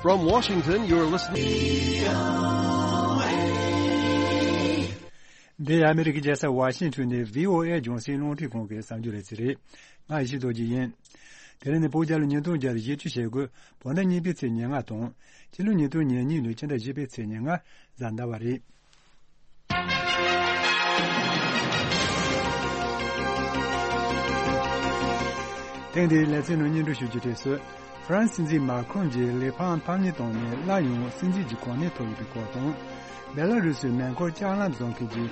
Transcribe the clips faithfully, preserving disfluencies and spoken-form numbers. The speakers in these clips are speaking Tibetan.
From Washington, you're listening. འདི་ཨ་མི་རི་ཀའི་རྒྱལ་ས་ཝ་ཤིང་ཊོན་ནས་བྷི་ཨོ་ཨེ་རྒྱང་སྲིང་རླུང་འཕྲིན་ཁང་གི་གསར་འགྱུར་ལས་ཚན་རེད། ང་ཡེ་ཤེས་རྡོ་རྗེ་ཡིན། དེ་རིང་ནི་བོད་རྒྱལ་ལོ་ཉིས་སྟོང་བརྒྱ་དང་བཞི་བཅུ་ཞེ་དགུ། བོད་ཟླ་གཉིས་པའི་ཚེས་ཉེར་ལྔ་དང་། སྤྱི་ལོ་ཉིས་སྟོང་ཉེར་གཉིས་ལོའི་ཕྱི་ཟླ་བཞི་པའི་ཚེས་ཉེར་ལྔ། གཟའ་ཟླ་བ་རེད། ཐེངས་འདིའི་ལེ་ཚན་ནང་སྙན་སྒྲོན་ཞུ་རྒྱུ་དེ་སུ། ཧྥ་རན་སི་སྲིད་འཛིན་མཱ་ཁྲོན་གྱིས་ལི་ཕང་ཕམ་ཉེས་བཏང་ནས་སླར་ཡང་སྲིད་འཛིན་གྱི་གོ་གནས་ཐོབ་ཡོད་པའི་སྐོར་དང་། བེ་ལ་རུ་སིའི་མེ་འཁོར་ལྕགས་ལམ་བཟོ་མཁན་གྱིས་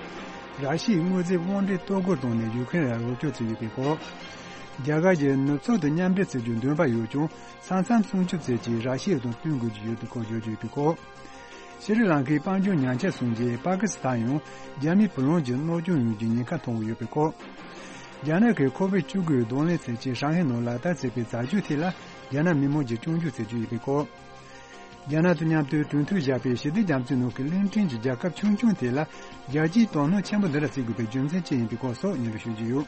ར་ཤི་ཡའི་དངོས་རྫས་དབང་འབྲེལ་གཏོར་རྒོལ་བཏང་ནས་ཡུ་ཁེ་རེན་ལ་རོགས་སྐྱོར་བྱས་ཡོད་པའི་སྐོར། རྒྱ་གར་གྱིས་ནུབ་ཕྱོགས་དང་མཉམ་འབྲེལ་བྱེད་རྒྱུའི་འདུན་པ་ཡོད་ཀྱང་། ས་མཚམས་སྲུང་སྐྱོབ་བྱེད་ཆེད་ར་ཤི་ཡ་དང་བསྟུན་དགོས་ཀྱི་ཡོད་པའི་སྐོར་བརྗོད་ཀྱི་ཡོད་པའི་སྐོར། ཤྲི་ལང་ཀའི་དཔལ་འབྱོར་ཉམས་ཆག་སོང་རྗེས་པ་ཀི་སི་ཐན་ཡང་རྒྱ་མིའི་བུ་ལོན་གྱི་གནོད་སྐྱོན་ཡོང་རྒྱུའི་ཉེན་ཁ་མཐོང་གི་ཡོད་པའི་སྐོར། རྒྱ་ནག་གིས་ཁོ་བིཌ་བཅུ་དགུའི་གདོང་ལེན་བྱེད་ཆེད་ཧྲང་ཧའེ་ནང་ལག་བསྟར་བྱས་པའི་རྫ་ཆུ་དེ་ལ་རྒྱ་ནག་མི་མང་གིས་སྐྱོན་བརྗོད་བྱེད་ཀྱི་ཡོད་པའི་སྐོར། རྒྱ་ནག་དང་མཉམ་དུ་གྲོས་མཐུན་བཞག་པའི་ཞི་བདེ་རྒྱ་མཚོའི་ནང་གི་གླིང་ཕྲན་གྱི་རྒྱལ་ཁབ་ཆུང་ཆུང་དེ་ལ་རྒྱལ་སྤྱིའི་དོ་སྣང་ཆེན་པོ་འདི་འདྲ་བྱེད་དགོས་པའི་རྒྱུ་མཚན་ཅི་ཡིན་པའི་སྐོར་སོགས་སྙན་སྒྲོན་ཞུ་རྒྱུ་ཡོད།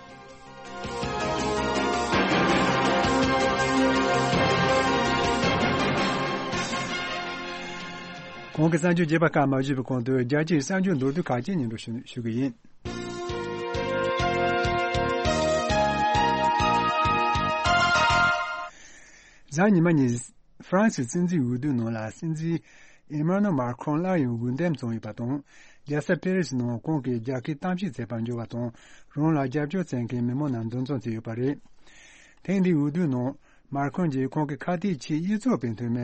གོང་གི་གསར་འགྱུར་རྒྱས་པ་སྐབས་མ་ཞུས་པའི་གོང་དུ་རྒྱལ་སྤྱིའི་གསར་འགྱུར་མདོར་བསྡུས་ཁག་ཅིག་སྙན་སྒྲོན་ཞུ་ཞུ་གི་ཡིན། གཟའ་ཉི་མ་ཉིན། ཧྥ་རན་སིའི་སྲིད་འཛིན་འོས་བསྡུའི་ནང་ལ་སྲིད་འཛིན་ཨེ་མ་ནུ་མཱ་ཁྲོན་སླར་ཡང་འོས་འདེམས་བྱུང་ཡོད་པ་དང་། རྒྱལ་ས་ཕེ་རི་སི་ནང་ཁོང་གིས་རྒྱལ་ཁའི་གཏམ་བཤད་བྱེད་པར་འབྱོར་བ་དང་། རང་ལ་རྒྱབ་སྐྱོར་བྱེད་མཁན་མི་མང་རྣམས་འདུ་འཛོམས་བྱས་ཡོད་པ་རེད། ཐེངས་འདིའི་འོས་བསྡུའི་ནང་མཱ་ཁྲོན་གྱིས་ཁོང་གི་ཁ་གཏད་ཆེས་གཡས་ཕྱོགས་པའི་འཐུས་མི་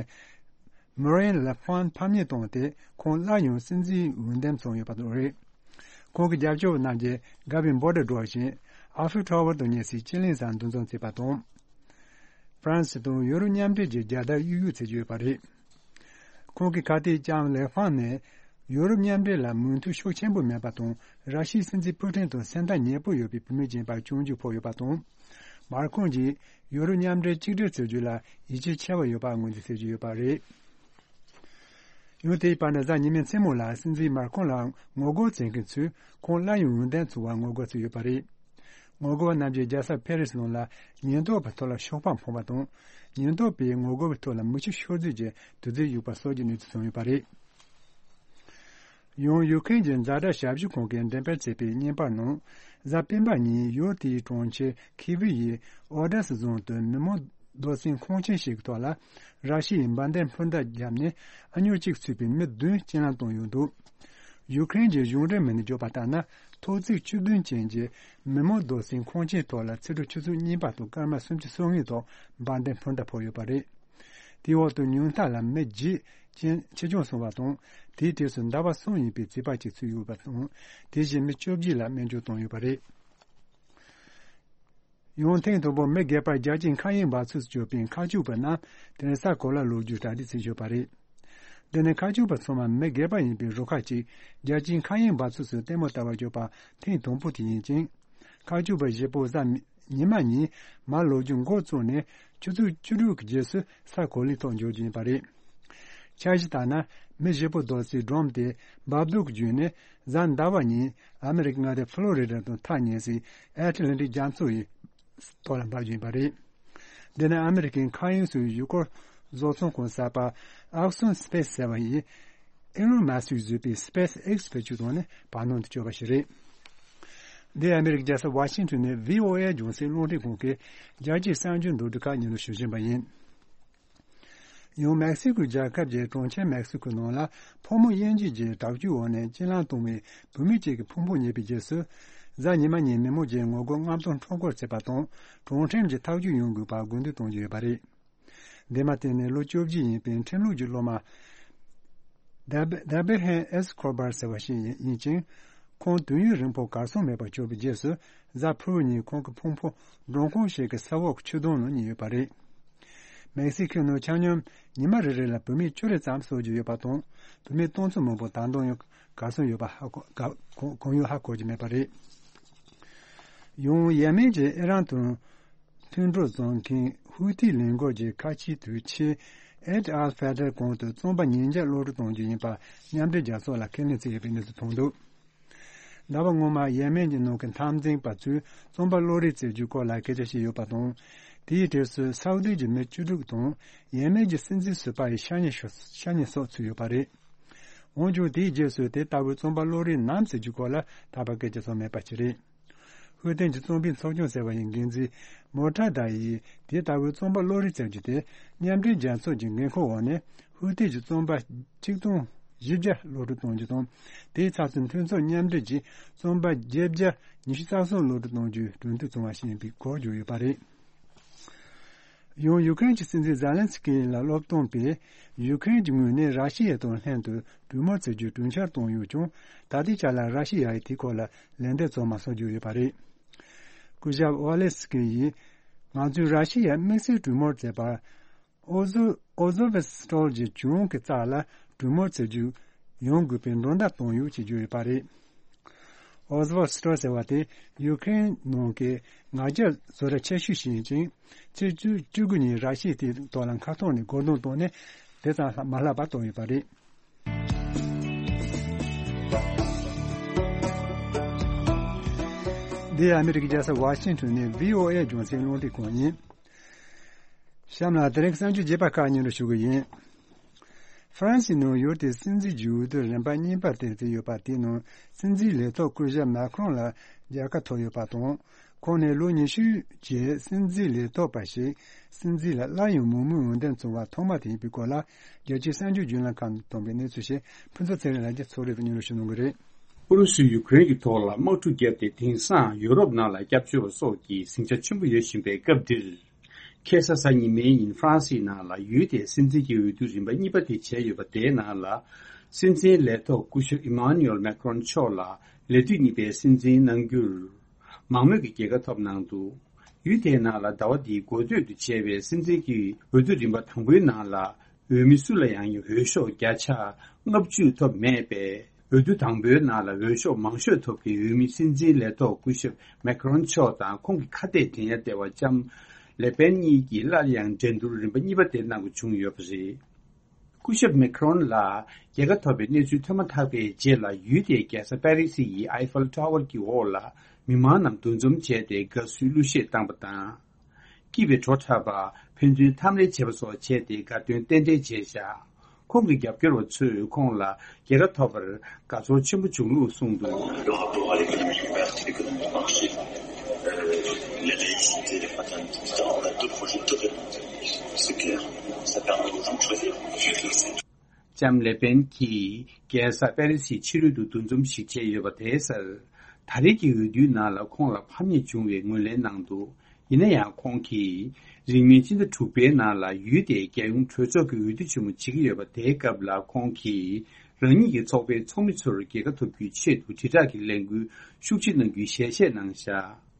མོ་རེན་ལེ་ཕན་ཕམ་ཉེས་བཏང་སྟེ། ཁོང་སླར་ཡང་སྲིད་འཛིན་འོས་འདེམས་བྱུང་ཡོད་པ་རེད། ཁོང་གི་རྒྱབ་སྐྱོར་བ་རྣམས་ཀྱིས་དགའ་བའི་འབོད་སྒྲ་སྒྲོག་བཞིན་ཨ་ཧྥེལ་ཊ་ཝར་དང་སྙེགས་སའི་སྤྱི་གླིང་སར་འདུ་འཛོམས་བྱས་པ་དང་། ཧྥ་རན་སི་དང་ཡུ་རོབ་མཉམ་འབྲེལ་གྱི་རྒྱལ་དར་གཡུག་གཡུག་བྱེད་ཀྱི་ཡོད་པ་རེད། ཁོང་གི་ཁ་གཏད་ལྕམ་ལེ་ཧྥང་ནས་ཡུ་རོབ་མཉམ་འབྲེལ་ལ་མོས་མཐུན་ཤུགས་ཆེན་པོ་མེད་པ་དང་། ར་ཤི་ཡའི་སྲིད་འཛིན་ཕུ་ཀྲིན་དང་སེམས་ཐག་ཉེ་པོ་ཡོད་པའི་བུད་མེད་ཅིག་ཡིན་པར་སྐྱོན་བརྗོད་ཕོག་ཡོད་པ་དང་། མར་ཁོང་གིས་ཡུ་རོབ་མཉམ་འབྲེལ་གཅིག་སྒྲིལ་བྱེད་རྒྱུ་ལ་ཡིད་ཆེས་ཆེ་བ་ཡོད་པ་ངོས་འཛིན་བྱེད་ཀྱི་ཡོད་པ་རེད། ཡང་དེའི་བར་ན་གཟའ་ཉི་མའི་མཚན་མོ་ལ་སྲིད་འཛིན་མར་ཁོང་ལ་ངོ་རྒོལ་བྱེད་མཁན་ཚོས་ཁོང་སླར་ཡང་འོས་འདེམས་བྱུང་བར་ངོ་རྒོལ་བྱས་ཡོད་པ་རེད། ངོ་རྒོལ་བ་རྣམས་ཀྱིས་རྒྱལ་ས་ཕེ་རི་སི་ནང་ལ་ཉེན་རྟོག་པའི་ཐོག་ལ་ཤོག་སྤགས་འཕངས་པ་དང་། ཉེན་རྟོག་པས་ངོ་རྒོལ་བའི་ཐོག་ལ་མེ་ཆུ་ཤོར་རྫས་ཀྱི་དུག་རྫས་གཡུགས་པ་སོགས་ཀྱི་གནས་ཚུལ་བྱུང་ཡོད་པ་རེད། ཡང་ཡུ་ཁེན་གྱི་ཛ་དྲག་ཞབས་ཞུ་ཁང་གིས་འགྲེམས་སྤེལ་བྱས་པའི་བརྙན་པར་ནང་། གཟའ་སྤེན་པ་ཉིན་ཡུལ་དེའི་གྲོང་ཁྱེར་ཁི་བི་ཡི་ཨོ་ཌེ་སི་རྫོང་དུ་མི་མང་རྡོ་སྲིན་ཁང་ཆེན་ཞིག་གི་ཐོག་ལ་ར་ཤི་ཡའི་འབར་མདེལ་འཕུར་མདའ་བརྒྱབ་ནས་ཨ་ཉོག་གཅིག་ཚུད་པའི་མི་བདུན་རྐྱེན་ལམ་བཏང་ཡོད་འདུག་ཡུ་ཁེན་གྱི་གཞུང་འབྲེལ་མི་སྣས་བརྗོད་པ་ལྟར་ན། ཐོག་བརྩེགས་བཅུ་བདུན་ཅན་གྱི་མི་མང་རྡོ་སྲིན་ཁང་ཆེན་ཐོག་ལ་ཕྱི་དྲོ་ཆུ་ཚོད་གཉིས་པ་དང་སྐར་མ་སུམ་ཅུ་སོ་ལྔའི་ཐོག་འབར་མདེལ་འཕུར་མདའ་ཕོག་ཡོད་པ་རེད། དེའི་འོག་ཏུ་ཉུང་མཐའ་ལ་མི་བརྒྱད་ཅན་ཆེད་སྦྱོང་སོང་བ་དང་། དེའི་གྲས་སུ་ཟླ་བ་གསུམ་ཡིན་པའི་བྱིས་པ་གཅིག་ཚུད་ཡོད་པ་དང་། དེ་བཞིན་མི་བཅོ་བརྒྱད་ལ་སྨན་བཅོས་བཏང་ཡོད་པ་རེད། ཡང་ཐེངས་དང་པོ་མི་སྒེར་པར་རྒྱལ་སྤྱིའི་མཁའ་དབྱིངས་འབབ་ཚིགས་སུ་གྱུར་པའི་མཁའ་སྤྱོད་པ་རྣམས་དེ་ནས་ས་གོ་ལར་ལོག་རྒྱུའི་གྲ་སྒྲིག་བྱེད་ཡོད་པ་རེད། འདི་ནི་མཁའ་སྤྱོད་པ་ཚང་མ་མི་སྒེར་པ་ཡིན་པའི་རུ་ཁག་ཅིག་རྒྱལ་སྤྱིའི་མཁའ་དབྱིངས་འབབ་ཚིགས་སུ་ལྟད་མོ་ལྟ་བར་འབྱོར་པ་ཐེངས་དང་པོ་དེ་ཡིན་ཅིང་། མཁའ་སྤྱོད་པ་བཞི་པོ་གཟའ་ཉི་མ་ཉིན་མར་ལོག་རྒྱུ་འགོ་བཙུགས་ནས་ཆུ་ཚོད་བཅུ་དྲུག་གི་རྗེས་སུ་ས་གོ་ལའི་ཐོག་འབྱོར་རྒྱུ་ཡིན་པ་རེད། འཆར་གཞི་ལྟར་ན། མི་བཞི་པོ་རྡོ་སའི་སྒྲོམ་དེ་འབབ་རྡོ་གི་བརྒྱུད་ནས་གཟའ་ཟླ་བ་ཉིན་ཨ་མི་རི་ཀའི་མངའ་སྡེ་ཕློ་རི་ཌ་དང་ཐག་ཉེ་སའི་ཨེ་ཊ་ལན་ཊིག་རྒྱ་མཚོ་ཡི་ཐོག་ལ་འབབ་རྒྱུ་ཡིན་པ་རེད། འདི་ནི་ཨ་མི་རི་ཀའི་མཁའ་དབྱིངས་སུ་ཡུལ་སྐོར་བཟོ་ཚོང་ཁང་གསར་པ་ཨེག་སོན་སི་པེ་སི་ཟེར་བ་ཡིས། ཨེ་ལོན་མཱ་སི་ཀིས་བཟོས་པའི་སི་པེ་སི་ཨེག་སི་བེད་སྤྱོད་བཏང་ནས་བར་སྣང་དུ་བསྐྱོད་པ་ཞིག་རེད། འདི་ཨ་མི་རི་ཀའི་རྒྱལ་ས་ཝ་ཤིང་ཊོན་ནས་བྷི་ཨོ་ཨེ་རྒྱང་སྲིང་རླུང་འཕྲིན་ཁང་གི་རྒྱལ་སྤྱིའི་གསར་འགྱུར་མདོར་བསྡུས་ཁག་སྙན་སྒྲོན་ཞུ་བཞིན་པ་ཡིན། ཡང་མེག་སི་ཀོ་རྒྱལ་ཁབ་ཀྱི་གྲོང་ཁྱེར་མེག་སི་ཀོའི་ནང་ལ་ཕོ་མོ་དབྱེ་འབྱེད་ཀྱི་དྲག་སྤྱོད་འོག་ནས་རྐྱེན་ལམ་བཏང་བའི་བུད་མེད་ཅིག་གི་ཕུང་པོ་རྙེད་པའི་རྗེས་སུ། གཟའ་ཉི་མ་ཉིན་མི་མང་གིས་ངོ་རྒོལ་མངགས་གཏོང་ཁྲོམ་སྐོར་བྱས་པ་དང་། གྲོང་ཁྲོམ་གྱི་ཐག་གཅོད་ཡོང་དགོས་པར་དགོས་འདུན་གཏོང་གི་ཡོད་པ་རེད། འདས་མ་ཐག་ནས་ལོ་བཅོ་བརྒྱད་ཡིན་པའི་ཁྲིམས་ལུགས་ཀྱི་སློབ་མ། ཌ་བྷི་ཌ་བྷི་ཧན་ཨེས་ཁོ་བར་ཟེར་བ་ཞིག་ཡིན་ཅིང་། ཁོང་དུས་ཡུན་རིང་པོ་གར་སོང་མེད་པར་གྱུར་པའི་རྗེས་སུ། གཟའ་ཕུར་བུ་ཉིན་ཁོང་གི་ཕུང་པོ་མགྲོན་ཁང་ཞིག་གི་ས་འོག་གི་ཆུ་དོང་ནང་རྙེད་ཡོད་པ་རེད། མེག་སི་ཁོའི་ནང་ཆ་སྙོམས་ཉི་མ་རེ་རེ་ལ་བུད་མེད་བཅུ་རེ་ཙམ་གསོད་རྒྱུ་ཡོད་པ་དང་། བུད་མེད་སྟོང་ཚོ་མང་པོ་ད་དུང་ཡང་གར་སོང་ཡོད་པ་ཧ་གོ་ག་གང་ཡང་ཧ་གོ་རྒྱུ་མེད་པ་རེད། ཡང་ཡེ་མེན་གྱི་ཨི་རན་དང་མཐུན་གྲོགས་བཟོ་མཁན་ཧུ་ཐི་ལས་འགུལ་གྱི་ཁ་ཆེའི་དུས་ཆེན་ཨེད་ཨལ་ཕེ་ཏར་གོང་དུ་རྩམ་པ་ཉིས་བརྒྱ་གློད་གྲོལ་གཏོང་རྒྱུ་ཡིན་པ་མཉམ་འབྲེལ་རྒྱལ་ཚོགས་ལ་ཁས་ལེན་བྱས་ཡོད་པའི་གནས་ཚུལ་ཐོན་འདུག་ཟླ་བ་སྔོན་མ་ཡེ་མེན་གྱི་ནང་གི་འཐབ་འཛིང་པ་ཚོས་རྩམ་པ་གློད་གྲོལ་བྱེད་རྒྱུའི་སྐོར་ལ་སྐད་ཆ་བཤད་ཡོད་པ་དང་། དེའི་གྲས་སུ་སའུ་དི་གྱི་མི་བཅུ་དྲུག་དང་ཡེ་མེན་གྱི་སྲིད་འཛིན་ཟུར་པ་ཡི་ཤ་ཉེ་ཤོ་ཤ་ཉེ་སོགས་ཚུད་ཡོད་པ་རེད། འོན་ཀྱང་དེའི་རྗེས་སུ་དེ་ལྟ་བུའི་རྩོམ་པ་བློ་རིག་ནམ་ཟེར་རྒྱུའི་སྐོར་ལ་ད་བར་སྐད་ཆ་ཚོར་མེད་པ་ཞིག་རེད། ཧུའུ་ཏན་གྱི་རྩོམ་པའི་ཚོགས་ཆུང་ཟེར་བ་ཡི་འགན་འཛིན་མོ་ཁྲ་ད་ཡིས་དེ་ལྟ་བུའི་རྩོམ་པ་བློ་རིག་ཟེར་རྒྱུ་དེ་མཉམ་འབྲེལ་རྒྱལ་ཚོགས་ཀྱི་འགན་ཁུར་འོག་ནས་ཧུའུ་ཏན་གྱི་རྩོམ་པ་ཆིག་སྟོང་བཞི་བརྒྱ་གློད་གྲོལ་གཏོང་རྒྱུ་དང་། དེའི་ཚབ་ཏུ་མཐུན་ཚོགས་མཉམ་འབྲེལ་གྱིས་རྩོམ་པ་བརྒྱད་བརྒྱ་ཉི་ཤུ་རྩ་གསུམ་གློད་གྲོལ་གཏོང་རྒྱུའི་གྲོས་མཐུན་བྱུང་བ་ཞིག་ཡིན་པའི་སྐོར་བརྗོད་ཡོད་པ་རེད། ཡང་ཡུ་ཀེ་རེན་གྱི་སྲིད་འཛིན་ཛེ་ལན་སི་ཀི་ལ་སློབ་སྟོན་པས་ཡུ་ཀེ་རེན་གྱི་ངོས་ནས་ར་ཤི་ཡ་དང་ལྷན་དུ་གྲོས་མོལ་བྱེད་རྒྱུའི་གྲོས་འཆར་བཏོན་ཡོད་ཀྱང་། ད་ལྟའི་ཆ་ལ་ར་ཤི་ཡ་ཡིས་དེའི་སྐོར་ལ་ལན་འདེབས་བྱུང་མ་སོང་བརྗོད་ཡོད་པ་རེད། སྐུ་ཞབས་ཝ་ལེ་སི་ཀི་ཡིས་ང་ཚོས་ར་ཤི་ཡ་དམིགས་བསལ་གྲོས་མོལ་བྱས་པ། ཨོ་ཟོ་ཨོ་ཟོ་བྷི་སི་ཊོལ་གྱི་ལྗོངས་ཀྱི་རྩ་ལ་གྲོས་མོལ་བྱེད་རྒྱུ་ཡོང་དགོས་པའི་མདོ་འདྲ་བཏོན་ཡོད་ཅེས་བརྗོད་ཡོད་པ་རེད། ཨོ་ཟོ་བྷི་སི་ཊོལ་ཟེར་བ་དེ་ཡུ་ཀེ་རེན་ནང་གི་ང་རྒྱལ་བཟོ་གྲྭ་ཆེ་ཤོས་ཤིག་ཡིན་ཅིང་། ཕྱི་ཚེས་བཅུ་དགུ་ཉིན་ར་ཤི་ཡའི་དེའི་ཐོག་ལ་མཁར་ཐོག་ནས་རྒོལ་རྡུང་བཏང་ནས་དེ་ཙམ་མ་ལྷག་པ་བཏང་ཡོད་པ་རེད། འདི་ཨ་མི་རི་ཀའི་རྒྱལ་ས་ཝ་ཤིང་ཊོན་ནས་བྷི་ཨོ་ཨེ་རྒྱང་སྲིང་རླུང་འཕྲིན་ཁང་ཡིན། གཤམ་ལ་དེ་རིང་གསར་འགྱུར་རྒྱས་པ་ཁག་སྙན་སྒྲོན་ཞུ་གི་ཡིན། ཧྥ་རན་སིའི་ནང་ཡུལ་དེའི་སྲིད་འཛིན་གྱི་འོས་བསྡུ་རིམ་པ་གཉིས་པ་དེ་བརྩིས་ཡོད་པ་དེའི་ནང་སྲིད་འཛིན་ལས་ཐོག་སྐུ་ཞབས་མཱ་ཁྲོན་ལ་རྒྱལ་ཁ་ཐོབ་ཡོད་པ་དང་། ཁོང་ནས་ལོ་ཉི་ཤུ་རྗེས་སྲིད་འཛིན་ལས་ཐོག་པ་ཞིག་སྲིད་འཛིན་ལ་སླར་ཡང་མང་མོས་འོས་འདེམས་བྱུང་བ་ཐོག་མ་དེ་ཡིན་པའི་སྐོར་ལ། རྒྱལ་སྤྱིའི་གསར་འགྱུར་བརྒྱུད་ལམ་ཁག་ནས་ཐོན་པའི་གནས་ཚུལ་ཞིག་ཕུན་ཚོགས་ཚེ་རིང་ལགས་ཀྱིས་ཚོགས་རིས་སུ་སྙན་སྒྲོན་ཞུ་གནང་གི་རེད། ཨུ་རུ་སུས་ཡུ་ཀེ་རེན་གྱི་ཐོག་ལ་དམག་འཁྲུག་བརྒྱབ་སྟེ། དེང་སང་ཡུ་རོབ་ནང་ལ་སྐྱབས་བཅོལ་བ་སོགས་ཀྱི་ཟིང་ཆ་ཆེན་པོ་ཡོད་བཞིན་པའི་སྐབས་འདིར། ཁ་སང་གཟའ་ཉི་མའི་ཉིན་ཧྥ་རན་སིའི་ནང་ལ་ཡུལ་དེའི་སྲིད་འཛིན་གྱི་འོས་བསྡུ་རིམ་པ་གཉིས་པ་དེ་བྱས་ཡོད་པ་དེའི་ནང་ལ། སྲིད་འཛིན་ལས་ཐོག་སྐུ་ཞབས་ཨི་མཱ་ནུ་ཨེལ་མཱ་ཁྲོན་མཆོག་ལ་ལས་དུས་གཉིས་པའི་སྲིད་འཛིན་གནང་རྒྱུར་མང་མོས་ཀྱི་རྒྱལ་ཁ་ཐོབ་གནང་འདུག་ཡུལ་དེའི་ནང་ལ་ཟླ་བ་འདིའི་འགོ་སྟོད་དུ་བྱས་པའི་སྲིད་འཛིན་གྱི་འོས་བསྡུ་རིམ་པ་དང་པོའི་ནང་ལ། འོས་མི་སུ་ལ་ཡང་འོས་ཤོག་བརྒྱ་ཆ་ལྔ་བཅུ་ཐོབ་མེད་པས། འོས་བསྡུ་དང་པོའི་ནང་ལ་འོས་ཤོག་མང་ཤོས་ཐོབ་པའི་འོས་མི་སྲིད་འཛིན་ལས་ཐོག་སྐུ་ཞབས་མེ་ཁ་རོན་མཆོག་དང་ཁོང་གི་ཁ་གཏད་འགྲན་ཡ་ལྟེ་བ་ལྕམ་ལེ་པེན་གཉིས་ཀྱིས་སླར་ཡང་འགྲན་བསྡུར་རིམ་པ་གཉིས་པ་དེ་གནང་དགོས་བྱུང་ཡོད་པ་རེད། སྐུ་ཞབས་མེ་ཁ་རོན་ལ་རྒྱལ་ཁ་ཐོབ་པའི་གནས་ཚུལ་ཐོན་མ་ཐག་པའི་རྗེས་ལ། ཡུལ་དེའི་རྒྱལ་ས་པེ་རི་སི་ཡི་ཨའི་ཧྥེལ་ཊ་ཝར་གྱི་འོག་ལ་མི་མང་རྣམས་འདུ་འཛོམས་བྱས་ཏེ་དགའ་བསུའི་གླུ་གཞས་བཏང་པ་དང་། སྐྱིད་པའི་བྲོ་འཁྲབ་པ། ཕན་ཚུན་འཐམ་རེས་བྱེད་པ་སོགས་བྱས་ཏེ་དགའ་སྟོན་རྟེན་འབྲེལ་བྱས་བཞག་ཁོང་གི་རྒྱབ་སྐྱོར་བ་ཚོས་ཁོང་ལ་རྒྱལ་ཁ་ཐོབ་པར་དགའ་ཚོར་ཆེན་པོ་བྱུང་ལུགས་གསུངས་འདུག་ལྕམ་ལེ་པེན་གྱིས་རྒྱལ་ས་པེ་རི་སིའི་ཕྱི་རོལ་དུ་འདུ་འཛོམས་ཤིག་བྱས་ཡོད་པ་དེའི་སར། ད་རེས་ཀྱི་འོས་བསྡུའི་ནང་ལ་ཁོང་ལ་ཕམ་ཉེས་བྱུང་བའི་ངོས་ལེན་གནང་འདུག་ཡིན་ན་ཡང་ཁོང་གིས་རིང་མིན་སྤྱི་ཟླ་དྲུག་པའི་ནང་ལ་ཡུལ་དེའི་རྒྱལ་ཡོངས་གྲོས་ཚོགས་ཀྱི་འོས་བསྡུ་ཆེན་མོ་བྱེད་ཀྱི་ཡོད་པ་དེའི་སྐབས་ལ་ཁོང་གིས་རང་ཉིད་ཀྱི་ཚོགས་པའི་ཚོགས་མི་ཚོར་རྒྱལ་ཁ་ཐོབ་རྒྱུའི་ཆེད་དུ་དྲིལ་བསྒྲགས་ཀྱི་ལས་འགུལ་ཤུགས་ཆེ་གནང་རྒྱུའི་ཞལ་བཞེས་གནང་བཞག་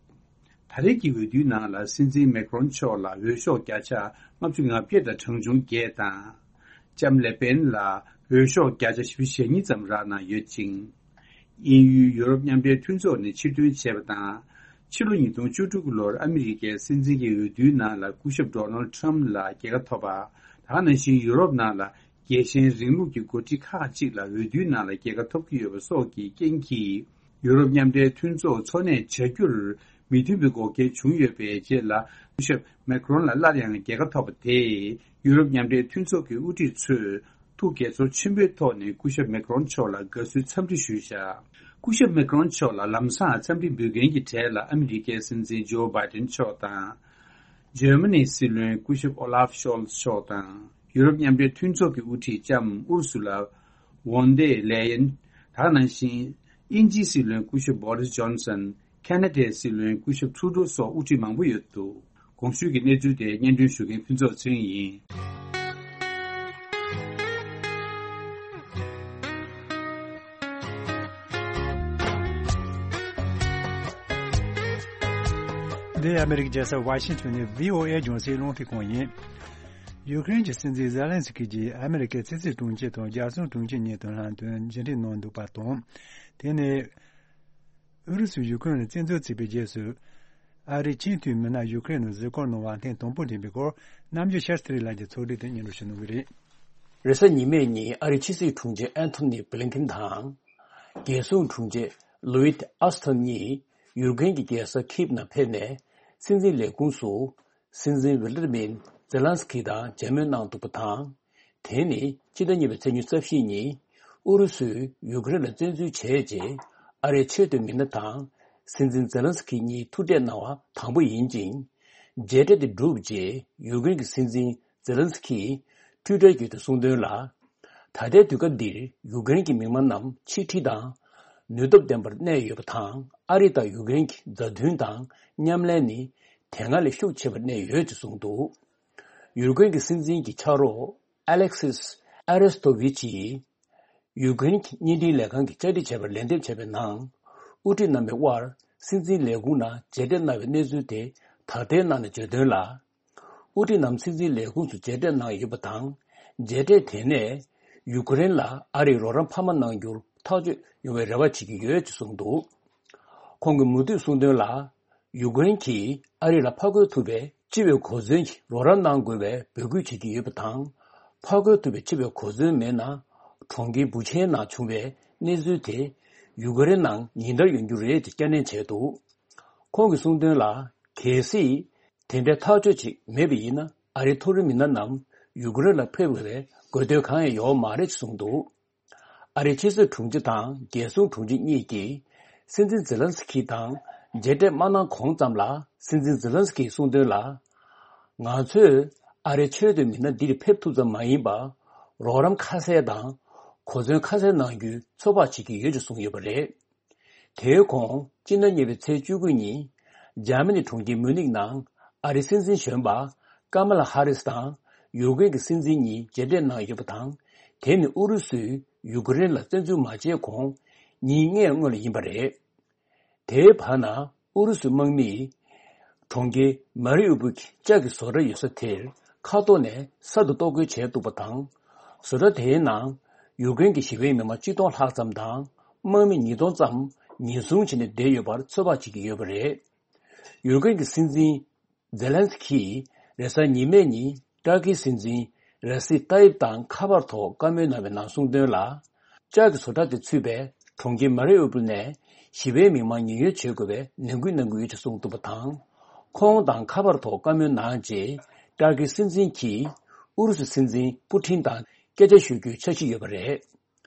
ད་རེས་ཀྱི་འོས་བསྡུའི་ནང་ལ་སྲིད་འཛིན་མེ་ཁ་རོན་མཆོག་ལ་འོས་ཤོག་བརྒྱ་ཆ་ལྔ་བཅུ་ང་བརྒྱད་དང་གྲངས་ཆུང་བརྒྱད་དང་། ལྕམ་ལེ་པེན་ལ་འོས་ཤོག་བརྒྱ་ཆ་བཞི་བཅུ་ཞེ་གཉིས་ཙམ་རག་གནང་ཡོད་ཅིང་། དབྱིན་ཡུལ་ཡུ་རོབ་མཉམ་འབྲེལ་མཐུན་ཚོགས་ནས་ཕྱིར་ཐོན་བྱས་པ་དང་། ཕྱི་ལོ་ཉིས་སྟོང་བཅུ་དྲུག་ལོར་ཨ་མི་རི་ཀའི་སྲིད་འཛིན་གྱི་འོས་བསྡུའི་ནང་ལ་སྐུ་ཞབས་ཌོ་ནལ་ཁྲམ་ལ་རྒྱལ་ཁ་ཐོབ་པ། ད་ག་ནང་བཞིན་ཡུ་རོབ་ནང་ལ་རྒྱལ་ཞེན་རིང་ལུགས་ཀྱི་འགོ་ཁྲིད་ཁག་ཅིག་ལ་འོས་བསྡུའི་ནང་ལ་རྒྱལ་ཁ་ཐོབ་ཀྱི་ཡོད་པ་སོགས་ཀྱི་རྐྱེན་གྱིས། ཡུ་རོབ་མཉམ་འབྲེལ་མཐུན་ཚོགས་འཚོ་གནས་བྱ་རྒྱུར་མི་མཐུན་པའི་འགོག་རྐྱེན་བྱུང་ཡོད་པའི་རྗེས་ལ། སྐུ་ཞབས་མེ་ཁ་རོན་ལ་སླར་ཡང་རྒྱལ་ཁ་ཐོབ་པ་དེས་ཡུ་རོབ་མཉམ་འབྲེལ་མཐུན་ཚོགས་ཀྱི་དབུ་ཁྲིད་ཚོས་ཐུགས་དགྱེས་ཚོར་ཆེན་པོའི་ཐོག་ནས་སྐུ་ཞབས་མེ་ཁ་རོན་མཆོག་ལ་དགའ་བསུའི་འཚམས་འདྲི་ཞུས་བཞག་སྐུ་ཞབས་མེ་ཁ་རོན་མཆོག་ལ་ལམ་སང་འཚམས་འདྲི་འབུལ་མཁན་གྱི་གྲས་ལ་ཨ་མི་རི་ཀའི་སྲིད་འཛིན་ཇོ་བྷའི་ཏིན་མཆོག་དང་། འཇར་མ་ནིའི་སྲིད་བློན་སྐུ་ཞབས་ཨོ་ལཱབ་ཤོལ་ཚ་མཆོག་དང་། ཡུ་རོབ་མཉམ་འབྲེལ་མཐུན་ཚོགས་ཀྱི་དབུ་ཁྲིད་ལྕམ་ཨུར་སུ་ལ་ཝོན་ཏེ་ལེ་ཡན། ད་ག་ནང་བཞིན་དབྱིན་ཇིའི་སྲིད་བློན་སྐུ་ཞབས་བྷོ་རིས་ཇོན་སན། ཁ་ན་ཌའི་སྲིད་བློན་སྐུ་ཞབས་ཁྲུ་ཌོ་སོགས་དབུ་ཁྲིད་མང་པོ་ཡོད་འདུག་གོང་ཞུས་ཀྱི་གནས་ཚུལ་དེ་སྙན་སྒྲོན་ཞུ་མཁན་ཕུན་ཚོགས་ཚེ་རིང་ཡིན། འདི་ཨ་མི་རི་ཀའི་རྒྱལ་ས་ཝ་ཤིང་ཊོན་ནས་བྷི་ཨོ་ཨེ་རྒྱང་སྲིང་རླུང་འཕྲིན་ཁང་ཡིན། ཡུ་ཀེ་རེན་གྱི་སྲིད་འཛིན་ཛེ་ལན་སི་ཀི་གྱིས་ཨ་མི་རི་ཀའི་ཕྱི་སྲིད་དྲུང་ཆེ་དང་རྒྱལ་སྲུང་དྲུང་ཆེ་གཉིས་དང་ལྷན་དུ་མཇལ་འཕྲད་གནང་འདུག་པ་དང་། དེ་ནས་ཨུ་རུ་སུས་ཡུ་ཀེ་རེན་ལ་བཙན་འཛུལ་བྱས་པའི་རྗེས་སུ། ཨ་རིའི་ཆེས་མཐོའི་མི་སྣ་ཡུ་ཀེ་རེན་ནང་གཟིགས་སྐོར་གནང་བ་ཐེངས་དང་པོ་འགྲིམས་པའི་སྐོར། རྣམ་དཔྱོད་ཤར་སྟེ་རིང་ལགས་ཀྱིས་ཚོགས་སྒྲིག་དེ་སྙན་སྒྲོན་ཞུ་གནང་གི་རེད། རེས་གཟའ་ཉི་མའི་ཉིན་ཨ་རིའི་ཕྱི་སྲིད་དྲུང་ཆེ་ཨན་ཐོ་ནི་བྷི་ལིན་ཁིན་དང་། རྒྱལ་སྲུང་དྲུང་ཆེ་ལུའིད་ཨ་སི་ཐོན་གཉིས་ཡུ་ཀེ་རེན་གྱི་རྒྱལ་ས་ཁིབ་ནང་ཕེབས་ནས། སྲིད་འཛིན་ལས་ཁུངས་སུ་ སྲིད་འཛིན་ཝི་ལ་ཏི་མིར་ཛེ་ལན་སི་ཁི་དང་མཇལ་མོལ་གནང་འདུག་པ་དང་། དེ་ནི་སྤྱི་ཟླ་གཉིས་པའི་ཚེས་ཉི་ཤུ་རྩ་བཞི་ཉིན་ཨུ་རུ་སུས་ཡུ་ཀེ་རེན་ལ་བཙན་འཛུལ་བྱས་རྗེས་ཨ་རིའི་ཆེས་མཐོའི་མི་སྣ་དང་སྲིད་འཛིན་ཛེ་ལན་སི་ཁི་གཉིས་ཐུག་འཕྲད་གནང་བ་དང་པོ་ཡིན་ཅིང་། མཇལ་འཕྲད་དེ་གྲུབ་རྗེས་ཡུ་ཀེ་རེན་གྱི་སྲིད་འཛིན་ཛེ་ལན་སི་ཁིས་ཊུའི་ཊར་བརྒྱུད་དུ་གསུངས་དོན་ལ། ད་ལྟའི་དུས་སྐབས་འདིར་ཡུ་ཀེ་རེན་གྱི་མི་མང་རྣམས་ཆིག་སྒྲིལ་དང་ནུས་སྟོབས་ལྡན་པར་གནས་ཡོད་པ་དང་། ཨ་རི་དང་ཡུ་ཀེ་རེན་གྱི་མཛའ་མཐུན་དང་མཉམ་ལས་ནི་དེ་སྔ་ལས་ཤུགས་ཆེ་བར་གནས་ཡོད་ཅེས་གསུངས་འདུག་ཡུ་ཀེ་རེན་གྱི་སྲིད་འཛིན་གྱི་ཕྱག་རོགས་ཨ་ལེག་སིས་ཨ་རེ་སྟོ་ཝི་ཆིས་ཡུ་ཀེ་རེན་གྱི་བརྙན་འཕྲིན་ལས་ཁང་གིས་བཅར་འདྲི་བྱས་པར་ལན་འདེབས་བྱས་པའི་ནང་། དབུ་ཁྲིད་རྣམ་པའི་དབར་སྲིད་འཛིན་ལས་ཁུངས་ནང་མཇལ་འཕྲད་གནང་བའི་གནས་ཚུལ་དེ་དག་ཐེར་གནང་ནས་བརྗོད་དོན་ལ། དབུ་ཁྲིད་རྣམས་སྲིད་འཛིན་ལས་ཁུངས་སུ་མཇལ་འཕྲད་གནང་ཡོད་པ་དང་། མཇལ་འཕྲད་དེ་ནས་ཡུ་ཀེ་རེན་ལ་ཨ་རིས་རོགས་རམ་འཕར་མ་གནང་རྒྱུར་ཐག་གཅོད་ཡོང་བའི་རེ་བ་བྱེད་ཀྱི་ཡོད་ཅེས་གསུངས་འདུག་ཁོང་གིས་མུ་མཐུད་གསུངས་དོན་ལ། ཡུ་ཀེ་རེན་གྱིས་ཨ་རི་ལ་ཕར་རྒོལ་ཐུབ་པའི་སྤྱི་པའི་གོ་མཚོན་གྱི་རོགས་རམ་གནང་དགོས་པའི་འབོད་སྐུལ་བྱེད་ཀྱི་ཡོད་པ་དང་། ཕར་རྒོལ་ཐུབ་པའི་སྤྱི་པའི་གོ་མཚོན་མེད་ན། གྲོང་ཁྱེར་བུ་ཆེན་ནང་བྱུང་བའི་གནས་ཚུལ་དེ་ཡུ་ཀེ་རེན་ནང་ཉིན་ལྟར་ཡོང་རྒྱུ་རེད་ཅེས་བསྐྱར་ནན་བྱས་འདུག་ཁོང་གིས་གསུངས་དོན་ལ། གལ་སྲིད་དེ་འདྲའི་ཐག་གཅོད་ཅིག་མེད་པ་ཡིན་ན། ཨ་རིའི་མཐོ་རིམ་མི་སྣ་རྣམས་ཡུ་ཀེ་རེན་ལ་ཕེབས་དགོས་པའི་དགོས་འདུན་གང་ཡང་ཡོད་མ་རེད་ཅེས་གསུངས་འདུག་ཨ་རིའི་ཕྱི་སྲིད་དྲུང་ཆེ་དང་རྒྱལ་སྲུང་དྲུང་ཆེ་གཉིས་ཀྱིས་སྲིད་འཛིན་ཛེ་ལན་སི་ཁི་དང་མཇལ་འཕྲད་མ་གནང་གོང་ཙམ་ལ། སྲིད་འཛིན་ཛེ་ལན་སི་ཁིས་གསུངས་དོན་ལ། ང་ཚོས་ཨ་རིའི་ཆེས་མཐོའི་མི་སྣ་འདིར་ཕེབས་ཐུབ་ཙམ་མ་ཡིན་པར། རོགས་རམ་ཁ་གསལ་དང་གོ་མཚོན་ཁ་གསལ་གནང་རྒྱུའི་ཚོད་དཔག་བྱེད་ཀྱི་ཡོད་ཅེས་གསུངས་ཡོད་པ་རེད། དེའི་གོང་སྤྱི་ཟླ་གཉིས་པའི་ཚེས་བཅུ་དགུ་ཉིན། འཇར་མ་ནི་གྲོང་ཁྱེར་མུ་ནིག་ནང་ཨ་རིའི་སྲིད་འཛིན་གཞོན་པ་ཀ་མ་ལ་ཧ་རིས་དང་ཡུ་ཀེ་རེན་གྱི་སྲིད་འཛིན་གཉིས་མཇལ་འཕྲད་གནང་ཡོད་པ་དང་། དེ་ནི་ཨུ་རུ་སུས་ཡུ་ཀེ་རེན་ལ་བཙན་འཛུལ་མ་བྱས་གོང་ཉིན་ལྔའི་སྔོན་ལ་ཡིན་པ་རེད། དེའི་བར་ན་ཨུ་རུ་སུའི་དམག་མིས་གྲོང་ཁྱེར་མ་རི་ཨུ་པུལ་གྱི་ལྕགས་ཀྱི་བཟོ་གྲྭ་ཡོད་ས་དེར་མཁའ་ཐོག་ནས་གསར་དུ་གཏོར་རྒོལ་བྱས་འདུག་པ་དང་། བཟོ་གྲྭ་དེའི་ནང་ཡུ་ཀེ་རེན་གྱི་ཞི་བའི་མི་མང་ཆིག་སྟོང་ལྷག་ཙམ་དང་། དམག་མི་ཉིས་སྟོང་ཙམ་ཉེན་སྲུང་བྱས་ནས་བསྡད་ཡོད་པར་ཚོད་དཔག་བྱེད་ཀྱི་ཡོད་པ་རེད། ཡུ་ཀེ་རེན་གྱི་སྲིད་འཛིན་ཛེ་ལན་སི་ཁིས་རེས་གཟའ་ཉི་མའི་ཉིན་ཏར་ཀིའི་སྲིད་འཛིན་རེ་སི་ཏཱ་ཡིབ་ཏང་ཁ་པར་ཐོག་བཀའ་མོལ་གནང་བའི་ནང་གསུངས་དོན་ལ། ལྕགས་ཀྱི་བཟོ་གྲྭ་དེ་ཚུད་པའི་གྲོང་ཁྱེར་མ་རི་ཨུ་པུལ་ནས་ཞི་བའི་མི་མང་ཉེན་གཡོལ་བྱེད་དགོས་པའི་ནན་སྐུལ་གནང་གི་ཡོད་ཅེས་གསུངས་འདུག་པ་དང་། ཁོང་དང་ཁ་པར་ཐོག་བཀའ་མོལ་གནང་རྗེས། ཏར་ཀིའི་སྲིད་འཛིན་གྱིས་ཨུ་རུ་སུའི་སྲིད་འཛིན་པུ་ཊིན་དང་སྐད་ཆ་ཞུ་རྒྱུའི་འཆར་གཞི་ཡོད་པ་རེད།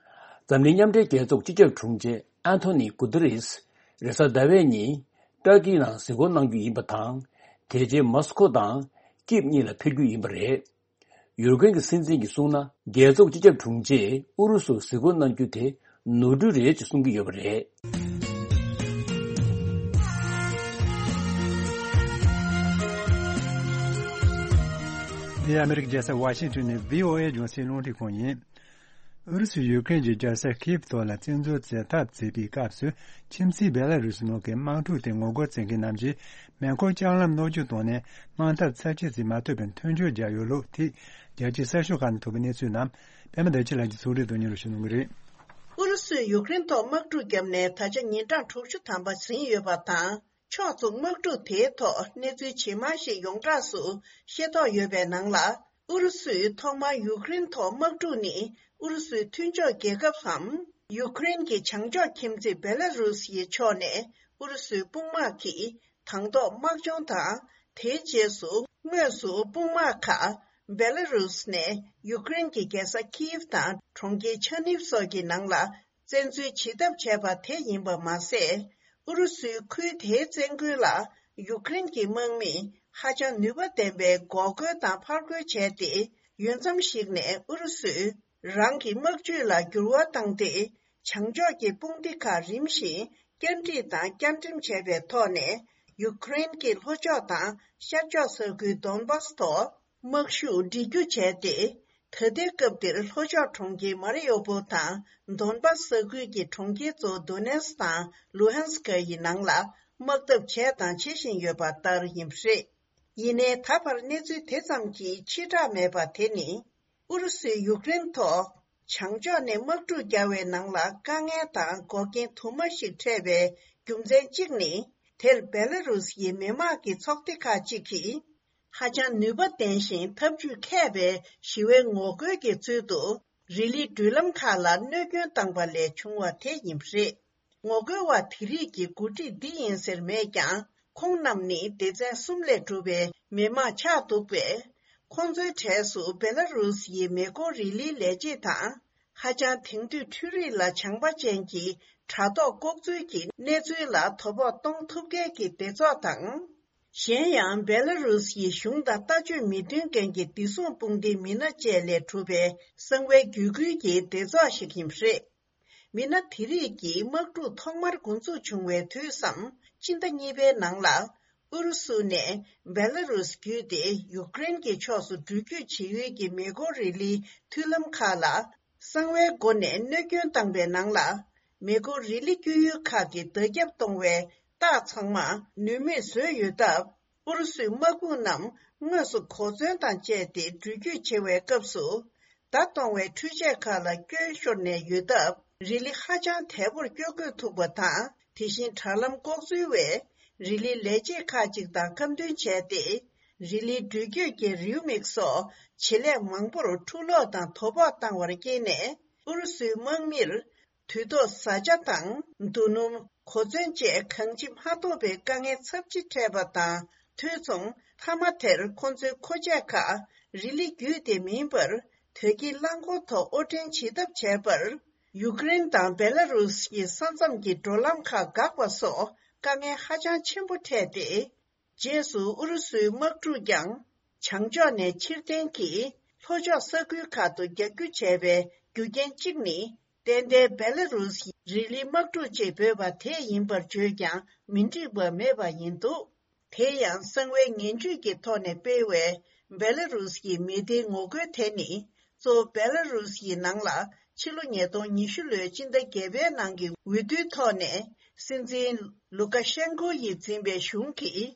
འཛམ་གླིང་མཉམ་འབྲེལ་རྒྱལ་ཚོགས་སྤྱི་ཁྱབ་དྲུང་ཆེ་ཨན་ཐོ་ནི་གུ་ཏེ་རེས་རེས་གཟའ་ཟླ་བའི་ཉིན་ཏར་ཀི་ནང་གཟིགས་སྐོར་གནང་རྒྱུ་ཡིན་པ་དང་། དེ་རྗེས་མོ་སི་ཁོ་དང་ཀིབ་གཉིས་ལ་ཕེབས་རྒྱུ་ཡིན་པ་རེད། ཡུ་ཀེ་རེན་གྱི་སྲིད་འཛིན་གྱིས་གསུངས་ན། རྒྱལ་ཚོགས་སྤྱི་ཁྱབ་དྲུང་ཆེས་ཨུ་རུ་སུར་གཟིགས་སྐོར་གནང་རྒྱུ་དེ་ནོར་འཁྲུལ་རེད་ཅེས་གསུང་གི་ཡོད་པ་རེད། འདི་ཨ་མི་རི་ཀའི་རྒྱལ་ས་ཝ་ཤིང་ཊོན་ནས་བྷི་ཨོ་ཨེ་རྒྱང་སྲིང་རླུང་འཕྲིན་ཁང་ཡིན། ཨུ་རུ་སུས་ཡུ་ཀེ་རེན་གྱི་རྒྱལ་ས་ཁིབ་ཐོག་ལ་བཙན་འཛུལ་མཛད་ཐབས་བྱེད་པའི་སྐབས་སུ། ཁྱིམ་མཚེས་བེ་ལ་རུ་སི་ནང་གི་དམག་འཁྲུག་དེ་ངོ་རྒོལ་བྱེད་མཁན་རྣམས་ཀྱིས་མེ་འཁོར་ལྕགས་ལམ་སློག་སྐྱོད་བཏང་ནས། དམག་འཐབ་ཚར་གཅིག་ཙམ་མ་ཐུབ་པའི་མཐུན་འགྱུར་བརྒྱབ་ཡོད་ལུགས་ཐད། རྒྱལ་སྤྱིའི་གསར་ཤོག་ཁག་ནས་ཐོབ་པའི་གནས་ཚུལ་རྣམས། པད་མ་བདེ་ཆེན་ལགས་ཀྱིས་གཙོ་སྒྲིག་ཏུ་སྙན་སྒྲོན་ཞུ་གནང་གི་རེད། ཨུ་རུ་སུས་ཡུཀ་རེན་ཐོག་དམག་འཁྲུག་བརྒྱབ་ནས་ད་ཆ་ཉིན་གྲངས་དྲུག་ཅུ་ཐམ་པ་ཟིན་ཡོད་པ་དང་། ཕྱོགས་མཚུངས་དམག་འཁྲུག་དེའི་ཐོག་གནས་ཚུལ་ཇི་མང་ཞིག་ཡོངས་གྲགས་སུ་ཤེས་རྟོགས་ཡོད་པའི་ནང་ལ། ཨུ་རུ་སུས་ཐོག་མར་ཡུཀ་རེན་ཐོག་དམག་འཁྲུག་ནི་ཨུ་རུ་སུའི་མཐུན་ཕྱོགས་རྒྱལ་ཁབ་སམ། ཡུཀ་རེན་གྱི་བྱང་ཕྱོགས་ཁྱིམ་མཚེས་བེ་ལ་རུ་སི་ཡི་ཕྱོགས་ནས་ཨུ་རུ་སུའི་དཔུང་དམག་གིས་དང་ཐོག་དམག་སྦྱོང་དང་། དེའི་རྗེས་སུ་དངོས་སུ་དཔུང་དམག་ཁག་བེ་ལ་རུ་སི་ནས་ཡུཀ་རེན་གྱི་རྒྱལ་ས་ཁིབ་དང་གྲོང་ཁྱེར་ཆར་ནིབ་སོགས་ཀྱི་ནང་ལ་བཙན་འཛུལ་བྱེད་ཐབས་བྱས་པ་དེ་ཡིན་པ་མ་ཟད། ཨུ་རུ་སུའི་ཁུལ་དེའི་བཙན་རྒོལ་ལ་ཡུཀ་རེན་གྱི་དམག་མིས་ཧ་ཅང་ནུས་པ་ལྡན་པའི་འགོག་རྒོལ་དང་ཕར་རྒོལ་བྱས་ཏེ། ཡུན་མཚམས་ཤིག་ནས་ཨུ་རུ་སུས་རང་གི་དམག་ཇུས་ལ་འགྱུར་བ་བཏང་སྟེ། བྱང་ཕྱོགས་ཀྱི་དཔུང་སྡེ་ཁག་རིམ་བཞིན་བསྐྱར་སྒྲིག་དང་བསྐྱར་འགྲེམས་བྱས་པའི་ཐོག་ནས། ཡུཀ་རེན་གྱི་ལྷོ་ཕྱོགས་དང་ཤར་ཕྱོགས་ས་ཁུལ་དོན་བྷ་སི་ཐོག་དམག་ཤུགས་སྒྲིལ་རྒྱུ་བྱས་ཏེ། ད་ལྟའི་སྐབས་འདིར་ལྷོ་ཕྱོགས་གྲོང་ཁྱེར་མ་རི་ཡོ་པོལ་དང་། དོན་བྷ་སི་ས་ཁུལ་གྱི་གྲོང་ཁྱེར་གཙོ་བོ་དོ་ནེ་སི་དང་ལུ་ཧན་སི་ཀ་ཡི་ནང་ལ་དམག་འཐབ་བྱས་དང་བྱེད་བཞིན་ཡོད་པ་ལྟར་ཡིན་པ་རེད། ཡིན་ནའི་ད་བར་གནས་ཚུལ་དེ་ཙམ་གྱིས་ཕྱིར་བསྒྲགས་མེད་པ་དེ་ནི། ཨུ་རུ་སུས་ཡུཀ་རེན་ཐོག་བྱང་ཕྱོགས་ནས་དམག་འཁྲུག་བརྒྱབ་པའི་ནང་ལ་དཀའ་ངལ་དང་འགོག་རྐྱེན་དུ་མ་ཞིག་འཕྲད་པའི་རྒྱུ་མཚན་གཅིག་ནི། དེར་བེ་ལ་རུ་སི་ཡི་མི་དམངས་ཀྱི་ཚོགས་སྡེ་ཁག་ཅིག་གིས། ཧ་ཅང་ནུས་པ་ལྡན་ཞིང་ཐབས་ཇུས་མཁས་པའི་ཞི་བའི་ངོ་རྒོལ་གྱི་ཚུལ་དུ། རི་ལི་འགྲུལ་ལམ་ཁག་ལ་གནོད་སྐྱོན་བཏང་པ་ལས་བྱུང་བ་དེ་ཡིན་པ་རེད། ངོ་རྒོལ་བ་དེ་རིགས་ཀྱི་འགོ་ཁྲིད་འདི་ཡིན་ཟེར་མེད་ཀྱང་། ཁོང་རྣམས་ནི་སྡེ་ཚན་གསུམ་ལས་གྲུབ་པའི་ མི་མང་ཆགས་འདུག་པས། ཁོང་ཚོའི་གྲས་སུ་སྦེ་ལ་རུས་ཡི་མེ་འཁོར་རི་ལིའི་ལས་བྱེད་དང་། ཧ་ཅང་དེང་དུས་འཕྲུལ་རིག་ལ་བྱང་པ་ཅན་གྱི་དྲ་ཐོག་ལྐོག་འཛུལ་གྱི་གནས་ཚུལ་ལ་དོ་ཕོག་གཏོང་ཐུབ་མཁན་གྱི་སྡེ་ཚོགས་དང་། གཞན་ཡང་སྦེ་ལ་རུས་ཡི་གཞུང་དང་ལྟ་སྤྱོད་མི་མཐུན་མཁན་གྱི་བདེ་སྲུང་དཔུང་སྡེའི་མི་སྣ་བཅས་ལས་གྲུབ་པའི་གསང་བའི་བརྒྱུད་སྐུལ་གྱི་སྡེ་ཚོགས་ཤིག་ཡིན་པ་རེད། མི་སྣ་དེ་རིགས་ཀྱིས་དམག་འཁྲུག་ཐོག་མར་འགོ་འཛུགས་བྱུང་བའི་དུས་སམ། སྤྱི་ཟླ་གཉིས་པའི་ནང་ལ། ཨུ་རུ་སུ་ནས་སྦེ་ལ་རུས་བརྒྱུད་དེ་ཡུཀ་རེན་གྱི་ཕྱོགས་སུ་འགྲུལ་སྐྱོད་བྱེད་ཡུལ་གྱི་མེ་འཁོར་རི་ལིའི་མཐུད་ལམ་ཁག་ལ། གསང་བའི་སྒོ་ནས་གནོད་སྐྱོན་བཏང་པའི་ནང་ལ། མེ་འཁོར་རི་ལི་བསྐྱོད་ཡུལ་ཁག་གི་བརྡ་ཁྱབ་གཏོང་བའི་རྟགས་ཚང་མ་ནུས་མེད་བཟོས་ཡོད་སྟབས། ཨུ་རུ་སུའི་དམག་དཔུང་རྣམས་དངོས་སུ་གོ་མཚོན་དང་བཅས་ཏེ་འགྲུལ་སྐྱོད་བྱེད་པའི་སྐབས་སུ། བརྡ་གཏོང་བའི་འཕྲུལ་ཆས་ཁག་ལ་སྐྱོན་ཤོར་ནས་ཡོད་སྟབས། རི་ལི་ཧ་ཅང་དལ་པོར་བསྐྱོད་དགོས་ཐུག་པ་དང་། དེ་བཞིན་དྲ་ལམ་ལྐོག་འཛུལ་བས་རི་ལིའི་ལས་བྱེད་ཁག་ཅིག་དང་ཁ་མཐུན་བྱས་ཏེ། རི་ལིའི་འགྲུལ་སྐྱོད་ཀྱི་རེའུ་མིག་སོགས་བྱེད་ལས་མང་པོར་འཁྲུ་སློག་དང་དོ་ཕོག་བཏང་བར་བརྟེན་ནས། ཨུ་རུ་སུའི་དམག་མིར། དུས་ཐོག་བཟའ་བཅའ་དང་རྡོ་སྣུམ། གོ་མཚོན་བཅས་གང་ཅི་མ་ཐོབ་པའི་དཀའ་ངལ་ཚབས་ཆེ་འཕྲད་པ་དང་། དུས་མཚུངས་མཐའ་མ་དེར་ཁོ་ཚོའི་མཁོ་ཆས་ཁག་རི་ལི་བརྒྱུད་དེ་མིན་པར། དོས་སྐྱེལ་རླངས་འཁོར་ཐོག་དབོར་འདྲེན་བྱེད་ཐབས་བྱས་པར། ཡུཀ་རེན་དང་སྦེ་ལ་རུས་ཀྱི་ས་མཚམས་ཀྱི་འགྲོ་ལམ་ཁག་འགག་པ་སོགས་དཀའ་ངལ་ཧ་ཅང་ཆེན་པོ་འཕྲད་དེ། རྗེས་སུ་ཨུ་རུ་སུའི་དམག་འཁྲུག་ཀྱང་བྱང་ཕྱོགས་ནས་ཕྱིར་འཐེན་གྱིས་ལྷོ་ཕྱོགས་ས་ཁུལ་ཁག་ཏུ་རྒྱག་རྒྱུ་བྱས་པའི་རྒྱུ་རྐྱེན་གཅིག་ནི། ཏན་ཏན་སྦེ་ལ་རུས་ཀྱི་རི་ལི་དམག་འཁྲུག་ཅེས་འབོད་པ་དེ་ཡིན་པར་བརྗོད་ཀྱང་མི་འགྲིག་པ་མེད་པ་ཡིན་འདུག་དེ་ཡང་གསང་བའི་ངན་ཇུས་ཀྱི་ཐོག་ནས་སྤེལ་བའི་སྦེ་ལ་རུས་ཀྱི་མི་སྡེའི་ངོ་རྒོལ་དེ་ནི། གཙོ་བོ་སྦེ་ལ་རུས་ཀྱི་ནང་ལ་ཕྱི་ལོ་ཉིས་སྟོང་ཉི་ཤུ་ལོའི་སྤྱི་ཟླ་བརྒྱད་པའི་ནང་གི་འོས་བསྡུའི་ཐོག་ནས་སྲིད་འཛིན་ལུ་ཀ་ཤན་ཀོ་ཡིས་འཛིན་པའི་གཞུང་གིས།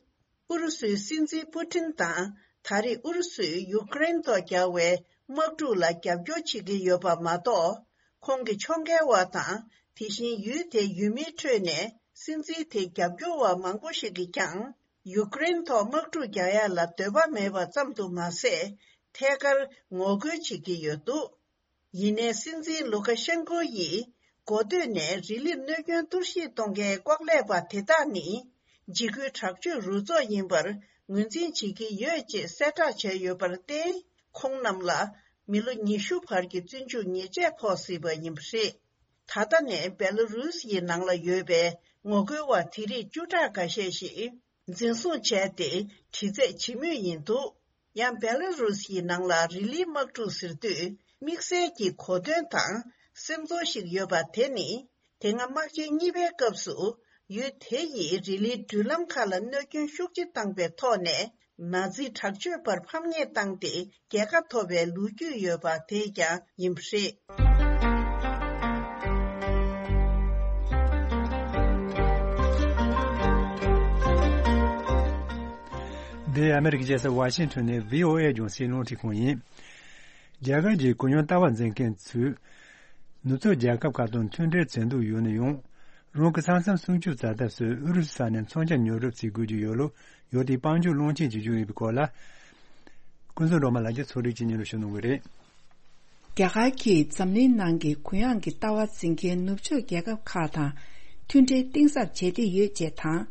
ཨུ་རུ་སུའི་སྲིད་འཛིན་པུ་ཏིན་དང་། ད་རེས་ཨུ་རུ་སུས་ཡུཀ་རེན་ཐོག་རྒྱག་པའི་དམག་འཁྲུག་ལ་རྒྱབ་སྐྱོར་བྱེད་ཀྱི་ཡོད་པ་མ་གཏོགས། ཁོང་གི་ཕྱོགས་འགལ་བ་དང་། དེ་བཞིན་ཡུལ་དེའི་ཡུལ་མིའི་ཁྲོད་ནས་སྲིད་འཛིན་དེའི་རྒྱབ་སྐྱོར་བ་མང་པོ་ཞིག་གིས་ཀྱང་། ཡུཀ་རེན་ཐོག་དམག་འཁྲུག་རྒྱག་ཡ་ལ་འདོད་པ་མེད་པ་ཙམ་དུ་མ་ཟད། ཐད་ཀར་ངོ་རྒོལ་བྱེད་ཀྱི་ཡོད་འདུག་ཡིན་ནའི་སྲིད་འཛིན་ལུ་ཀ་ཤན་ཀོ་ཡིས་འགོ་སྟོད་ནས་རི་ལིར་གནོད་སྐྱོན་གཏོར་བཤིག་གཏོང་མཁན་ལྐོག་ལས་པ་དེ་དག་ནི། འཇིགས་སྐུལ་དྲག་སྤྱོད་རུ་ཚོགས་ཡིན་པར་ངོས་འཛིན་བྱེད་ཀྱི་ཡོད་ཅེས་གསལ་བསྒྲགས་བྱས་ཡོད་པར་བརྟེན། ཁོང་རྣམས་ལ་མི་ལོ་ཉི་ཤུ་བར་གྱི་བཙོན་འཇུག་ཉེས་ཆད་ཕོག་སྲིད་པ་ཡིན་པ་རེད། ད་ལྟ་ནས་སྦེ་ལ་རུས་ཡི་ནང་ལ་ཡོད་པའི་ངོ་རྒོལ་བ་དེ་རིགས་བཅུ་ཕྲག་འགའ་ཤས་ཤིག་འཛིན་བཟུང་བྱས་ཏེ་དྲི་རྩད་བྱེད་མུས་ཡིན་འདུག་ཡང་སྦེ་ལ་རུས་ཡི་ནང་ལ་རི་ལིའི་དམག་འཁྲུག་ཟེར་དུས། དམིགས་བསལ་གྱི་གོ་དོན་དང་སེམས་ཚོར་ཞིག་ཡོད་པ་དེ་ནི། དེ་སྔ་དམག་ཆེན་གཉིས་པའི་སྐབས་སུ། ཡུལ་དེ་ཡིས་རི་ལིའི་འགྲུལ་ལམ་ཁག་ལ་གནོད་སྐྱོན་ཤུགས་ཆེ་བཏང་པའི་ཐོག་ནས། ནཱ་ཛི་དྲག་སྤྱོད་པར་ཕམ་ཉེས་བཏང་སྟེ། རྒྱལ་ཁ་ཐོབ་པའི་ལོ་རྒྱུས་ཡོད་པ་དེ་ཀྱང་ཡིན་པ་རེད། འདི་ཨ་མེ་རི་ཀའི་རྒྱལ་ས་ཝ་ཤིང་ཊོན་ནས་བྷི་ཨོ་ཨེ་རྒྱང་སྲིང་རླུང་འཕྲིན་ཁང་ཡིན། རྒྱ་གར་གྱི་གུ་ཡངས་ལྟ་བ་འཛིན་མཁན་ཚོས། ནུབ་ཕྱོགས་རྒྱལ་ཁབ་ཁག་དང་མཐུན་འབྲེལ་བྱེད་འདོད་ཡོད་ན་ཡང་། རང་གི་ས་མཚམས་སྲུང་སྐྱོབ་བྱ་ཐབས་སུ་ཨུ་རུ་སུ་ས་ནས་མཚོན་ཆ་ཉོ་སྒྲུབ་བྱེད་དགོས་ཀྱི་ཡོད་ལུགས་ཡོད་དེ་དཔལ་འབྱོར་བློན་ཆེན་གྱིས་བརྗོད་ཡོད་པའི་སྐོར་ལ། ཀུན་བཟང་སྒྲོལ་མ་ལགས་ཀྱིས་ཚོགས་སྒྲིག་བྱེད་ཉེ་རུ་ཞུ་གནང་གི་རེད། རྒྱ་གར་གྱིས་འཛམ་གླིང་ནང་གི་གུ་ཡངས་ཀྱི་ལྟ་བ་འཛིན་མཁན་ནུབ་ཕྱོགས་རྒྱལ་ཁབ་ཁག་དང་མཐུན་འབྲེལ་གཏིང་ཟབ་བྱེད་འདོད་ཡོད་ཅེས་དང་།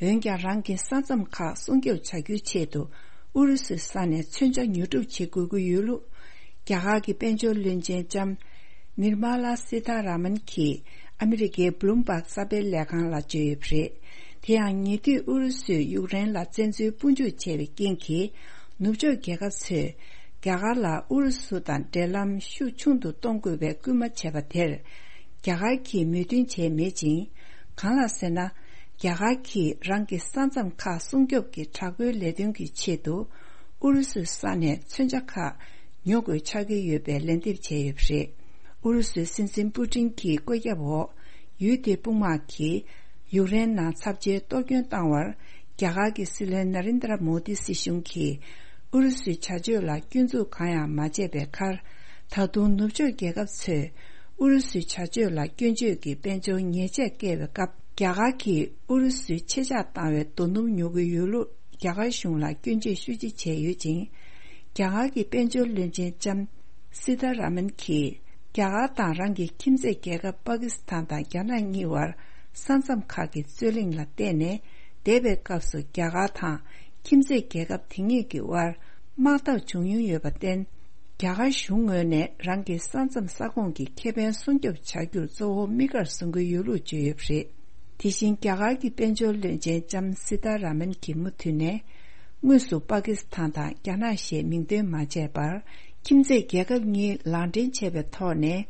འོན་ཀྱང་རང་གི་ས་མཚམས་ཁག་སྲུང་སྐྱོབ་བྱ་རྒྱུའི་ཆེད་དུ་ཨུ་རུ་སུའི་ས་ནས་མཚོན་ཆ་ཉོ་སྒྲུབ་བྱེད་དགོས་ཀྱི་ཡོད་ལུགས། རྒྱ་གར་གྱི་དཔལ་འབྱོར་བློན་ཆེན་ལྕམ་ནིར་མ་ལ་སི་ཐ་ར་མན་གྱིས་ཨ་མི་རི་ཀའི་བྷུ་ལུམ་བྷག་གསར་སྤེལ་ལས་ཁང་ལ་བརྗོད་ཡོད་པ་རེད། དེ་ཡང་ཉེ་དུས་ཨུ་རུ་སུས་ཡུཀ་རེན་ལ་བཙན་འཛུལ་དཔུང་འཇུག་བྱས་པའི་རྐྱེན་གྱིས། ནུབ་ཕྱོགས་རྒྱལ་ཁབ་ཚོས་རྒྱ་གར་ལ་ཨུ་རུ་སུ་དང་འབྲེལ་ལམ་ཤུགས་ཆུང་དུ་གཏོང་དགོས་པའི་སྐུལ་མ་བྱས་པ་དེར། རྒྱ་གར་གྱིས་མོས་མཐུན་བྱས་མེད་ཅིང་། གང་ལགས་ཟེར་ན། རྒྱ་གར་གྱིས་རང་གི་ས་མཚམས་ཁག་སྲུང་སྐྱོབ་ཀྱི་དྲག་པོའི་ལས་དོན་གྱི་ཆེད་དུ། ཨུ་རུ་སུའི་ས་ནས་མཚོན་ཆ་ཁག་ཉོ་དགོས་ཆགས་ཀྱི་ཡོད་པའི་ལན་འདེབས་བྱས་ཡོད་པ་རེད། ཨུ་རུ་སུའི་སྲིད་འཛིན་པུ་ཏིན་གྱི་བཀོད་ཁྱབ་འོག་ཡུལ་དེའི་དཔུང་དམག་གིས་ཡུཀ་རེན་ནང་ཚབས་ཆེའི་གཏོར་སྐྱོན་བཏང་བར། རྒྱ་གར་གྱི་སྲིད་བློན་ན་རིན་དྲ་མོ་དི་སྲིད་གཞུང་གིས་ཨུ་རུ་སུའི་བྱ་སྤྱོད་ལ་སྐྱོན་འཛུགས་གང་ཡང་མ་བྱས་པའི་ཁར། ད་དུང་ནུབ་ཕྱོགས་རྒྱལ་ཁབ་ཚོས་ཨུ་རུ་སུའི་བྱ་སྤྱོད་ལ་སྐྱོན་བརྗོད་ཀྱི་དཔལ་འབྱོར་ཉེས་ཆད་བཀལ་བའི་སྐབས། རྒྱ་གར་གྱིས་ཨུ་རུ་སུའི་ཆེད་བཞག་བཏང་བའི་རྡོ་སྣུམ་ཉོ་གི་ཡོད་ལུགས་རྒྱ་གར་གཞུང་ལ་སྐྱོན་བརྗོད་ཤུགས་ཆེ་བྱས་ཡོད་ཅིང་། རྒྱ་གར་གྱི་དཔལ་འབྱོར་བློན་ཆེན་ལྕམ་སི་ཐ་ར་མན་གྱིས། རྒྱ་གར་དང་རང་གི་ཁྱིམ་མཚེས་རྒྱལ་ཁབ་པ་ཀི་སི་ཐན་དང་རྒྱ་ནག་གཉིས་བར་ས་མཚམས་ཁག་གི་རྩོད་གླེང་ལ་བརྟེན་ནས། འདས་པའི་སྐབས་སུ་རྒྱ་གར་དང་། ཁྱིམ་མཚེས་རྒྱལ་ཁབ་དེ་གཉིས་ཀྱི་དབར་དམག་འཐབ་བྱུང་མྱོང་ཡོད་པར་བརྟེན། རྒྱ་གར་གཞུང་ངོས་ནས་རང་གི་ས་མཚམས་ས་ཁོངས་ཀྱི་ཁེ་ཕན་སྲུང་སྐྱོབ་བྱ་རྒྱུར་གཙོ་བོ་དམིགས་བཀར་བཟུང་གི་ཡོད་ལུགས་བརྗོད་ཡོད་པ་རེད། དེ་བཞིན་རྒྱ་གར་གྱི་དཔལ་འབྱོར་བློན་ཆེན་ལྕམ་སི་ཏཱ་ར་མན་གྱིས་མུ་མཐུད་ནས། དངོས་སུ་པ་ཀི་སི་ཐན་དང་རྒྱ་ནག་ཞེས་མིང་འདོན་མ་བྱས་པར། ཁྱིམ་མཚེས་རྒྱལ་ཁབ་གཉིས་ལག་འབྲེལ་བྱས་པའི་ཐོག་ནས།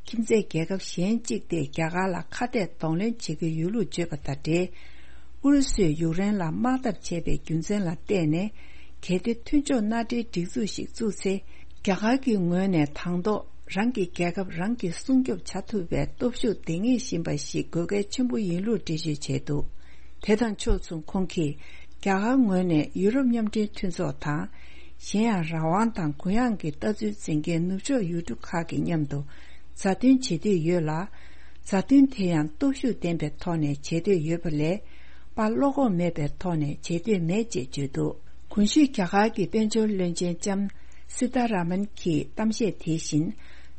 ཁྱིམ་མཚེས་རྒྱལ་ཁབ་གཞན་གཅིག་དེ་རྒྱ་གར་ལ་ཁ་གཏད་གདོང་ལེན་བྱེད་ཀྱི་ཡོད་ལུགས་བརྗོད་པ་དང་འབྲེལ། ཨུ་རུ་སུས་ཡུཀ་རེན་ལ་དམག་འཐབ་བྱས་པའི་རྒྱུ་མཚན་ལ་བརྟེན་ནས། གལ་ཏེ་མཐུན་ཕྱོགས་མནའ་འབྲེལ་སྒྲིག་འཛུགས་ཤིག་བཙུགས་ཚེ། རྒྱ་གར་གྱི་ངོས་ནས་དང་ཐོག་རང་གི་རྒྱལ་ཁབ་རང་གིས་སྲུང་སྐྱོབ་བྱ་ཐུབ་པའི་སྟོབས་ཤུགས་ལྡན་ངེས་བཞིན་པ་ཞིག་དགོས་གལ་ཆེན་པོ་ཡིན་ལུགས་འགྲེལ་བརྗོད་བྱས་འདུག་དེ་དང་ཕྱོགས་མཚུངས་ཁོང་གིས། རྒྱ་གར་ངོས་ནས་ཡུ་རོབ་མཉམ་འབྲེལ་མཐུན་ཚོགས་དང་། གཞན་ཡང་རང་དབང་དང་གུ་ཡངས་ཀྱི་ལྟ་ཚུལ་འཛིན་མཁན་ནུབ་ཕྱོགས་ཡུལ་གྲུ་ཁག་གི་མཉམ་དུ་མཛའ་མཐུན་བྱེད་འདོད་ཡོད་ལ། མཛའ་མཐུན་དེ་ཡང་སྟོབས་ཤུགས་ལྡན་པའི་ཐོག་ནས་བྱེད་འདོད་ཡོད་པ་ལས། པ་བློ་ཁོག་མེད་པའི་ཐོག་ནས་བྱེད་འདོད་མེད་ཅེས་བརྗོད་འདུག་གོང་ཞུས་རྒྱ་གར་གྱི་དཔལ་འབྱོར་བློན་ཆེན་ལྕམ་སི་ཏཱ་ར་མན་གྱི་གཏམ་བཤད་དེ་བཞིན།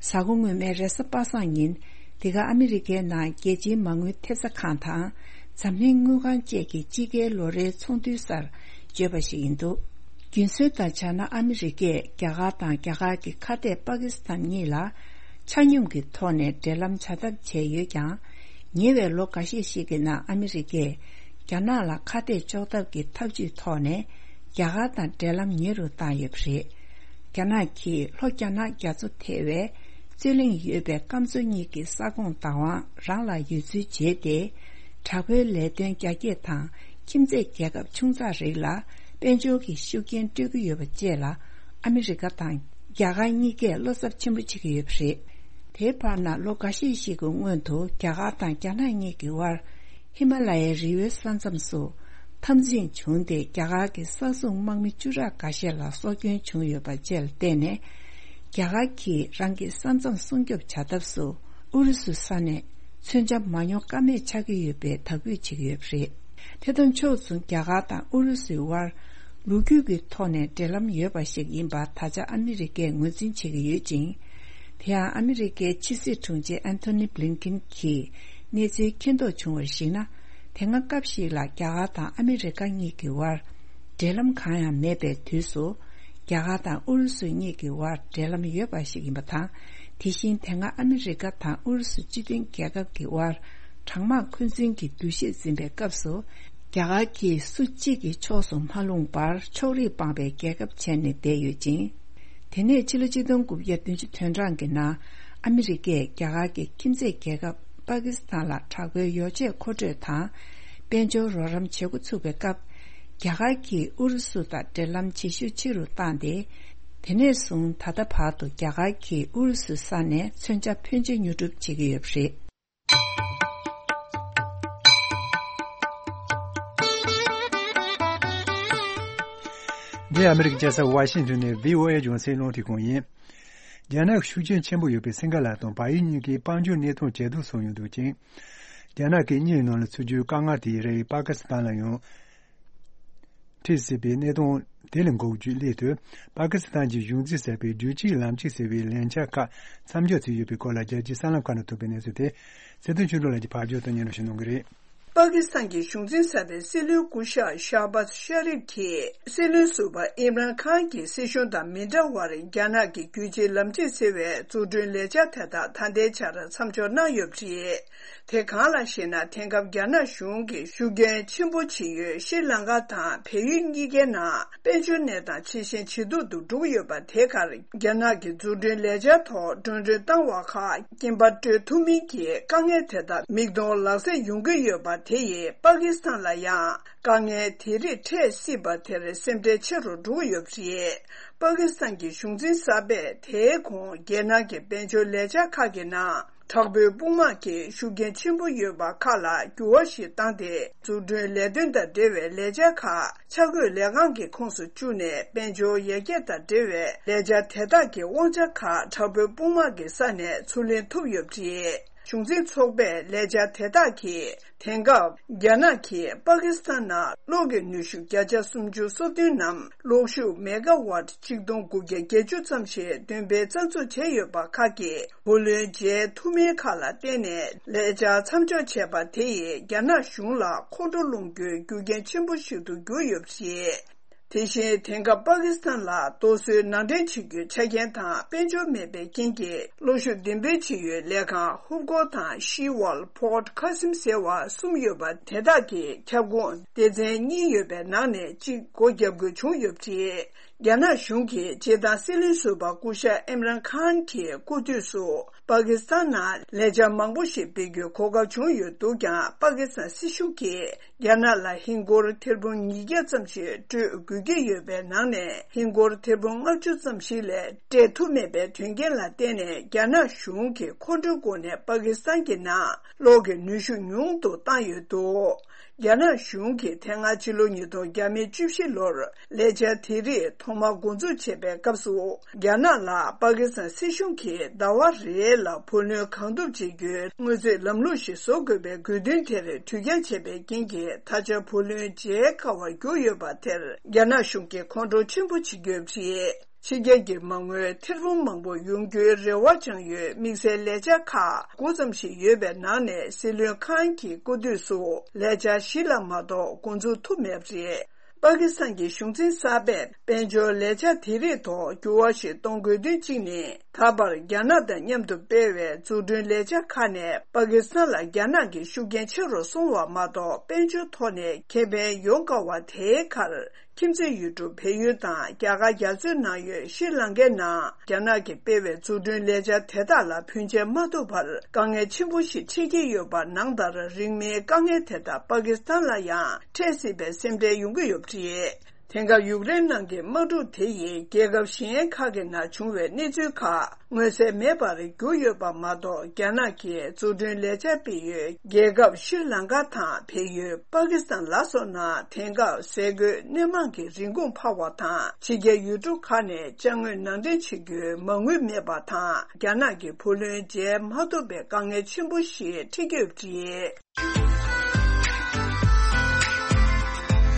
གཟའ་འཁོར་སྔོན་མའི་རེས་གཟའ་པ་སངས་ཉིན། འདི་ག་ཨ་མི་རི་ཀའི་ནང་རྒྱལ་སྤྱིའི་མ་དངུལ་ཐེབས་རྩ་ཁང་དང་། འཛམ་གླིང་དངུལ་ཁང་བཅས་ཀྱི་དཔྱིད་ཀའི་ལོ་རེའི་ཚོགས་འདུའི་སར་བརྗོད་པ་ཞིག་ཡིན་འདུག་རྒྱུན་སྲོལ་ལྟར་བྱས་ན། ཨ་མི་རི་ཀས་རྒྱ་གར་དང་རྒྱ་གར་གྱི་ཁ་གཏད་པ་ཀི་སི་ཐན་གཉིས་ལ་ཆ་སྙོམས་ཀྱི་ཐོག་ནས་འབྲེལ་ལམ་བྱ་ཐབས་བྱས་ཡོད་ཀྱང་། ཉེ་བའི་ལོ་འགའ་ཤས་ཤིག་གི་ནང་ཨ་མི་རི་ཀས་རྒྱ་ནག་ལ་ཁ་གཏད་གཅོག་ཐབས་ཀྱི་ཐབས་ཇུས་ཐོག་ནས་རྒྱ་གར་དང་འབྲེལ་ལམ་ཉེ་རུ་བཏང་ཡོད་པ་རེད། རྒྱ་ནག་གིས་ལྷོ་རྒྱ་ནག་རྒྱ་མཚོ་ཐེ་བའི་རྩོད་གླེང་ཡོད་པའི་སྐམ་མཚོ་གཉིས་ཀྱི་ས་ཁོངས་བདག་དབང་རང་ལ་ཡོད་ཚུལ་བརྗོད་དེ། དྲག་པོའི་ལས་དོན་རྒྱ་སྐྱེད་དང་ཁྱིམ་མཚེས་རྒྱལ་ཁབ་ཆུང་ཙག་རིགས་ལ་དཔལ་འབྱོར་གྱི་ཤུགས་རྐྱེན་སྤྲོད་ཀྱི་ཡོད་པ་བཅས་ལ། ཨ་མི་རི་ཀ་དང་རྒྱ་གར་གཉིས་ཀས་བློ་འཚབ་ཆེན་པོ་བྱེད་ཀྱི་ཡོད་པ་རེད། དེའི་བར་ན་ལོ་འགའ་ཤས་ཤིག་གི་སྔོན་དུ་རྒྱ་གར་དང་རྒྱ་ནག་གཉིས་ཀྱི་དབར། ཧི་མ་ལ་ཡའི་རི་བོའི་ས་མཚམས་སུ་འཐབ་འཛིང་བྱུང་སྟེ། རྒྱ་གར་གྱི་ས་སྲུང་དམག་མི་བཅུ་ཕྲག་འགའ་ཤས་ལ་སྲོག་སྐྱོན་བྱུང་ཡོད་པ་བཅས་ལ་བརྟེན་ནས། རྒྱ་གར་གྱིས་རང་གི་ས་མཚམས་སྲུང་སྐྱོབ་བྱ་ཐབས་སུ་ཨུ་རུ་སུ་ས་ནས་མཚོན་ཆ་མ་ཉོ་ཀ་མེད་ཆགས་ཀྱི་ཡོད་པའི་དག་འབུད་བྱེད་ཀྱི་ཡོད་པ་རེད། དེ་དང་ཕྱོགས་མཚུངས། རྒྱ་གར་དང་ཨུ་རུ་སུའི་དབར་ལོ་རྒྱུས་ཀྱི་ཐོག་ནས་འབྲེལ་ལམ་ཡོད་པ་ཞིག་ཡིན་པ་ད་ཆ་ཨ་མི་རི་ཀས་ངོས་འཛིན་བྱེད་ཀྱི་ཡོད་ཅིང་། དེ་ཡང་ཨ་མི་རི་ཀའི་ཕྱི་སྲིད་དྲུང་ཆེ་ཨན་ཐོ་ནི་བྷི་ལིན་ཀིན་གྱིས་གནས་ཚུལ་མཁྱེན་རྟོགས་བྱུང་བར་གཞིགས་ན། དེ་སྔ་སྐབས་ཤིག་ལ་རྒྱ་གར་དང་ཨ་མི་རི་ཀ་གཉིས་ཀྱི་དབར་འབྲེལ་ལམ་གང་ཡང་མེད་པའི་དུས་སུ། རྒྱ་གར་དང་ཨུ་རུ་སུ་གཉིས་ཀྱི་དབར་འབྲེལ་ལམ་ཡོད་པ་ཞིག་ཡིན་པ་དང་། དེ་བཞིན་དེ་སྔ་ཨ་མི་རི་ཀ་དང་ཨུ་རུ་སུ་སྤྱི་མཐུན་རྒྱལ་ཁབ་ཀྱི་དབར་གྲང་དམག་འཁོན་འཛིན་གྱི་འདུ་ཤེས་འཛིན་པའི་སྐབས་སུ། རྒྱ་གར་གྱིས་སུ་གཅིག་གི་ཕྱོགས་སུ་མ་ལྷུང་བར་ཕྱོགས་རིས་སྤངས་པའི་རྒྱལ་ཁབ་བྱས་ནས་བསྡད་ཡོད་ཅིང་། དེ་ནས་ཕྱི་ལོ་ཆིག་སྟོང་དགུ་བརྒྱ་བདུན་ཅུ་དོན་གྲངས་ཀྱི་ནང་ཨ་མི་རི་ཀས་རྒྱ་གར་གྱི་ཁྱིམ་མཚེས་རྒྱལ་ཁབ་པ་ཀི་སི་ཐན་ལ་དྲག་པོའི་ཡོ་བྱད་མཁོ་སྤྲོད་དང་དཔལ་འབྱོར་རོགས་རམ་བྱེད་འགོ་ཚུགས་པའི་སྐབས། རྒྱ་གར་གྱིས་ཨུ་རུ་སུ་དང་འབྲེལ་ལམ་བྱེད་ཤུགས་ཆེ་རུ་བཏང་སྟེ། དེ་ནས་བཟུང་ད་ལྟ་བར་དུ་རྒྱ་གར་གྱིས་ཨུ་རུ་སུ་ས་ནས་མཚོན་ཆ་ཕོན་ཆེ་ཉོ་སྒྲུབ་བྱེད་ཀྱི་ཡོད་པ་རེད། འདི་ཨ་མི་རི་ཀའི་རྒྱལ་ས་ཝ་ཤིང་ཏོན་ནས་བྷི་ཨོ་ཨེ་རྒྱང་སྲིང་རླུང་འཕྲིན་ཁང་ཡིན། རྒྱ་ནག་གི་ཤུགས་རྐྱེན་ཆེན་པོ་ཡོད་པའི་སིང་ག་ལ་དང་བལ་ཡུལ་གཉིས་ཀྱི་དཔལ་འབྱོར་གནས་སྟངས་ཇེ་སྡུག་སོང་ཡོད་འདུག་ཅིང་། རྒྱ་ནག་གིས་དངུལ་ནང་ལ་ཚུད་རྒྱུའི་དཀའ་ངལ་དེའི་རིགས་པ་ཀི་སི་ཐན་ལ་ཡང་འཁྲིད་སྲིད་པའི་གནས་སྟངས་དེ་ལས་འགོག་རྒྱུའི་སླད་དུ། པ་ཀི་སི་ཐན་གྱི་གཞུང་འཛིན་གསར་པས་བསྒྱུར་བཅོས་ལམ་ཕྱོགས་ཟེར་བའི་ལས་འཆར་ཁག་མཚམས་འཇོག་བྱས་ཡོད་པའི་སྐོར་ལ། རྒྱལ་སྤྱིའི་གསར་ལམ་ཁག་ནས་ཐོན་པའི་གནས་ཚུལ་དེ། ཚེ་བརྟན་ཆོས་སྒྲོན་ལགས་ཀྱིས་ཕབ་སྒྱུར་དང་སྙན་སྒྲོན་ཞུ་གནང་གི་རེད། པ་ཀི་སི་ཐན་གྱི་གཞུང་འཛིན་གསར་པའི་སྲིད་བློན་སྐུ་ཞབས་ཤ་བྷ་ཤ་རིབ་ཀྱིས། སྲིད་བློན་ཟུར་པ་ཨིམ་རཱན་ཁཱན་གྱི་སྲིད་གཞུང་དང་མི་འདྲ་བར། རྒྱ་ནག་གི་བསྒྱུར་བཅོས་ལམ་ཕྱོགས་ཟེར་བའི་འཛུགས་སྐྲུན་ལས་འཆར་དེ་དག་ད་ལྟའི་ཆར་མཚམས་འཇོག་གནང་ཡོད་པ་རེད། དེ་གང་ལགས་ཤེ་ན། དེང་སྐབས་རྒྱ་ནག་གཞུང་གིས་ཤུགས་རྐྱེན་ཆེན་པོ་བྱེད་ཡུལ་ཤྲི་ལང་ཀ་དང་བལ་ཡུལ་གཉིས་ཀའི་ནང་དཔལ་འབྱོར་གནས་སྟངས་ཇེ་ཞན་ཇེ་སྡུག་ཏུ་འགྲོ་གི་ཡོད་པ། དེ་གར་རྒྱ་ནག་གི་འཛུགས་སྐྲུན་ལས་འཆར་ཐོག་འགྲོ་གྲོན་བཏང་བ་ཁག་རྐྱེན་པ་སྤྲོད་ཐུབ་མིན་གྱི་དཀའ་ངལ་དེ་དག་མིག་མཐོང་ལག་ཟིན་ཡོང་གི་ཡོད་པ། དེ་ཡིས་པ་ཀི་སི་ཐན་ལ་ཡང་དཀའ་ངལ་དེ་རིགས་འཕྲད་སྲིད་པ་དེར་སེམས་ཁྲལ་ཆེ་རུ་འགྲོ་གི་ཡོད་པ་རེད། པ་ཀི་སི་ཐན་གྱི་གཞུང་འཛིན་གསར་པས་དེའི་གོང་རྒྱལ་ནང་གི་དཔལ་འབྱོར་ལས་འཆར་ཁག་གི་ནང་། དྲག་པོའི་དཔུང་དམག་གི་ཤུགས་རྐྱེན་ཆེན་པོ་ཡོད་པ་ཁག་ལ་འགྱུར་བ་ཞིག་བཏང་སྟེ། འཛུགས་སྐྲུན་ལས་དོན་དང་འབྲེལ་བའི་ལས་འཆར་ཁག་འཆར་འགོད་ལས་ཁང་གི་ཁོངས་སུ་བཅུག་ནས། དཔལ་འབྱོར་ཡར་རྒྱས་དང་འབྲེལ་བའི་ལས་འཆར་དེ་དག་གི་དབང་ཆ་ཁག་དྲག་པོའི་དཔུང་དམག་གི་ས་ནས་ཚུར་ལེན་ཐུབ་ཡོད་པ་རེད། གཞུང་འཛིན་ཚོགས་པས་ལས་འཆར་དེ་དག་གིས། དེང་སྐབས་རྒྱ་ནག་གིས་པ་ཀི་སི་ཐན་ནང་གློག་གི་ནུས་ཤུགས་བརྒྱ་ཆ་སུམ་ཅུ་སོ་བདུན་ནམ། གློག་ཤུགས་མེ་ག་ཝཊ་ཆིག་སྟོང་དགུ་བརྒྱ་བརྒྱད་ཅུ་ཙམ་ཞིག་འདོན་སྤེལ་རྩ་འཛུགས་བྱས་ཡོད་པ་ཁག་གི་བུ་ལོན་འཇལ་ཐུབ་མིན་ཁག་ལ་བརྟེན་ནས། ལས་འཆར་མཚམས་འཇོག་བྱས་པ་དེ་ཡིས་རྒྱ་ནག་གཞུང་ལ་མཁོ་སྤྲོད་སློང་རྒྱུའི་རྒྱུ་རྐྱེན་ཆེན་པོ་ཞིག་ཏུ་གྱུར་ཡོད་པ་རེད། དེ་བཞིན་དེང་སྐབས་པ་ཀི་སི་ཐན་ལ་རྡོ་སོལ་ནང་འདྲེན་བྱེད་རྒྱུའི་ཆ་རྐྱེན་དང་དཔལ་འབྱོར་མེད་པའི་རྐྱེན་གྱིས་གློག་ཤུགས་འདོན་སྤེལ་བྱེད་ཡུལ་ལས་ཁང་ཧུབ་གོ་དང་ཤི་ཝལ་Port Qasim ཟེར་བ་གསུམ་ཡོད་པ་དེ་དག་གི་ཁྱབ་ཁོངས་སྡེ་ཚན་གཉིས་ཡོད་པའི་ནང་ནས་གཅིག་སྒོ་བརྒྱབ་དགོས་བྱུང་ཡོད་པ་རེད། རྒྱ་ནག་གཞུང་གིས་སྤྱིར་བཏང་སྲིད་བློན་ཟུར་པ་སྐུ་ཞབས་ཨིམ་རན་ཁཱན་གྱི་སྐུ་དུས་སུ་པ་ཀི་སི་ཐན་ནང་ལས་འཆར་མང་པོ་ཞིག་སྤེལ་རྒྱུའི་གོ་སྐབས་བྱུང་ཡོད་འདུག་ཀྱང་། པ་ཀི་སི་ཐན་སྲིད་གཞུང་གིས་རྒྱ་ནག་ལ་ཧིན་སྒོར་ཐེར་འབུམ་ཉིས་བརྒྱ་ཙམ་ཞིག་སྤྲོད་དགོས་ཀྱི་ཡོད་པའི་ནང་ནས། ཧིན་སྒོར་ཐེར་འབུམ་ལྔ་བཅུ་ཙམ་ཞིག་ལས་སྤྲད་ཐུབ་མེད་པའི་དོན་རྐྱེན་ལ་བརྟེན་ནས། རྒྱ་ནག་གཞུང་གིས་ཁོང་ཁྲོའི་སྒོ་ནས་པ་ཀི་སི་ཐན་གྱི་ནང་གློག་གི་ནུས་ཤུགས་ཉུང་དུ་བཏང་ཡོད་འདུག་རྒྱ་ནག་གཞུང་གིས་དེ་སྔ་ཕྱི་ལོ་ཉིས་སྟོང་བཅུ་བཞི་ལོར་ལས་འཆར་དེ་རིགས་ཐོག་མར་འགོ་འཛུགས་བྱས་པའི་སྐབས་སུ། རྒྱ་ནག་ལ་པ་ཀི་སི་ཐན་སྲིད་གཞུང་གིས་ཟླ་བ་རེ་ལ་བུ་ལོན་གང་ཐུབ་བྱེད་རྒྱུའི་དངུལ་རྩིས་ལམ་ལུགས་ཤིག་བཟོ་དགོས་པའི་དགོས་འདུན་དེར་དུས་འགྱངས་བྱས་པའི་རྐྱེན་གྱིས། ད་ཆ་བུ་ལོན་འཇལ་དཀའ་བར་གྱུར་ཡོད་པ་དེར། རྒྱ་ནག་གཞུང་གིས་ཁོང་ཁྲོ་ཆེན་པོ་བྱེད་ཀྱི་ཡོད་པ་རེད། ཕྱི་རྒྱལ་གྱི་མ་དངུལ་ཐེར་འབུམ་མང་པོ་ཡོང་རྒྱུའི་རེ་བ་བཅངས་ཡོད་དམིགས་བསལ་ལས་འཆར་ཁག་དགུ་ཙམ་ཞིག་ཡོད་པའི་ནང་ནས། སྲིད་བློན་ཁཱན་གྱི་སྐུ་དུས་སུ་ལས་འཆར་བཞི་ལ་མ་གཏོགས་འགོ་འཛུགས་ཐུབ་མེད་པ་རེད། པ་ཀི་སི་ཐན་གྱི་གཞུང་འཛིན་གསར་པས་དཔལ་འབྱོར་ལས་འཆར་དེ་རིགས་ཐོག་འགྱུར་བ་ཞིག་གཏོང་དགོས་དོན་གཅིག་ནི། ད་བར་རྒྱ་ནག་དང་མཉམ་དུ་སྤེལ་བའི་འཛུགས་སྐྲུན་ལས་འཆར་ཁག་ནས་པ་ཀི་སི་ཐན་ལ་རྒྱ་ནག་གི་ཤུགས་རྐྱེན་ཆེ་རུ་སོང་བ་མ་གཏོགས། དཔལ་འབྱོར་ཐོག་ནས་ཁེ་ཕན་ཡོང་དཀའ་བ་དེའི་ཁར། ཁྱིམ་མཚེས་ཡུལ་གྲུ་བལ་ཡུལ་དང་རྒྱ་གར་རྒྱ་མཚོའི་ནང་ཡོད་ཤྲི་ལང་ཀའི་ནང་རྒྱ་ནག་གིས་སྤེལ་བའི་འཛུགས་སྐྲུན་ལས་འཆར་དེ་དག་ལ་བུན་འཇལ་མ་ཐུབ་པར་དཀའ་ངལ་ཆེན་པོ་ཞིག་འཕྲད་ཀྱི་ཡོད་པ། ནང་ལྟར་རིང་མིན་དཀའ་ངལ་དེ་དག་པ་ཀི་སི་ཐན་ལ་ཡང་འཕྲད་སྲིད་པའི་སེམས་ཁྲལ་ཡོང་གི་ཡོད་པ་རེད། དེང་སྐབས་ཡུཀ་རེན་ནང་གི་དམག་འཁྲུག་དེ་ཡིས་རྒྱལ་ཁབ་གཞན་ཁག་གི་ནང་བྱུང་བའི་གནས་ཚུལ་ཁག་མངོན་གསལ་མེད་པར་གྱུར་ཡོད་པ་མ་གཏོགས། རྒྱ་ནག་གིས་འཛུགས་སྐྲུན་ལས་འཆར་སྤེལ་ཡུལ་རྒྱལ་ཁབ་ཤྲི་ལང་ཀ་དང་བལ་ཡུལ་པ་ཀི་སི་ཐན་ལ་སོགས་ནང་དེང་སྐབས་ཟས་གོས་སྣེ་མང་གི་རིན་གོང་འཕར་བ་དང་། ཕྱི་རྒྱལ་ཡུལ་གྲུ་ཁག་ནས་ཅ་དངོས་ནང་འདྲེན་བྱེད་རྒྱུའི་མ་དངུལ་མེད་པ་དང་། རྒྱ་ནག་གི་བུ་ལོན་འཇལ་མ་ཐུབ་པའི་དཀའ་ངལ་ཆེན་པོ་ཞིག་འཕྲད་ཀྱི་ཡོད་པ་རེད།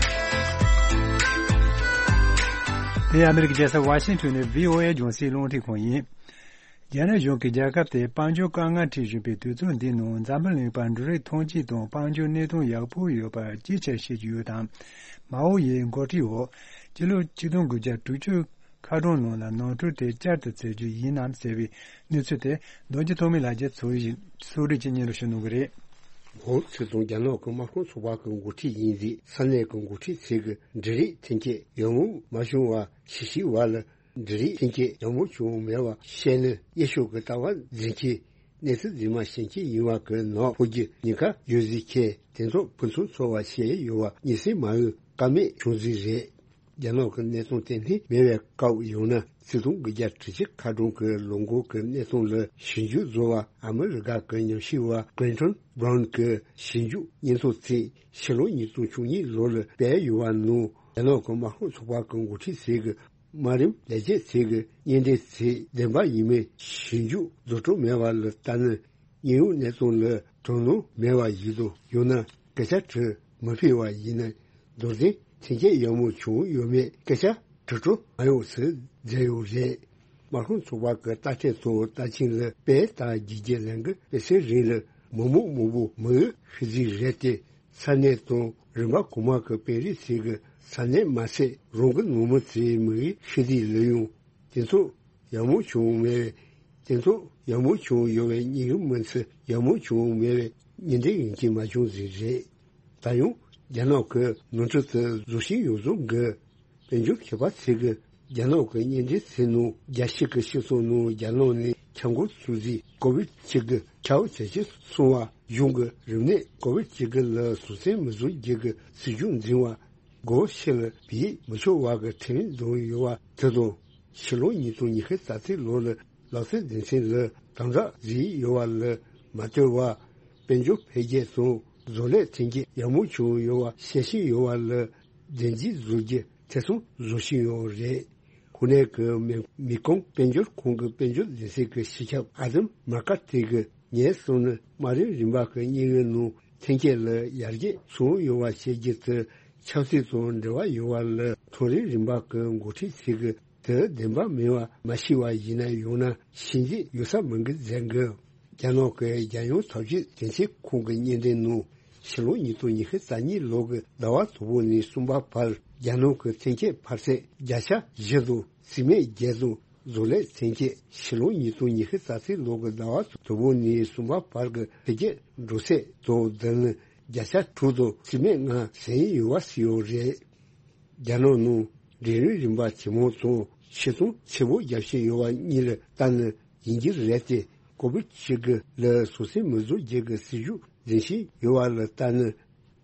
དེ་ཨ་མི་རི་ཀའི་རྒྱལ་ས་ཝ་ཤིང་ཊོན་ནས་བྷི་ཨོ་ཨེ་རྒྱང་སྲིང་རླུང་འཕྲིན་ཁང་ཡིན། རྒྱ་ནག་གཞུང་གིས་རྒྱལ་ཁབ་དེར་དཔལ་འབྱོར་དཀའ་ངལ་འཕྲད་བཞིན་པའི་དུས་ཚོད་འདིའི་ནང་། འཛམ་བུ་གླིང་པར་འབྲུ་རིགས་ཐོན་སྐྱེད་དང་དཔལ་འབྱོར་གནས་སྟངས་ཡག་པོ་ཡོད་པར་རྒྱས་ཆ་བཤད་ཀྱི་ཡོད་དམ། མའོ་ཡི་འགོ་ཁྲིད་འོག་སྤྱི་ལོ་ཆིག་སྟོང་དགུ་བརྒྱ་དྲུག་ཅུ་ཁ་གྲངས་ནང་ལ་ནོར་འཁྲུལ་དེ་བསྐྱར་དུ་བཙལ་རྒྱུ་ཡིན་ནམ་ཟེར་བའི་གནས་ཚུལ་དེ། རྡོ་རྗེ་ཐོགས་མེད་ལགས་ཀྱིས་ཚོགས་རིག་ཚོགས་སྒྲིག་ཅིག་སྙན་སྒྲོན་ཞུ་གནང་གི་རེད། འོ་ཚོད་དང་། རྒྱ་ནག་གི་དམག་དཔུང་ཚོགས་པ་གི་འགོ་ཁྲིད་ཡིན་རིགས་ས་གནས་ཀྱི་འགོ་ཁྲིད་ཚོས་ཀྱི་འབྲུ་རིགས་ཐོན་སྐྱེད་ཡག་མོ་མ་བྱུང་བ་ཞིབ་དཔྱད་བ་ལ། འབྲུ་རིགས་ཐོན་སྐྱེད་ཡག་མོ་བྱུང་མེད་པ་བཤད་ན། གཡས་ཕྱོགས་ཀྱི་ལྟ་བ་འཛིན་གྱི་གནས་ཚུལ་རྫུན་མ་བཤད་མཁན་ཡིན་པ་གི་ནང་ཕོག་རྒྱུ་ཉེན་ཁ་ཡོད་ཟེར་མཁན་དེ་ཚོ་ཕུན་སུམ་ཚོགས་པ་བཤད་ཡོད་པ་མི་སེར་མང་པོས་བཀའ་མོལ་བྱུང་ཟིག་རེད། རྒྱ་ནག་གི་གནས་སྟངས་ཏན་ཏན་མེད་པའི་སྐབས་ཡང་ན། ཆིག་སྟོང་དགུ་བརྒྱ་དྲུག་ཅུ་ཁ་གྲངས་ཀྱི་ལོ་འགོ་གི་གནས་སྟངས་ལ་ཞིབ་འཇུག་བཟོ་བ་ཨ་མི་རི་ཀ་གི་ཉམས་ཞིབ་པ་ཀི་ལིན་ཊོན་བྷ་རོན་གྱི་ཞིབ་འཇུག་སྙན་ཐོ་ཚོས་ཕྱི་ལོ་ཉིས་སྟོང་བཅུ་གཉིས་ལོ་ལ་སྤེལ་ཡོད་པ་ནང་། རྒྱ་ནག་གི་དམག་དཔུང་ཚོགས་པ་གི་འགོ་ཁྲིད་ཚོས་ཀྱི་དམའ་རིམ་ལས་བྱེད་ཚོས་ཀྱི་སྙན་འགྲེལ་ཚོས་བདེན་པ་ཡིན་མིན་ཞིབ་འཇུག་བཟོ་གྲབས་མེད་པ་ལ་ལྟ་ན། དངོས་ཡོད་གནས་སྟངས་ལ་དོ་སྣང་མེད་པ་ཞིག་དང་། ཡང་ན་སྐད་ཆ་དྲི་མི་ཕོད་པ་ཡིན་ན། རྡོར་གདན་ཐོན་སྐྱེད་ཡག་མོ་བྱུང་ཡོད་མེད་སྐད་ཆ་དྲི་སྤྲོ་མ་ཡོང་ཟེར་མཛད་ཡོད་རེད། དམག་དཔུང་ཚོགས་པ་གི་ལྟ་ཐེངས་ཐོག་ལྟ་ཆེན་ལ་པེ་ཏཱ་རྒྱལ་རྒྱལ་གླིང་གི་དཔེ་ཆའི་རིང་ལ་མི་མང་མང་པོ་མི་ཡུལ་ཤི་རྩིས་རེད་དེ། ས་གནས་དང་རིམ་པ་གོང་མ་གི་དཔོན་རིགས་ཚོས་ཀྱི་ས་གནས་མ་ཟད། རང་གི་ནང་མི་ཚོའི་མི་ཡུལ་ཤི་རྩིས་ལ་ཡང་དེ་ཚོ་ཡག་མོ་བྱུང་མེད། དེ་ཚོ་ཡག་མོ་བྱུང་ཡོད་པའི་ཉིན་གྱི་མི་ཚེ་ཡག་མོ་བྱུང་མེད་པའི་ཉིན་དེ་ཡིན་གྱི་མ་བྱུང་ཟིག་རེད། ད་ཡང་རྒྱ་ནག་གི་ནོར་འཁྲུལ་དེ་བཟོ་བཞིན་ཡོད་བཟོ་གི། དཔལ་འབྱོར་མཁས་པ་ཚོས་ཀྱི་རྒྱ་ནག་གི་སྙན་འགྲེལ་ཚོའི་ནང་། རྒྱལ་སྤྱི་གི་སྤྱི་ཚོགས་ནང་རྒྱ་ནག་ནས་ཁྱབ་མགོ་ཚུགས་རྗེས་ཀོ་བིད་བཅུ་དགུ་ཁྱབ་ཇེ་ཆེར་སོང་བ། གཞུང་གི་རིམས་ནད་ཀོ་བིད་བཅུ་དགུ་ལ་གཟུགས་བརྙན་མི་བཟོ་རྒྱུ་གི་སྲིད་ཇུས་འཛིན་པ། སྒོ་ཕྱི་ལ་བེད་མི་ཆོག་པ་གི་ཁྲིམས་བསྡམས་ཡོད་པ་དེ་དང་། ཕྱི་ལོ་ཉིས་སྟོང་ཉི་ཤུ་རྩ་གཅིག་ལོ་ལ་ལག་རྩལ་སྡེ་ཚན་ལ་དམ་དྲག་བཟོས་ཡོད་པ་ལ་མ་ལྟོས་པར། དཔལ་འབྱོར་འཕེལ་རྒྱས་དང་བཟོ་ལས་ཐོན་སྐྱེད་ཡག་མོ་བྱུང་ཡོད་པ་བཤད་བཞིན་ཡོད་པ་ལ། བདེན་འཛིན་བཟོ་རྒྱུ་ཐེ་ཚོམ་བཟོ་བཞིན་ཡོད་རེད། ཁོ་ནའི་གི་མེ་མེ་ཀོང་དཔལ་འབྱོར་ཁང་གི་དཔལ་འབྱོར་སྡེ་ཚན་གྱི་སྤྱི་ཁྱབ་ཨ་དམ་མར་ཀ་ཏི་གིས་ངས་བསམ་ན། དམའ་རིམ་རིམ་པ་གི་དངོས་ཡོད་ནང་ཐོན་སྐྱེད་ལ་ཡར་རྒྱས་སོང་ཡོད་པ་བཤད་རྒྱུ་དེ་ཆབ་སྲིད་དང་འབྲེལ་བ་ཡོད་པ་ལ། མཐོ་རིམ་རིམ་པ་གི་འགོ་ཁྲིད་ཚོས་གི་དེ་བདེན་པ་མིན་པ་མ་ཤེས་པ་ཡིན་ན། ཡང་ན་ཤེས་རྗེས་ཡོད་ས་མིན་གི་མཛད་གི། རྒྱ་ནག་གི་རྒྱལ་ཡོངས་ཐབས་ཇུས་དོན་ཚན་ཁང་གི་སྙན་འགྲེལ་ནང་། ཕྱི་ལོ་ཉིས་སྟོང་ཉི་ཤུ་རྩ་གཉིས་ལོ་གི་ཟླ་བ་དང་པོ་ནས་གསུམ་པ་བར། རྒྱ་ནག་གི་ཐོན་སྐྱེད་འཕར་ཚད་བརྒྱ་ཆ་བཞི་དང་། སིལ་མའི་རྒྱལ་དང་བཟོ་ལས་ཐོན་སྐྱེད་ཕྱི་ལོ་ཉིས་སྟོང་ཉི་ཤུ་རྩ་གཅིག་ལོ་གི་ཟླ་བ་དང་པོ་ནས་གསུམ་པ་བར་གྱི་འཕེལ་རྒྱས་འགྲོ་ཚད་དང་། འཛམ་གླིང་བརྒྱ་ཆ་དྲུག་དང་སིལ་མའི་ལྔ་ཟིན་ཡོད་པ་ཟེར་ཡོད་རེད། རྒྱ་ནག་ནང་འབྲིང་རིམ་རིམ་པ་ཇེ་མང་དང་ཕྱིར་ཚོང་ཆེ་པོ་རྒྱག་བཞིན་ཡོད་པ་གཉིས་ལ་ལྟ་ན་ཡིན་གྱི་རེད་དེ། ཀོ་བིད་བཅུ་དགུ་ལ་སོ་སོའི་མི་བཟོ་རྒྱུ་གི་སྲིད་ཇུས་འཛིན་བཞིན་ཡོད་པ་ལ་ལྟ་ན།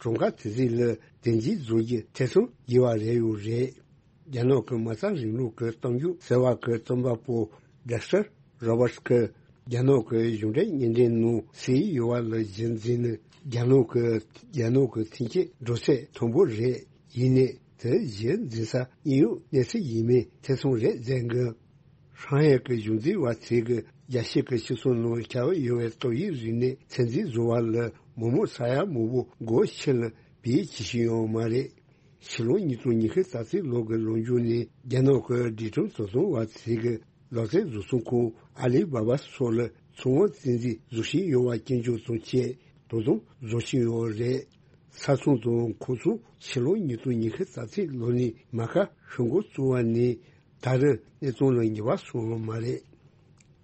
གྲངས་ཀ་དེ་ཚོ་ལ་བདེ་འཇགས་བཟོ་རྒྱུ་ཐེ་ཚོམ་དགོས་པ་རེད་ཡོད་རེད། རྒྱ་ནག་གི་མ་རྩ་རིང་ལུགས་ཀྱི་གཏམ་རྒྱུད་ཟེར་བ་གི་རྩོམ་པ་པོ་ཌེག་སི་ཊར་རོ་བར་ཊི་གིས་རྒྱ་ནག་གི་གཞུང་འབྲེལ་བརྙན་འཕྲིན་ནང་གསལ་ཡོད་པ་ལ་གཞི་འཛིན་ནས། རྒྱ་ནག་གི་རྒྱ་ནག་གི་ཐོན་སྐྱེད་འགྲོ་ཚད་མཐོན་པོ་རེད། ཡིན་ནའི་དེ་གཞི་འཛིན་ས་དངོས་ཡོད་གནས་ཚུལ་ཡིན་མིན་ཐེ་ཚོམ་རེད་ཟེར་གི། ཧྲང་ཧའེ་གི་གཞུང་འཛིན་པ་ཚོས་གི་རྒྱལ་སྤྱི་གི་སྤྱི་ཚོགས་ནང་ཁྱབ་ཡོད་པའི་ཏོག་དབྱིབས་རིམས་ནད་ཚོད་འཛིན་བཟོ་བ་ལ་མི་མང་ས་ཡ་མང་པོ་སྒོ་ཕྱི་ལ་བེད་སྤྱད་བཞིན་ཡོད་མ་རེད། ཕྱི་ལོ་ཉིས་སྟོང་ཉི་ཤུ་རྩ་གཅིག་ལོ་གི་ལོ་མཇུག་ནས་རྒྱ་ནག་གི་སྒྲིག་ཁྲིམས་བཟོ་ཚོང་བ་ཚོས་གི་ལག་རྩལ་བཟོ་ཚོང་ཁང་ཨ་ལི་བྷ་བྷ་སོགས་ལ་ཚོང་དབང་བཙན་འཛུལ་བཟོ་བཞིན་ཡོད་པ་སྐྱོན་བརྗོད་དང་བཅས་དོ་དམ་བཟོ་བཞིན་ཡོད་རེད། ས་ཚོང་དང་ཁོག་ཚོང་ཕྱི་ལོ་ཉིས་སྟོང་ཉི་ཤུ་རྩ་གཅིག་ལོ་ནས་མ་ཁ་ཤོར་འགོ་བཙུགས་པ་ནས་ད་རེས་གནས་སྟངས་ལ་ངེས་པ་སོང་བ་མ་རེད།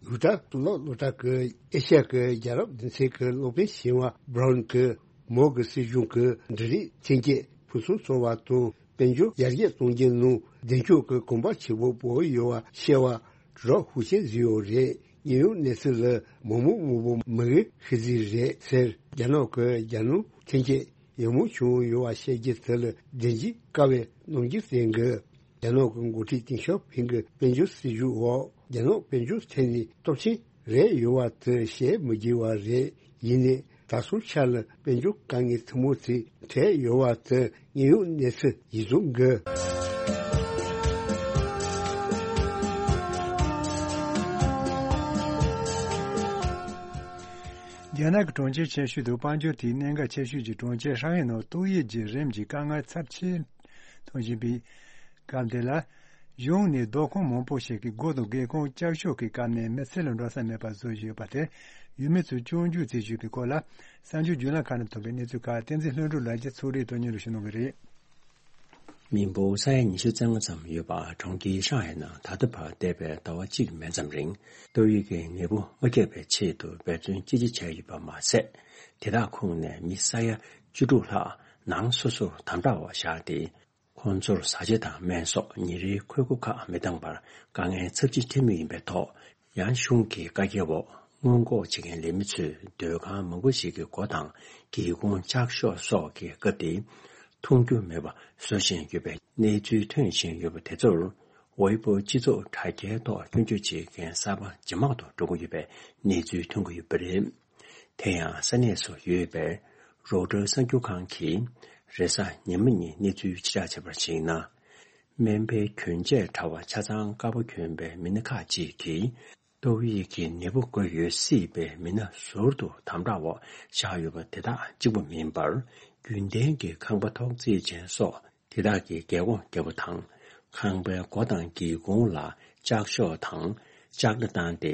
ཡུ་ཊ་གཙུག་ལག་སློབ་གྲྭ་གི་ཨེ་ཤ་ཡ་གི་རྒྱལ་རབས་སྡེ་ཚན་གྱི་སློབ་དཔོན་ཆེ་བ་བྷ་རོན་གྱིས་མའོ་གི་སྲིད་གཞུང་གིས་འབྲུ་རིགས་ཐོན་སྐྱེད་ཕུན་སུམ་ཚོགས་པ་དང་དཔལ་འབྱོར་ཡར་རྒྱས་གཏོང་རྒྱུའི་ནང་བདེ་འཇགས་ཀྱི་གོམ་པ་ཆེ་པོ་སྤོས་ཡོད་པ་ཤེས་པ་རོ་ཧུ་ཆེ་བཟོས་ཡོད་རེད། དངོས་ཡོད་གནས་ཚུལ་ལ་མི་མང་མང་པོ་མི་དགའ་ཤི་རྩིས་རེད་ཟེར། རྒྱ་ནག་གི་རྒྱལ་ནང་ཐོན་སྐྱེད་ཡག་མོ་བྱུང་ཡོད་པ་བཤད་རྒྱུ་དེ་ལ་བདེན་འཇིགས་དཀའ་བའི་རྣམ་འགྱུར་བསྟན་གི། རྒྱ་ནག་གི་འགོ་ཁྲིད་ཏེང་ཞའོ་ཕིང་གི་དཔལ་འབྱོར་སྲིད་ཇུས་འོག་རྒྱ་ནག་དཔལ་འབྱོར་ཐད་ནས་སྟོབས་ཆེན་རེད་ཡོད་པ་དེ་བཤད་མི་དགོས་པ་རེད། ཡིན་ནའི་ད་སོ་ཆ་ལ་དཔལ་འབྱོར་དཀའ་ངལ་ཐུན་མོང་དེ་འཕྲད་ཡོད་པ་དེ་དངོས་ཡོད་གནས་ཚུལ་ཡིན་ཚུལ་འགི། རྒྱ་ནག་གི་གྲོང་ཁྱེར་ཆེ་ཤོས་དང་དཔལ་འབྱོར་དེའི་གནད་འགག་ཆེ་ཤོས་ཀྱི་གྲོང་ཁྱེར་ཧྲང་ཧའེ་ནང་ཏོག་དབྱིབས་ཀྱི་རིམས་ཀྱི་དཀའ་ངལ་ཚབས་ཆེ་མཐོང་བཞིན་པའི་སྐབས་འདི་ལ། གཞུང་ནས་སྡོད་ཁང་མང་པོ་ཞིག་གི་སྒོ་དང་སྒེའུ་ཁུང་ལྕགས་ཤོག་གིས་བཀབ་ནས་མི་ཚེ་ལ་འགྲོ་ས་མེད་པ་བཟོ་བཞིན་ཡོད་པ་དེར་ཡུལ་མི་ཚོས་སྐྱོན་བརྗོད་བྱེད་བཞིན་པའི་སྐོར་ལ། གསར་འགྱུར་བརྒྱུད་ལམ་ཁག་ནས་ཐོན་པའི་གནས་ཚུལ་ཁག་བསྟན་འཛིན་ལྷུན་གྲུབ་ལགས་ཀྱིས་ཚོགས་རིས་ཐོག་སྙན་སྒྲོན་ཞུ་གནང་གི་རེད། མི་འབོར་ས་ཡ་ཉི་ཤུ་རྩ་ལྔ་ཙམ་ཡོད་པ་གྲོང་ཁྱེར་ཧྲང་ཧའེ་ནང་ད་ལྟ་བར་འདས་པའི་ཟླ་བ་གཅིག་མན་ཙམ་རིང་ཏོག་དབྱིབས་ཀྱི་ནད་འབུ་མ་ཁྱབ་པའི་ཆེད་དུ་འབད་བརྩོན་ཅི་ཆེ་བྱས་ཡོད་པ་མ་ཟད། དེ་དག་ཁོངས་ནས་མི་ས་ཡ་བཅུ་དྲུག་ལྷག་ནང་སོ་སོར་དམ་དྲག་འོག་བཞག་སྟེ། ཁོང་ཚོར་བཟའ་བཅའ་དང་སྨན་གསོག་ཉིན་རེའི་ཁོལ་སྒོ་ཁག་མི་འདང་བར་དཀའ་ངལ་ཚབས་ཆེན་འཕྲད་མུས་ཡིན་པའི་ཐོག་ཡང་གཞུང་གི་བཀའ་རྒྱའི་འོག་སྔོན་འགོག་བྱེད་མཁན་ལས་མི་ཚོས་སྡོད་ཁང་མང་པོ་ཞིག་གི་སྒོ་དང་སྒེའུ་ཁུང་ལྕགས་ཤོག་སོགས་ཀྱི་བཀབ་སྟེ། མཐོང་རྒྱུ་མེད་པ་བཟོ་བཞིན་ཡོད་པའི་གནས་ཚུལ་ཐོན་བཞིན་ཡོད་པ་དེ་ཚོར། ཝེ་པོ་སྤྱི་ཚོགས་དྲ་རྒྱའི་ཐོག་སྐྱོན་བརྗོད་བྱེད་མཁན་གསར་པ་ཇེ་མང་དུ་འགྲོ་གི་ཡོད་པའི་གནས་ཚུལ་ཐོན་གྱི་ཡོད་པ་རེད། དེ་ཡང་ས་གནས་སུ་ཡོད་པའི་རོའུ་ཊར་གསར་འགྱུར་ཁང་གིས་རེས་གཟའ་ཉི་མ་ཉིན་གནས་ཚུལ་ཕྱིར་བསྒྲགས་བྱས་པར་གཞིགས་ན། སྨན་པའི་གྱོན་ཆས་དྲ་བ་ཆ་ཚང་དཀར་པོ་གྱོན་པའི་མི་སྣ་ཁག་ཅིག་གིས་ཏོག་དབྱིབས་ཀྱི་ནད་འབུ་འགོས་ཡོད་སྲིད་པའི་མི་སྣ་ཟུར་དུ་དམ་དྲག་འོག་བཞག་ཡོད་པ་དེ་དག་གཅིག་པུ་མིན་པར། རྒྱུན་ལྡན་གྱི་ཁང་པ་ཐོག་བརྩེགས་ཅན་སོགས། དེ་དག་གི་རྒྱལ་སྒོ་བརྒྱབ་པ་དང་། ཁང་པའི་སྒོ་དང་སྒེའུ་ཁུང་ལ་ལྕགས་ཤོག་དང་ལྕགས་སྒྲ་བཏང་སྟེ།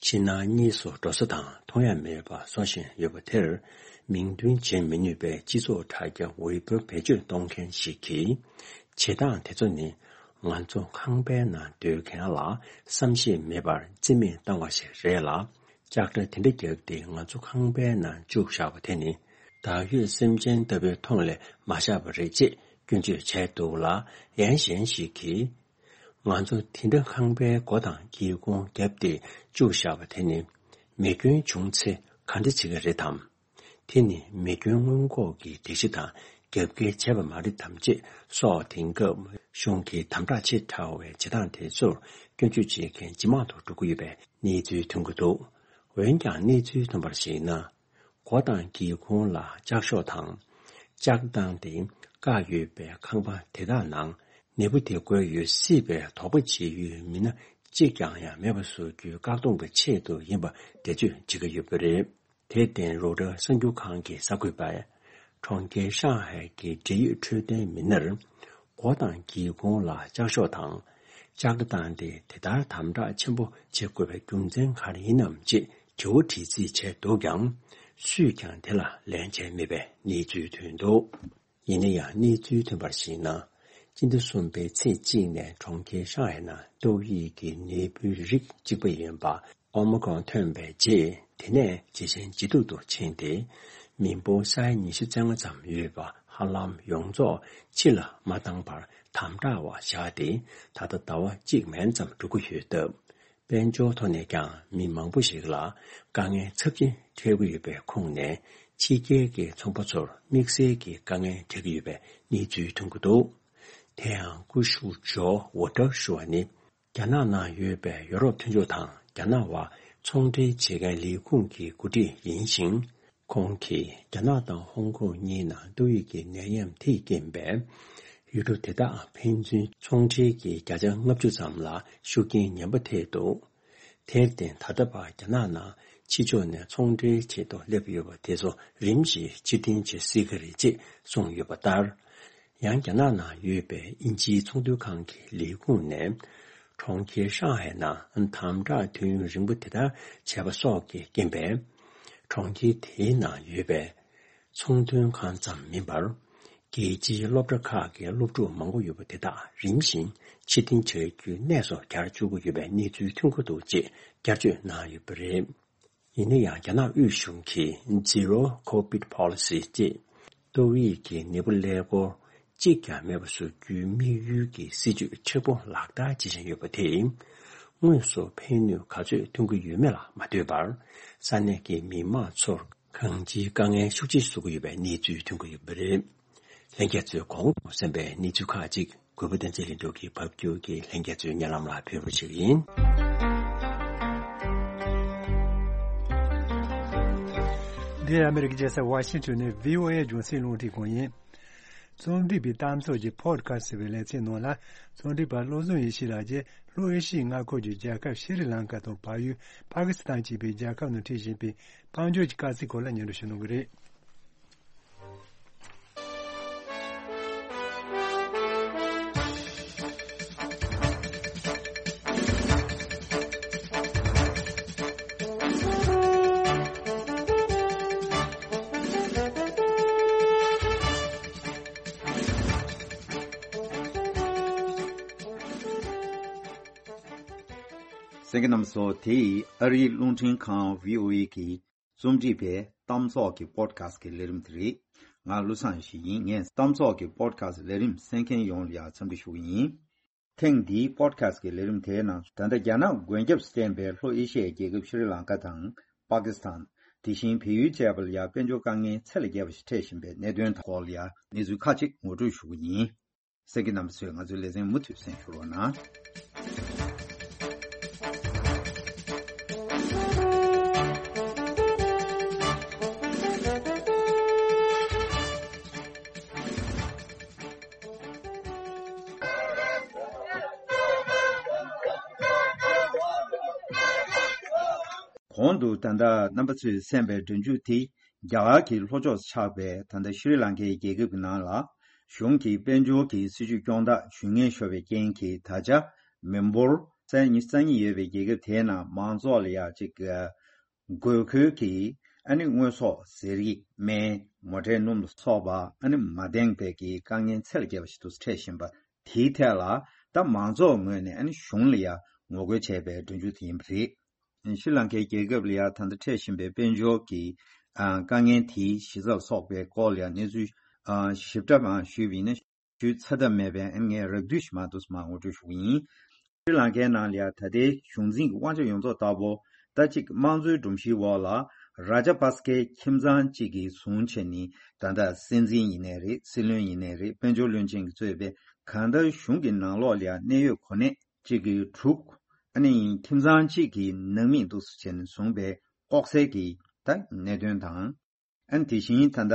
ཕྱི་ནང་གཉིས་སུ་འགྲོ་ས་དང་མཐོང་ཡ་མེད་པ་བཟོ་བཞིན་ཡོད་པ་དེར། མིང་འདོན་བྱེད་མི་ནུས་པའི་སྤྱི་ཚོགས་དྲ་རྒྱ་ཝེ་པོར་བེད་སྤྱོད་གཏོང་མཁན་ཞིག་གིས། བྱེད་སྟངས་དེ་ཚོ་ནི། ང་ཚོ་ཁང་པའི་ནང་སྡོད་མཁན་ལ་བསམ་ཤེས་མེད་པར་རྩིས་མེད་བཏང་བ་ཞིག་རེད་ལ། ལྕགས་སྒྲ་དེ་འདྲ་བརྒྱབ་སྟེ་ང་ཚོ་ཁང་པའི་ནང་བཅུག་བཞག་པ་དེ་ནི། བདག་ཡོད་སེམས་ཅན་ལྟ་བུའི་མཐོང་ལས་མ་བཞག་པ་རེད་ཅེས་སྐྱོན་བརྗོད་བྱས་འདུག་ལ། ཡང་གཞན་ཞིག་གིས། ང་ཚོ་དེ་འདྲ་ཁང་པའི་སྒོ་དང་སྒེའུ་ཁུང་བརྒྱབ་སྟེ་བཅུག་བཞག་པ་དེ་ནི། མེ་སྐྱོན་བྱུང་ཚེ་ག་འདྲ་བྱེད་ཀྱི་རེད་དམ། དེ་ནི་མེ་སྐྱོན་སྔོན་འགོག་གི་སྒྲིག་གཞི་དང་རྒྱབ་འགལ་བྱས་པ་མ་རེད་དམ་ཅེས་སོགས། དེང་སྐབས་གཞུང་གི་དམ་དྲག་ཆེ་དྲགས་པའི་བྱེད་སྟངས་དེ་ཚོར་སྐྱོན་བརྗོད་བྱེད་མཁན་ཇེ་མང་དུ་འགྲོ་གི་ཡོད་པའི་གནས་ཚུལ་ཐོན་གྱི་འདུག་འོན་ཀྱང་གནས་ཚུལ་ཐོན་པར་གཞིགས་ན། སྒོ་དང་སྒེའུ་ཁུང་ལ་ལྕགས་ཤོག་དང་། ལྕགས་བཏང་སྟེ་བཀག་ཡོད་པའི་ཁང་པ་དེ་དག་ནང་ནད་འབུ་དེ་འགོས་ཡོད་སྲིད་པའི་དོགས་པ་བྱེད་ཡུལ་མི་སྣ་གཅིག་ཀྱང་ཡང་མེད་པ་བཟོ་རྒྱུའི་བཀག་སྡོམ་གྱི་ཆེད་དུ་ཡིན་པ་འགྲེལ་བརྗོད་བྱེད་ཀྱི་ཡོད་པ་རེད། དེར་བརྟེན་རོའུ་ཊར་གསར་འགྱུར་ཁང་གི་གསར་འགོད་པས། གྲོང་ཁྱེར་ཧྲང་ཧའེ་གི་འབྲེལ་ཡོད་འཕྲོད་བསྟེན་མི་སྣར། སྒོ་དང་སྒེའུ་ཁུང་ལ་ལྕགས་ཤོག་དང་། ལྕགས་སྒྲ་བཏང་སྟེ་དེ་ལྟར་དམ་དྲག་ཆེན་པོ་བྱེད་དགོས་པའི་རྒྱུ་མཚན་ག་རེ་ཡིན་ནམ་ཅེས་དྲི་བ་དྲི་རྩིས་བྱས་འདུག་ཀྱང་། སུས་ཀྱང་དེ་ལ་ལན་བྱས་མེད་པའི་གནས་ཚུལ་ཐོན་འདུག་ཡིན་ན་ཡང་གནས་ཚུལ་ཐོན་པར་གཞིགས་ན། སྤྱི་ཟླ་གསུམ་པའི་ཚེས་གཅིག་ནས་གྲོང་ཁྱེར་ཧྲང་ཧའེ་ནང་ཏོག་དབྱིབས་ཀྱི་ནད་འབུའི་རིགས་གཅིག་པ་ཡིན་པ་ཨོ་མི་ཀྲོན་ཐོན་པའི་རྗེས། དེ་ནས་ཇེ་ཞན་ཇེ་སྡུག་ཏུ་ཕྱིན་ཏེ། མི་འབོར་ས་ཡ་ཉི་ཤུ་རྩ་ལྔ་ཙམ་ཡོད་པ་ཧ་ལམ་ཡོངས་རྫོགས་ཕྱི་ལ་མ་བཏང་བར་དམ་དྲག་འོག་བཞག་སྟེ། ད་ལྟ་ཟླ་བ་གཅིག་མན་ཙམ་འགྲོ་གི་ཡོད་སྟབས། དཔལ་འབྱོར་ཐོག་ནས་ཀྱང་མི་མང་པོ་ཞིག་ལ་དཀའ་ངལ་ཚབས་ཆེན་འཕྲད་ཀྱི་ཡོད་པའི་ཁོངས་ནས། ཕྱི་རྒྱལ་གྱི་ཚོང་པ་ཚོར་དམིགས་བསལ་གྱི་དཀའ་ངལ་འཕྲད་ཀྱི་ཡོད་པའི་གནས་ཚུལ་ཐོན་གྱི་འདུག་དེ་ཡང་སྐུ་ཞབས་ཇོ་ཝོ་ཏར་ཞུ་བ་ནི། རྒྱ་ནག་ནང་ཡོད་པའི་ཡོ་རོབ་མཐུན་ཕྱོགས་དང་རྒྱ་ནག་བར་ཚོང་འབྲེལ་བྱེད་མཁན་ལས་ཁུངས་ཀྱི་འགོ་ཁྲིད་ཡིན་ཞིང་། ཁོང་གིས་རྒྱ་ནག་དང་ཧོང་ཀོང་གཉིས་ནང་ཏོག་དབྱིབས་ཀྱི་ནད་ཡམས་དེས་རྐྱེན་པས། ཡུལ་གྲུ་དེ་དག་ཕན་ཚུན་ཚོང་འབྲེལ་གྱི་བརྒྱ་ཆ་ལྔ་བཅུ་ཙམ་ལ་ཤུགས་རྐྱེན་ངན་པ་ཐེབས་འདུག་དེར་བརྟེན། ད་ལྟ་བར་རྒྱ་ནག་ནང་ཕྱི་ཕྱོགས་ནས་ཚོང་འབྲེལ་ཆེད་དུ་སླེབས་ཡོད་པ་དེ་ཚོ་རིམ་བཞིན་ཕྱིར་འཐེན་བྱེད་སྲིད་ཀྱི་རེད་ཅེས་གསུངས་ཡོད་པ་ལྟར། ཡང་རྒྱ་ནག་ནང་ཡོད་པའི་དབྱིན་ཇིའི་ཚོང་དོན་ཁང་གི་ལས་ཁུངས་ནས། གྲོང་ཁྱེར་ཧྲང་ཧའེ་ནང་དམ་དྲག་དུས་ཡུན་རིང་པོ་དེ་ལྟར་བྱས་པ་སོགས་ཀྱི་རྐྱེན་པས། གྲོང་ཁྱེར་དེའི་ནང་ཡོད་པའི་ཚོང་དོན་ཁང་ཙམ་མིན་པར། རྒྱལ་སྤྱིའི་སློབ་གྲྭ་ཁག་གི་སློབ་ཕྲུག་མང་པོ་ཡོད་པ་དེ་དག་རིམ་བཞིན་ཕྱིར་འཐེན་བྱ་རྒྱུའི་གནས་སུ་གྱར་བཅུག་གི་ཡོད་པའི་གནས་ཚུལ་ཐོན་གྱི་འདུག་ཅེས་བསྐྱར་བརྗོད་གནང་ཡོད་པ་རེད། ཡིན་ན་ཡང་། རྒྱ་ནག་དབུས་གཞུང་གིས་Zero Covid Policy ཅེས། ཏོག་དབྱིབས་ཀྱི་ནད་འབུ་ཀླད་ཀོར་གཅིག་ཀྱང་མེད་པ་བཟོ་རྒྱུའི་དམིགས་ཡུལ་གྱི་སྲིད་ཇུས་མཁྲེགས་པོ་ལག་བསྟར་བྱེད་བཞིན་ཡོད་པ་དེས། དངོས་སུ་ཕན་ནུས་ག་ཚོད་ཐོན་གྱི་ཡོད་མེད་ལ་མ་ལྟོས་པར། ས་གནས་ཀྱི་མི་མང་ཚོར་གང་ཅིའི་དཀའ་ངལ་ཤུགས་ཆེ་བཟོ་གི་ཡོད་པའི་གནས་ཚུལ་ཐོན་གྱི་ཡོད་པ་རེད། ལྷན་རྒྱས་ཚོས་གོང་དུ་གསན་པའི་གནས་ཚུལ་ཁག་ཅིག་གུས་པ་བསྟན་འཛིན་ལྷུན་གྲུབ་ཀྱིས་ཕབ་སྒྱུར་གྱིས་ལྷན་རྒྱས་ཚོའི་སྙན་ལམ་ལ་ཕེབས་རོགས་ཞུ་གི་ཡིན། འདི་ཨ་མེ་རི་ཀའི་རྒྱལ་ས་ཝ་ཤིང་ཊོན་ནས་བྷི་ཨོ་ཨེ་རྒྱང་སྲིང་རླུང་འཕྲིན་ཁང་ཡིན། རྩོམ་སྒྲིག་པའི་གཏམ་ཚོགས་ཀྱི་Podcast་ཟེར་བའི་ལེ་ཚན་ནང་ལ། རྩོམ་སྒྲིག་པ་བློ་བཟང་ཡེ་ཤེས་ལགས་ཀྱིས་ལྷོ་ཨེ་ཤི་ཡའི་མངའ་ཁུལ་གྱི་རྒྱལ་ཁབ་ཤྲི་ལང་ཀ་དང་བལ་ཡུལ་པ་ཀི་སི་ཐན་བཅས་པའི་རྒྱལ་ཁབ་ནང་འཁྲིད་བཞིན་པའི་དཔལ་འབྱོར་གྱི་དཀའ་ཚེགས་སྐོར་ལ་སྙན་སྒྲོན་ཞུ་གནང་གི་རེད། གསན་མཁན་རྣམ་པ་ཚོ། དེ་ཨ་རིའི་རླུང་འཕྲིན་ཁང་བྷི་ཨོ་ཨེ་གི་རྩོམ་སྒྲིག་པའི་གཏམ་ཚོགས་ཀྱི་Podcast་གི་ལས་རིམ་དེ་རེད། ང་བློ་བཟང་ཡེ་ཤེས་ཡིན། ངས་གཏམ་ཚོགས་ཀྱི་Podcast་ལས་རིམ་གསན་མཁན་ཡོངས་ལ་ཡང་འཚམས་འདྲི་ཞུ་གི་ཡིན། ཐེངས་འདིའི་Podcast་གི་ལས་རིམ་དེའི་ནང་ད་ལྟ་རྒྱ་ནག་མགོན་སྐྱབས་སུ་བསྟེན་པའི་ལྷོ་ཨེ་ཤི་ཡའི་རྒྱལ་ཁབ་ཤྲི་ལང་ཀ་དང་པ་ཀི་སི་ཐན། དེ་བཞིན་བལ་ཡུལ་བཅས་པ་ལ་ཡང་དཔལ་འབྱོར་དཀའ་ངལ་ཚད་ལས་བརྒལ་བ་ཞིག་འཕྲད་བཞིན་པའི་གནད་དོན་སྐོར་ལ་ཡང་གནས་ཚུལ་ཁག་ཅིག་ངོ་སྤྲོད་ཞུ་གི་ཡིན། གསན་མཁན་རྣམ་པ་ཚོས་ང་ཚོའི་ལེ་ཚན་མུ་མཐུད་གསན་ཞུ་རོགས་གནང་། གོང་དུ་ད་ལྟ་རྣམ་པ་ཚོས་གསན་པའི་སྒྲ་འཇུག་དེ། རྒྱ་གར་གྱི་ལྷོ་ཕྱོགས་སུ་ཆགས་པའི་ད་ལྟ་ཤྲི་ལང་ཀའི་རྒྱལ་ཁབ་ཀྱི་ནང་ལ། གཞུང་གིས་དཔལ་འབྱོར་གྱི་སྲིད་ཇུས་སྐྱོང་ཐག་ཞུ་ངན་ཤོར་བའི་རྐྱེན་གྱིས། ད་ཆ་མི་འབོར་ས་ཡ་ཉི་ཤུ་རྩ་གཉིས་ཡོད་པའི་རྒྱལ་ཁབ་དེའི་ནང་མང་ཚོགས་ལ་ཡང་གཅིག་དགོས་མཁོའི་གི་ཨ་ནི་དངོས་ཟོག་ཟས་རིགས། སྨན། མོ་ཊའི་སྣུམ་ལ་སོགས་པ་ཨ་ནི་མ་ལྡན་པའི་གི་དཀའ་ངལ་ཚད་ལས་བརྒལ་བ་ཞིག་ཏུ་འཕྲད་བཞིན་པ་དེའི་ཐད་ལ། ད་མང་ཚོགས་ངོས་ནས་ཨ་ནི་གཞུང་ལ་ཡང་ངོ་རྒོལ་བྱས་པའི་སྒྲ་འཇུག་དེ་ཡིན་པ་རེད། ཤྲི་ལང་ཀའི་རྒྱལ་ཁབ་ལ་ཡང་ད་ལྟ་འཕྲད་བཞིན་པའི་དཔལ་འབྱོར་གྱི་ཨ་དཀའ་ངལ་དེའི་གཞི་རྩ་ལ་སོགས་པའི་སྐོར་ལ་ཡང་གནས་ཚུལ་ཨ་ཞིབ་ཕྲ་མ་ཞུས་པ་ཡིན་ན། ཞུས་ཚར་ཐབས་མེད་པས་ཨ་ནི་ངས་རགས་བསྡུས་ཤིག་མ་འདུག་མ་ངོ་སྤྲོད་ཞུ་གི་ཡིན། ཤྲི་ལང་ཀའི་ནང་ལ་ཡང་ད་ལྟའི་གཞུང་འཛིན་གྱི་དབང་ཆ་ཡོངས་རྫོགས་ལྟ་བུ། ད་གཅིག་དམངས་གཙོའི་སྒྲོམ་གཞིའི་འོག་ལ་རཱ་ཇ་པ་སི་ཀའི་ཁྱིམ་ཚང་གཅིག་གིས་བཟུང་བྱས་ནས། ད་ལྟ་སྲིད་འཛིན་ཡིན་ནའི་རེད། སྲིད་བློན་ཡིན་ནའི་རེད། དཔལ་འབྱོར་བློན་ཆེན་གྱིས་གཙོས་པའི་གང་ལྟར་གཞུང་གི་ནང་ལོགས་ལ་ཡང་གནད་ཡོད་གོ་གནས་གཅིག་གི་དྲུག་ཨ་ནི་ཁྱིམ་ཚང་གཅིག་གི་ནང་མི་འདུག་སེ་བྱས་ནས་བཟུང་པའི་ལྐོག་ཟའི་གི་ད་གནད་དོན་དང་། ཨ་ནི་དེ་བཞིན་ད་ལྟ་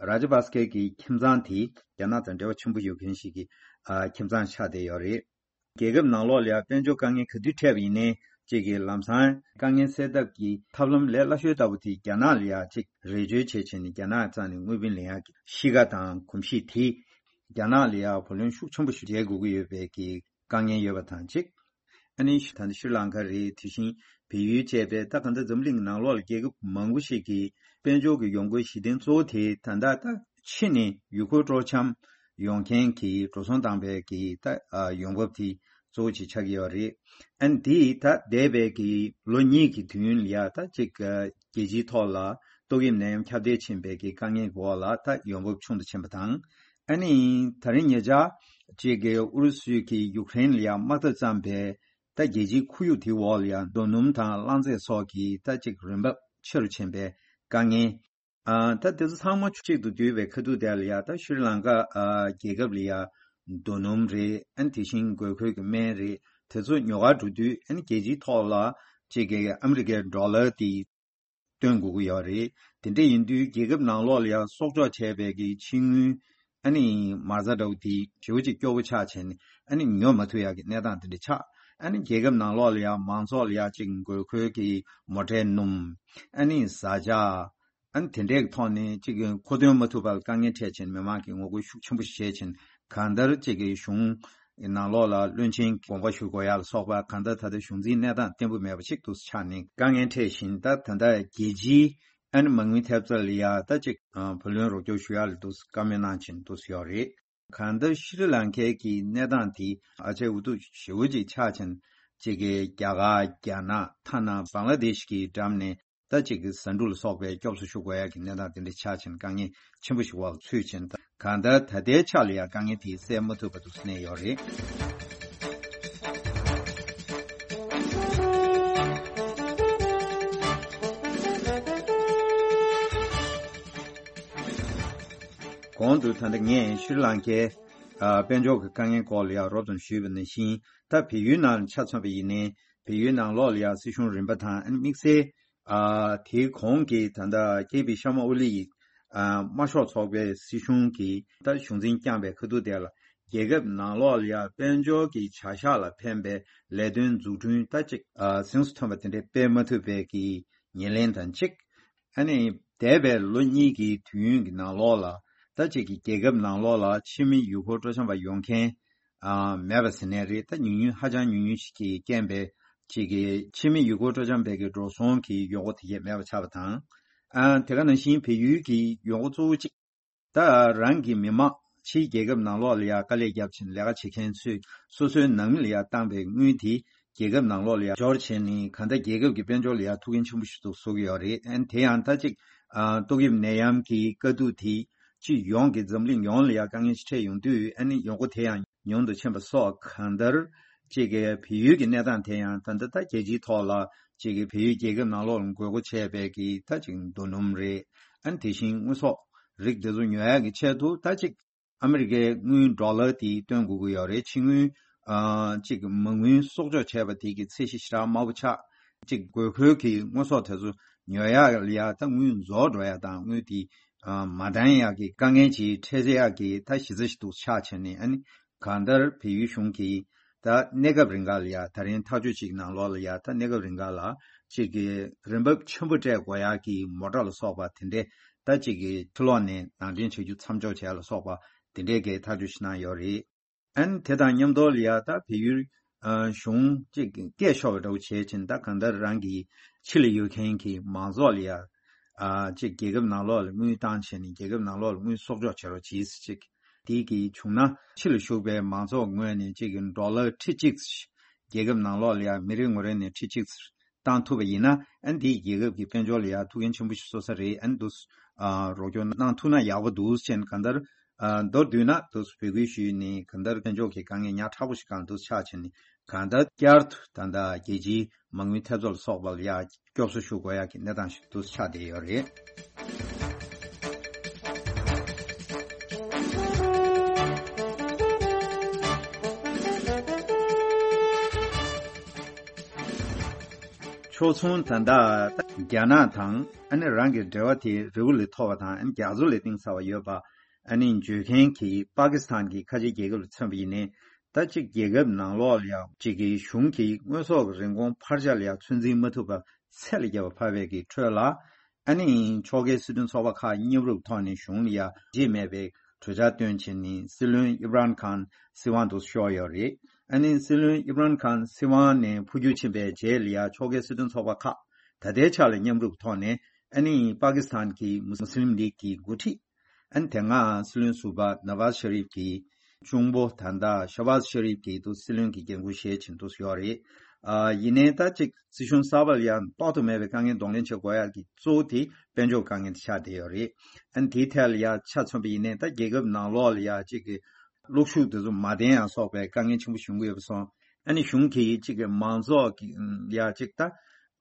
རཱ་ཇ་པ་སི་ཀའི་གི་ཁྱིམ་ཚང་དེ་རྒྱ་ནག་དང་འབྲེལ་བ་ཆེན་པོ་ཡོད་མཁན་ཞིག་གི་ཨ་ཁྱིམ་ཚང་ཆགས་བསྡད་ཡོད་རེད། རྒྱལ་ཁབ་ནང་ལོགས་ལ་ཡང་དཔལ་འབྱོར་དཀའ་ངལ་ག་དུས་འཕྲད་པ་ཡིན་ནའི། གཅིག་གི་ལམ་སང་དཀའ་ངལ་སེལ་ཐབས་ཀྱི་ཐབས་ལམ་ལས་སླ་ཤོས་ལྟ་བུ་དེ་རྒྱ་ནག་ལ་ཡང་གཅིག་རེ་བཅོལ་བྱས་བྱས་ནས་རྒྱ་ནག་རྩ་ནས་དངུལ་བུན་ལེན་ཡག་གི་གཤིས་ཀ་དང་གོམས་གཤིས་དེ། རྒྱ་ནག་ལ་ཡང་བུ་ལོན་ཤུགས་ཆེན་པོ་ཞིག་འཇལ་དགོས་ཀྱི་ཡོད་པའི་གི་དཀའ་ངལ་ཡོད་པ་དང་གཅིག་ཨ་ནི་ད་ལྟ་ཤྲི་ལང་ཀ་རེད། དེ་བཞིན་བལ་ཡུལ་བཅས་པའི་ད་ག་འདྲ་འཛམ་གླིང་གི་ནང་ལོགས་ལ་རྒྱལ་ཁབ་མང་པོ་ཞིག་གི་དཔལ་འབྱོར་གྱི་ཡོང་སྒོའི་གཞི་རྟེན་གཙོ་བོ་དེ་ད་ལྟ་ད་ཕྱི་ནས་ཡུལ་སྐོར་སྤྲོ་འཆམ། ཡོང་མཁན་གྱི་འགྲོ་སོང་བཏང་པའི་གི་ད་ཨ་ཡོང་འབབ་དེ་གཙོ་བོ་ཅིག་ཆགས་ཀྱི་ཡོད་རེད། ཨ་ནི་དེ་ད་འདས་པའི་གི་ལོ་གཉིས་ཀྱི་དུས་ཡུན་ལ་ཡ་ད་ཅིག་ཨ་རྒྱལ་སྤྱིའི་ཐོག་ལ་ཏོག་དབྱིབས་ནད་ཡམས་ཁྱབ་གདལ་ཕྱིན་པའི་གི་དཀའ་ངལ་གྱི་འོག་ལ་ད་ཡོང་འབབ་ཆུང་དུ་ཕྱིན་པ་དང་། ཨ་ནི་ད་རིང་ཉེ་ཆར་ཅིག་གི་ཨུ་རུ་སུས་ཀྱི་ཡུཀ་རེན་ལ་ཡ་དམག་འཐབ་བརྩམས་པའི་ད་རྒྱལ་སྤྱིའི་ཁོར་ཡུག་དེའི་འོག་ལ་ཡ་རྡོ་སྣུམ་དང་རླངས་རྫས་སོགས་ཀྱི་ད་ཅིག་རིན་འབབ་ཆེ་རུ་ཕྱིན་པའི་དཀའ་ངལ། ཨ་ད་དེ་ཚོ་ཚང་མ་གཅིག་ཏུ་བསྡུས་པའི་ཁ་ཐུག་དེ་ལ་ཡ་ད་ཤྲི་ལང་ཀ་ཨ་རྒྱལ་ཁབ་ལ་ཡ་རྡོ་སྣུམ་རེད། ཨ་ནི་དེ་བཞིན་དགོས་མཁོའི་གི་སྨན་རེད། དེ་ཚོ་ཉོ་གར་འགྲོ་དུས་ཨ་ནི་རྒྱལ་སྤྱིའི་ཐོག་ལ་ཅིག་གི་ཨ་མི་རི་ཀའི་ཌོ་ལར་དེ་སྟོན་དགོས་ཀྱི་ཡོད་རེད། དེ་འདྲ་ཡིན་དུས་རྒྱལ་ཁབ་ནང་ལོགས་ལ་ཡ་གསོག་འཇོག་བྱས་པའི་གི་ཕྱི་དངུལ་ཨ་ནི་མ་རྩ་འདྲ་བོ་དེ་ཞེ་པོ་ཅིག་སྐྱོ་པོ་ཆགས་བྱས་ནས་ཨ་ནི་ཉོ་མ་ཐུབ་ཡག་གི་གནས་སྟངས་དེ་འདྲ་ཆགས། ཨ་ནི་རྒྱལ་ཁབ་ནང་ལོགས་ལ་ཡ་མང་ཚོགས་ལ་ཡ་ཅིག་དགོས་མཁོའི་གི་མོ་ཊའི་སྣུམ། ཨ་ནི་བཟའ་བཅའ། ཨ་ནི་དེ་འདྲའི་ཐོག་ནས་ཅིག་མཁོ་འདོན་མ་ཐུབ་པར་དཀའ་ངལ་འཕྲད་བྱས་ནས་མི་མང་གིས་ངོ་རྒོལ་ཤུགས་ཆེན་པོ་ཞིག་བྱས་བྱས་ནས་གང་ལྟར་ཅིག་གི་གཞུང་ནང་ལོགས་ལ་བློན་ཆེན་དགོངས་པ་ཞུ་དགོས་ཡག་ལ་སོགས་པ་གང་ལྟར་ད་ལྟ་གཞུང་འཛིན་གནས་སྟངས་བརྟན་པོ་མེད་པ་ཞིག་ཏུ་ཆགས་ནས་དཀའ་ངལ་འཕྲད་བཞིན། ད་ད་ལྟ་རྒྱལ་སྤྱིའི་ཨ་ནི་མ་དངུལ་ཐེབས་རྩ་ལ་ཡ་ད་ཅིག་བུ་ལོན་རོགས་སྐྱོར་ཞུ་ཡག་ལ་འདུག་བཀའ་མོལ་གནང་བཞིན་འདུག་ཡོད་རེད། གང་ལྟར་ཤྲི་ལང་ཀའི་གི་གནས་སྟངས་དེ་ཨ་ཅེ་འུ་ཐུག་ཞེ་པོ་ཅིག་ཆགས་ཕྱིན། ཅིག་གི་རྒྱ་གར་རྒྱ་ནག་ཐ་ན་བང་ལ་དེཤ་གི་འགྲམ་ནས་ད་ཅིག་གི་ཟ་འབྲུ་ལ་སོགས་པའི་སྐྱོབ་གསོ་ཞུ་དགོས་ཡ་གི་གནས་སྟངས་དེ་འདྲ་ཆགས་ཕྱིན། དཀའ་ངལ་ཆེན་པོ་ཞིག་འོག་ཚུད་ཕྱིན། ད་གང་ལྟར་ད་ལྟའི་ཆ་ལ་ཡ་དཀའ་ངལ་དེ་སེལ་མ་ཐུབ་པ་འདུག་གནས་ཡོད་རེད། གོང་དུ་ད་ལྟ་ངས་ཤྲི་ལང་ཀའི་ཨ་དཔལ་འབྱོར་གྱི་དཀའ་ངལ་སྐོར་ལ་ཡང་རོབ་ཙམ་ཞུས་པ་ནང་བཞིན། ད་བལ་ཡུལ་ནང་ཆ་མཚོན་པ་ཡིན་ནའི་བལ་ཡུལ་ནང་ལོགས་ལ་ཡང་སྲིད་གཞུང་རིམ་པ་དང་ཨ་ནི་དམིགས་བསལ་ཨ་དེའི་གོང་གི་ད་ལྟ་ཀེ་པི་ཤར་མ་ཨོ་ལི་ཡི་ཨ་དམར་ཤོག་ཚོགས་པའི་སྲིད་གཞུང་གིས་ད་གཞུང་འཛིན་བསྐྱངས་པའི་ཁ་ཐུག་དེ་ལ་རྒྱལ་ཁབ་ནང་ལོགས་ལ་ཡང་དཔལ་འབྱོར་གྱི་བྱ་གཞག་ལ་ཕན་པའི་ལས་དོན་འཛུགས་སྐྲུན་ད་ཅིག་ཨ་གཟེངས་སུ་ཐོན་པ་དེ་འདྲའི་སྤེལ་མ་ཐུབ་པའི་གི་ཉེར་ལེན་དང་གཅིག་ཨ་ནི་འདས་པའི་ལོ་གཉིས་ཀྱི་དུས་ཡུན་གྱི་ནང་ལོགས་ལ་ད་ཅིག་གི་རྒྱལ་ཁབ་ནང་ལོགས་ལ་ཕྱི་མི་ཡུལ་སྐོར་སྤྲོ་འཆམ་པ་ཡོང་མཁན་ཨ་མེད་པ་ཟེར་ནའི་རེད། ད་ཉུང་ཉུང་ཧ་ཅང་ཉུང་ཉུང་ཞིག་གིས་རྐྱེན་པས་ཅིག་གི་ཕྱི་མི་ཡུལ་སྐོར་སྤྲོ་འཆམ་པའི་གི་འགྲོ་སོང་གི་ཡོང་སྒོ་དེ་གས་མེད་པ་ཆགས་པ་དང་། ཨ་དེ་ག་ནང་བཞིན་བལ་ཡུལ་གྱི་ཡོང་སྒོ་གཙོ་བོ་གཅིག་ད་རང་གི་མི་དམངས་ཕྱིའི་རྒྱལ་ཁབ་ནང་ལོགས་ལ་ཡང་དཀའ་ལས་བརྒྱབ་ཕྱིན་ལས་ཀ་བྱེད་མཁན་ཚོས་སོ་སོའི་ནང་མི་ལ་ཡང་བཏང་པའི་དངུལ་དེ་རྒྱལ་ཁབ་ནང་ལོགས་ལ་ཡང་འབྱོར་བྱས་ནས་གང་ལྟར་རྒྱལ་ཁབ་ཀྱི་དཔལ་འབྱོར་ལ་ཡང་ཐུགས་འགན་ཆེན་པོ་ཞིག་ཏུ་བཟོ་གི་ཡོད་རེད། ཨན་དེ་ཡང་ད་ཅིག་ཨ་ཏོག་དབྱིབས་ནད་ཡམས་ཀྱི་དཀའ་སྡུག་དེ་སྤྱི་ཡོངས་ཀྱི་འཛམ་གླིང་ཡོངས་ལ་ཡང་དཀའ་ངལ་ཞིག་འཕྲད་ཡོང་དུས་ཨ་ནི་ཡོང་སྒོ་དེ་ཡང་ཉུང་དུ་ཕྱིན་པ་སོགས་གང་ལྟར་ཅིག་གི་བལ་ཡུལ་གྱི་གནས་སྟངས་དེ་ཡང་ད་ལྟ་ད་རྒྱལ་སྤྱིའི་ཐོག་ལ་ཅིག་གི་བལ་ཡུལ་རྒྱལ་ཁབ་ནང་ལོགས་ལ་དགོས་མཁོ་ཆེ་བའི་གི་ད་ཅིག་རྡོ་སྣུམ་རེད། ཨ་ནི་དེ་བཞིན་དངོས་ཟོག་རིགས་དེ་ཚོ་ཉོ་ཡག་གི་ཆེད་དུ་ད་ཅིག་ཨ་མི་རི་ཀའི་དངུལ་ཌོ་ལར་དེ་སྟོན་དགོས་ཀྱི་ཡོད་རེད། ཕྱི་དངུལ་ཨ་ཅིག་མ་དངུལ་གསོག་འཇོག་བྱས་པ་དེ་གི་ཚད་གཞི་ཞེ་དྲག་དམའ་པོ་ཆགས། ཅིག་དགོས་མཁོའི་གི་དངོས་ཟོག་དེ་ཚོ་ཉོ་ཡག་ལ་ཡ་ད་དངུལ་རྫོགས་འགྲོ་ཡ་དང་དངུལ་དེ་ཨ་མ་འདང་ཡག་གི་དཀའ་ངལ་ཅིག་འཕྲད་ཡག་གི་ད་གཞི་རྩ་ཞིག་ཏུ་ཆགས་བྱས་ནས་ཨ་ནི་གང་ལྟར་བལ་ཡུལ་གཞུང་གིས་ད་གནས་སྐབས་རིང་ག་ལ་ཡ་ད་རིང་ཐག་གཅོད་ཅིག་ནང་ལོགས་ལ་ཡ་ད་གནས་སྐབས་རིང་ག་ལ་ཅིག་གི་རིན་འབབ་ཆེན་པོ་སྤྲད་དགོས་ཡག་གི་མོ་ཊ་ལ་སོགས་པ་དེ་འདྲས་ད་ཅིག་གི་ཕྱི་ལོགས་ནས་ནང་འདྲེན་བྱ་རྒྱུ་མཚམས་འཇོག་བྱས་ལ་སོགས་པ་དེ་འདྲས་ཀྱི་ཐག་གཅོད་ཞིག་གནང་ཡོད་རེད། ཨན་དེ་དང་མཉམ་དུ་ལ་ཡ་ད་བལ་ཡུལ་ཨ་གཞུང་ཅིག་སྐད་ཤོར་བ་འདྲ་བོ་བྱས་ཕྱིན་ད་གང་ལྟར་རང་གི་ཕྱི་ལ་ཡོད་མཁན་གྱི་མང་ཚོགས་ལ་ཡ་ཨ་ཅིག་རྒྱལ་ཁབ་ནང་ལོགས་ལ་དངུལ་བཏང་བྱས་ནས་རྒྱལ་ཁབ་ནང་ལོགས་ལ་དངུལ་གསོག་འཇོག་བྱེད་རོགས་གྱིས་ཅིག་དེ་གི་བྱུང་ན་ཕྱི་ལ་བཞུགས་པའི་མང་ཚོགས་ངོས་ནས་ཅིག་གི་ཌོ་ལར་ཁྲི་གཅིག་རྒྱལ་ཁབ་ནང་ལོགས་ལ་ཡ་མི་རེ་ངོ་རེ་ནས་ཁྲི་གཅིག་བཏང་ཐུབ་པ་ཡིན་ན་ཨན་དེའི་རྒྱལ་ཁབ་ཀྱི་དཔལ་འབྱོར་ལ་ཡ་ཐུགས་འགན་ཆེན་པོ་ཞིག་གསོ་ས་རེད། ཨན་དུ་ཨ་རོགས་སྐྱོར་གནང་ཐུབ་ན་ཡག་པོ་འདུག་ཅེས་གང་ལྟར་ཨ་མདོར་བསྡུས་ན་དུ་འབོད་སྐུལ་ཞུས་ནས་གང་ལྟར་དཔལ་འབྱོར་གྱི་དཀའ་ངལ་ཉག་ཕྲ་པོ་ཞིག་གང་དུ་ཆགས་ཕྱིན་ནས་གང་ལྟར་བསྐྱར་དུ་ད་ལྟ་རྒྱལ་སྤྱིའི་མ་དངུལ་ཐེབས་རྩ་ལ་སོགས་པ་ལ་ཡ་སྐྱོབ་གསོ་ཞུ་དགོས་ཡག་གི་གནས་སྟངས་ཤིག་དུ་ཆགས་བསྡད་ཡོད་རེད། ཕྱོགས་མཚུངས་ད་ལྟ་རྒྱ་ནག་དང་ཨ་ནི་རང་གི་འབྲེལ་བ་དེ་རི་བོ་ལས་མཐོ་བ་དང་ཨ་ནི་རྒྱ་མཚོ་ལས་གཏིང་ཟབ་པ་ཡོད་པ་ཨ་ནི་བརྗོད་མཁན་གྱི་པ་ཀི་སི་ཐན་གྱི་ཁ་ཆེ་རྒྱལ་ཁབ་ལ་མཚོན་པ་ཡིན་ནའི་ད་ཅིག་རྒྱལ་ཁབ་ནང་ལོགས་ལ་ཡང་ཅིག་གི་གཞུང་གི་དངོས་ཟོག་གི་རིན་གོང་འཕར་ཆག་ལ་ཡང་ཚོད་འཛིན་མ་ཐུབ་པ་ཚད་ལས་བརྒལ་བ་འཕར་བའི་གི་ཁྲོད་ལ། ཨ་ནི་ཕྱོགས་འགལ་སྲིད་དོན་ཚོགས་པ་ཁག་མཉམ་རུབ་ཐོག་ནས་གཞུང་ལ་ཡ་རྗེས་མེད་པའི་གྲོས་འཆར་བཏོན་བྱས་ནས་སྲིད་བློན་ཨི་མ་རན་ཁཱན་སྲིད་དབང་དུ་ཤོར་ཡོད་རེད། ཨ་ནི་སྲིད་བློན་ཨི་མ་རན་ཁཱན་སྲིད་དབང་ནས་འཕོ་འགྱུར་ཕྱིན་པའི་རྗེས་ལ་ཡ་ཕྱོགས་འགལ་སྲིད་དོན་ཚོགས་པ་ཁག་ད་ལྟའི་ཆ་ལ་མཉམ་རུབ་ཐོག་ནས་ཨ་ནི་པ་ཀི་སི་ཐན་གྱི་མུ་སི་ལིམ་ལིག་གི་འགོ་ཁྲིད་ ཨ་ནི་དེ་སྔ་སྲིད་བློན་ཟུར་པ་ནཱ་ཝཱཛ་ཤ་རིབ་ཀྱི་གཅུང་པོ་ད་ལྟ་ཤ་ཝཱཛ་ཤ་རིབ་ཀྱིས་འདུག་སྲིད་བློན་གྱི་འགན་ཁུར་བཞེས་བཞིན་འདུག་ཡོད་རེད། ཨ་ཡིན་ནའི་ད་ཅིག་སྲིད་གཞུང་གསར་པ་ལ་ཡང་ལྡོག་ཏུ་མེད་པའི་དཀའ་ངལ་གདོང་ལེན་བྱེད་དགོས་ཡག་གི་གཙོ་བོ་དེ་དཔལ་འབྱོར་དཀའ་ངལ་དེ་ཆགས་བསྡད་ཡོད་རེད། ཨ་ནི་དེའི་ཐད་ལ་ཡང་ཆ་མཚོན་པ་ཡིན་ནའི་ད་རྒྱལ་ཁབ་ནང་ལོགས་ལ་ཡང་ཅིག་གི་གློག་ཤུགས་དེ་ཚོ་མ་བརྟན་ཡང་སོགས་པའི་དཀའ་ངལ་ཆེན་པོ་བྱུང་གི་ཡོད་པ་སོང་། ཨ་ནི་གཞུང་གིས་ཅིག་གི་མང་ཚོགས་ཀྱི་ཡ་ཅིག་ད་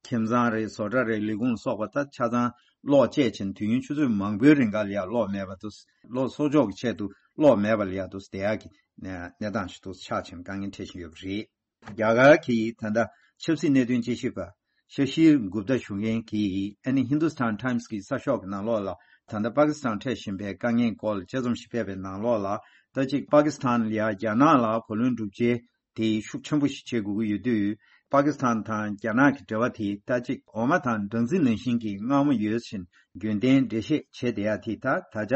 ཁྱིམ་ཚང་རེད། བཟོ་གྲྭ་རེད། ལས་ཁུངས་སོགས་པ་ད་ཆ་ཚང་གློག་བཅད་ཕྱིན་དུས་ཡུན་ཆུ་ཚོད་མང་པོའི་རིང་ག་ལ་ཡ་གློག་མེད་པ་འདུག་གློག་གསོག་འཇོག་གི་ཆེད་དུ་གློག་མེད་པ་ལ་ཡ་འདུག་བསྡད་ཡག་གི་གནས་གནས་སྟངས་ཤིག་འདུག་ཆགས་ཕྱིན་དཀའ་ངལ་འཕྲད་བཞིན་ཡོད་པ་རེད། རྒྱ་གར་གྱི་ད་ལྟ་ཆབ་སྲིད་གནད་དོན་དཔྱད་ཞིབ་པ་ཤ་ཤིར་གུབ་ཏ་ཞུ་མཁན་གྱིས་ཨ་ནི་ཧིན་དུ་སི་ཐན་ཊའིམ་སི་གི་གསར་ཤོག་གི་ནང་ལོགས་ལ་ད་ལྟ་པ་ཀི་སི་ཐན་འཕྲད་བཞིན་པའི་དཀའ་ངལ་སྐོར་ལ་དཔྱད་རྩོམ་ཞིག་སྤེལ་བའི་ནང་ལོགས་ལ་ད་ཅིག་པ་ཀི་སི་ཐན་ལ་ཡ་རྒྱ་ནག་ལ་གོ་ལོན་སྒྲུབ་བྱེད་དེ་ཤུགས་ཆེན་པོ་ཞིག་བྱེད་དགོས་ཀྱི་ཡོད་དུས། པ་ཀི་སི་ཐན་དང་རྒྱ་ནག་གི་འབྲེལ་བ་དེ་ད་ཅིག་འོ་མ་དང་སྦྲང་རྩི་ནང་བཞིན་གྱི་མངར་མོ་ཡོད་བཞིན་རྒྱུན་ལྡན་འགྲེལ་བཤད་བྱས་བསྡད་ཡ་དེ་ད་ད་ཆ་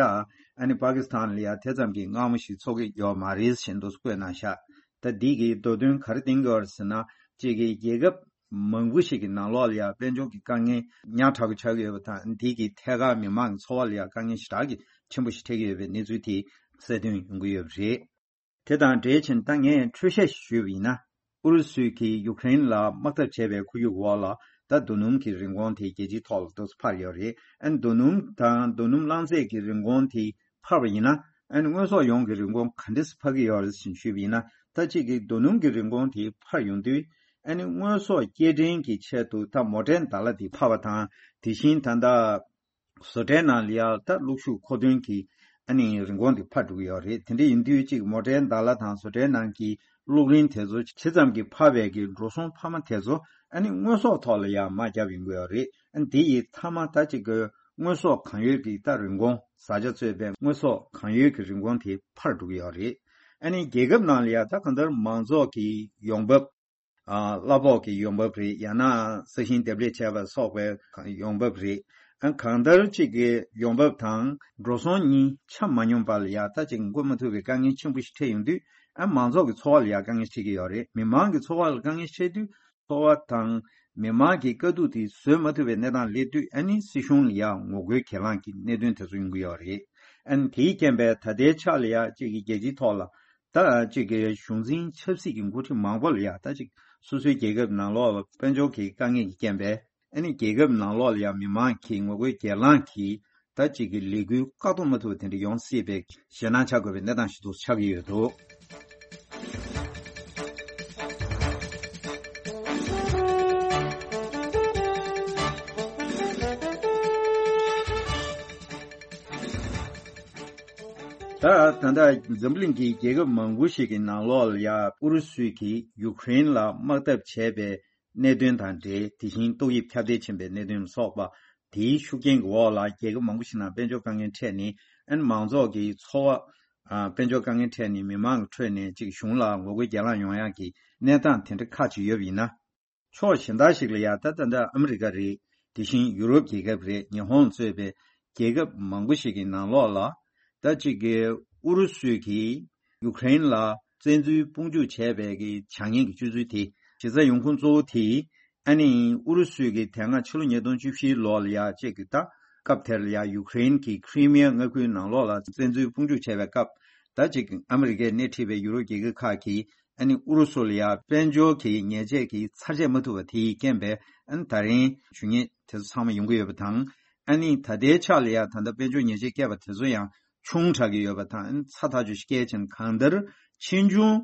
ཨ་ནི་པ་ཀི་སི་ཐན་ལ་ཡ་དེ་ཙམ་གྱི་མངར་མོ་ཞིག་ཚོར་གྱི་ཡོད་མ་རེད་བཞིན་དུ་བཀོད་གནང་ཤག་ད་འདི་གི་མདོ་དོན་ག་རེ་བསྟན་གྱི་ཡོད་རེད་ཟེར་ན། གཅིག་གི་རྒྱལ་ཁབ་མང་པོ་ཞིག་གི་ནང་ལོགས་ལ་ཡ་དཔལ་འབྱོར་གྱི་དཀའ་ངལ་ཉག་ཕྲ་པོ་ཆགས་ཀྱི་ཡོད་པ་དང་། འདི་གི་ཐད་ཀར་མི་མང་གི་འཚོ་བ་ལ་ཡ་དཀའ་ངལ་ཞེ་དྲག་གི་ཆེན་པོ་ཞིག་འཕྲད་ཀྱི་ཡོད་པའི་གནས་ཚུལ་དེ་གསལ་སྟོན་ཡོང་གི་ཡོད་པ་རེད། དེ་དང་འབྲེལ་བཞིན་ད་ངས་འཕྲོས་བཤད་ཞུས་པ་ཡིན་ན། ཨུ་རུ་སུས་ཀྱིས་ཡུ་ཀེ་རེན་ལ་དམག་འཐབ་བྱས་པའི་ཁོར་ཡུག་འོག་ལ་ད་རྡོ་སྣུམ་གྱི་རིན་གོང་དེ་རྒྱལ་སྤྱིའི་ཐོག་ལ་ཏོག་ཙམ་འཕར་ཡོད་རེད། ཨ་ནི་རྡོ་སྣུམ་དང་རྡོ་སྣུམ་རླངས་རྫས་ཀྱི་རིན་གོང་དེ་འཕར་བ་ཡིན་ན། ཨ་ནི་དངོས་ཟོག་ཡོངས་ཀྱི་རིན་གོང་ག་འདྲས་འཕར་གྱི་ཡོད་རེད་ཟེར་ཞུས་པ་ཡིན་ན། ད་གཅིག་གི་རྡོ་སྣུམ་གྱི་རིན་གོང་དེ་འཕར་ཡོང་དུས། ཨ་ནི་དངོས་ཟོག་སྐྱེལ་འདྲེན་གྱི་ཆེད་དུ་ད་མོ་ཊའི་འདག་ལ་དེ་འཕར་བ་དང་། དེ་བཞིན་ད་ལྟ་བཟོ་གྲྭའི་ནང་ལ་ཡང་ད་གློག་ཤུགས་མཁོ་འདོན་གྱི་ཨ་ནི་རིན་གོང་དེ་འཕར་འགྲོ་གི་ཡོད་རེད། དེ་འདྲ་ཡིན་དུས་གཅིག་མོ་ཊའི་འདག་ལ་དང་བཟོ་གྲྭའི་ནང་གི་གློག་རིན་དེ་ཚོ་ཇི་ཙམ་གྱི་འཕར་བའི་གི་འགྲོ་སོང་འཕར་མ་དེ་ཚོ་ཨ་ནི་དངོས་ཟོག་ཐོག་ལ་ཡང་མར་བརྒྱབ་ཡོང་གི་ཡོད་རེད། ཨ་ནི་དེ་ཡི་མཐའ་མ་ད་གཅིག་གི་དངོས་ཟོག་གང་ཡོད་ཀྱི་ད་རིན་གོང་། བཟའ་བཅའ་གཙོས་པའི་དངོས་ཟོག་གང་ཡོད་ཀྱི་རིན་གོང་དེ་འཕར་འགྲོ་གི་ཡོད་རེད། ཨ་ནི་རྒྱལ་ཁབ་ནང་ལ་ཡང་ད་གང་ལྟར་མང་ཚོགས་ཀྱི་ཡོང་འབབ། ཨ་གླ་ཕོགས་ཀྱི་ཡོང་འབབ་རེད། ཡང་ན་ས་ཞིང་འདེབས་ལས་བྱས་པ་སོགས་པའི་ཡོང་འབབ་རེད། ཨ་གང་ལྟར་གཅིག་གི་ཡོང་འབབ་དང་འགྲོ་སོང་གཉིས་ཆ་མ་སྙོམས་པ་ལ་ཡ་ད་ཅིག་འགོད་མ་ཐུབ་པའི་དཀའ་ངལ་ཆེན་པོ་ཞིག་འཕྲད་ཡོང་དུས། ཨ་མང་ཚོགས་ཀྱི་འཚོ་བ་ལ་ཡ་དཀའ་ངལ་འཕྲད་ཀྱི་ཡོད་རེད། མི་མང་གི་འཚོ་བ་ལ་དཀའ་ངལ་འཕྲད་དུས། འཚོ་བ་དང་མི་མང་གི་དཀའ་སྡུག་དེ་བཟོད་མ་ཐུབ་པའི་གནས་སྟངས་སླེབས་དུས། ཨ་ནི་སྲིད་གཞུང་ལ་ཡ་ངོ་རྒོལ་གྱེན་ལངས་ཀྱི་གནད་དོན་དེ་ཚོ་ཡོང་གི་ཡོད་རེད། ཨ་ནི་དེའི་རྐྱེན་པས་ད་ལྟའི་ཆ་ལ་ཡ་གཅིག་གི་རྒྱལ་སྤྱིའི་ཐོག་ལ། ད་གཅིག་གི་གཞུང་འཛིན་ཆབ་སྲིད་ཀྱི་འགོ་ཁྲིད་མང་པོ་ལ་ཡ་ད་ཅིག་སོ་སོའི་རྒྱལ་ཁབ་ནང་ལོགས་ལ་དཔལ་འབྱོར་གྱི་དཀའ་ངལ་གྱི་རྐྱེན་པས། ཨ་ནི་རྒྱལ་ཁབ་ནང་ལོགས་ལ་ཡ་མི་མང་གི་ངོ་རྒོལ་གྱེན་ལངས་ཀྱིས་ད་ཅིག་གི་ལས་འགུལ་བཀག་སྡོམ་མ་ཐུབ་པ་དེ་འདྲ་ཡོང་སྲིད་པའི་ཞེད་སྣང་བྱ་དགོས་པའི་གནས་སྟངས་ཤིག་ཏུ་ཆགས་ཀྱི་ཡོད་འདུག་ད་ད་ལྟ་འཛམ་གླིང་གི་རྒྱལ་ཁབ་མང་པོ་ཞིག་གི་ནང་ལོགས་ལ་ཡ་ཨུ་རུ་སུས་ཀྱིས་ཡུ་ཀེ་རེན་ལ་དམག་འཐབ་བྱས་པའི་གནད་དོན་དང་འབྲེལ། དེ་བཞིན་ཏོག་དབྱིབས་ཁྱབ་གདལ་ཕྱིན་པའི་གནད་དོན་ལ་སོགས་པ། དེའི་ཤུགས་རྐྱེན་གྱི་འོག་ལ་རྒྱལ་ཁབ་མང་པོ་ཞིག་ནང་དཔལ་འབྱོར་དཀའ་ངལ་འཕྲད་ནས། ཨ་ནི་མང་ཚོགས་ཀྱི་འཚོ་བ། ཨ་དཔལ་འབྱོར་དཀའ་ངལ་འཕྲད་ནས་མི་མང་གི་ཁྲོད་ནས་ཅིག་གཞུང་ལ་ངོ་རྒོལ་གྱེན་ལངས་ཡོང་ཡག་གི་གནས་སྟངས་དེ་འདྲ་ཁག་ཅིག་ཡོད་པ་ཡིན་ན། ཕྱོགས་གཞན་དག་ཞིག་ལ་ཡ་ད་ད་ལྟ་ཨ་མི་རི་ཀ་རེད། དེ་བཞིན་ཡུ་རོབ་རྒྱལ་ཁབ་རེད། ཉི་ཧོང་གཙོས་པའི་རྒྱལ་ཁབ་མང་པོ་ཞིག་གི་ནང་ལོགས་ལ། ད་ཅིག་གི་ཨུ་རུ་སུས་ཀྱིས་ཡུ་ཀེ་རེན་ལ་བཙན་འཛུལ་དཔུང་འཇུག་བྱས་པའི་གི་བྱ་ངན་གྱི་སྤྱོད་ཚུལ་དེ་གཞི་རྩ་ཡོང་ཁུངས་གཙོ་བོ་དེ། ཨ་ནི་ཨུ་རུ་སུས་ཀྱིས་དེ་སྔ་ཕྱི་ལོ་ཉིས་སྟོང་བཅུ་བཞི་ལོ་ལ་ཡ་ཅིག་གི་ད་སྐབས་དེར་ལ་ཡ་ཡུ་ཀེ་རེན་གྱི་ཁི་རི་མི་ཡ་མངའ་ཁུལ་ནང་ལོགས་ལ་བཙན་འཛུལ་དཔུང་འཇུག་བྱས་པའི་སྐབས། ད་ཅིག་ཨ་མི་རི་ཀས་སྣེ་ཁྲིད་པའི་ཡུ་རོབ་རྒྱལ་ཁབ་ཁག་གིས་ཨ་ནི་ཨུ་རུ་སུ་ལ་ཡ་དཔལ་འབྱོར་གྱི་ཉེས་ཆད་ཀྱིས་ཚར་བཅད་མ་ཐུབ་པ་དེའི་རྐྱེན་པས། ཨ་ནི་ད་རིང་ཇུས་ཉེས་དེ་ཚོ་ཚང་མ་ཡོང་གི་ཡོད་པ་དང་། ཨ་ནི་ད་ལྟའི་ཆ་ལ་ཡ་ད་ལྟ་དཔལ་འབྱོར་ཉེས་ཆད་བཀལ་བ་དེ་ཚོ་ཡང་ཆུང་དྲགས་ཀྱི་ཡོད་པ་དང་། ཨ་ནི་ཚ་ཐག་ཆོད་ཅིག་བཀལ་ཕྱིན། གང་ལྟར་ཕྱིས་འབྱུང་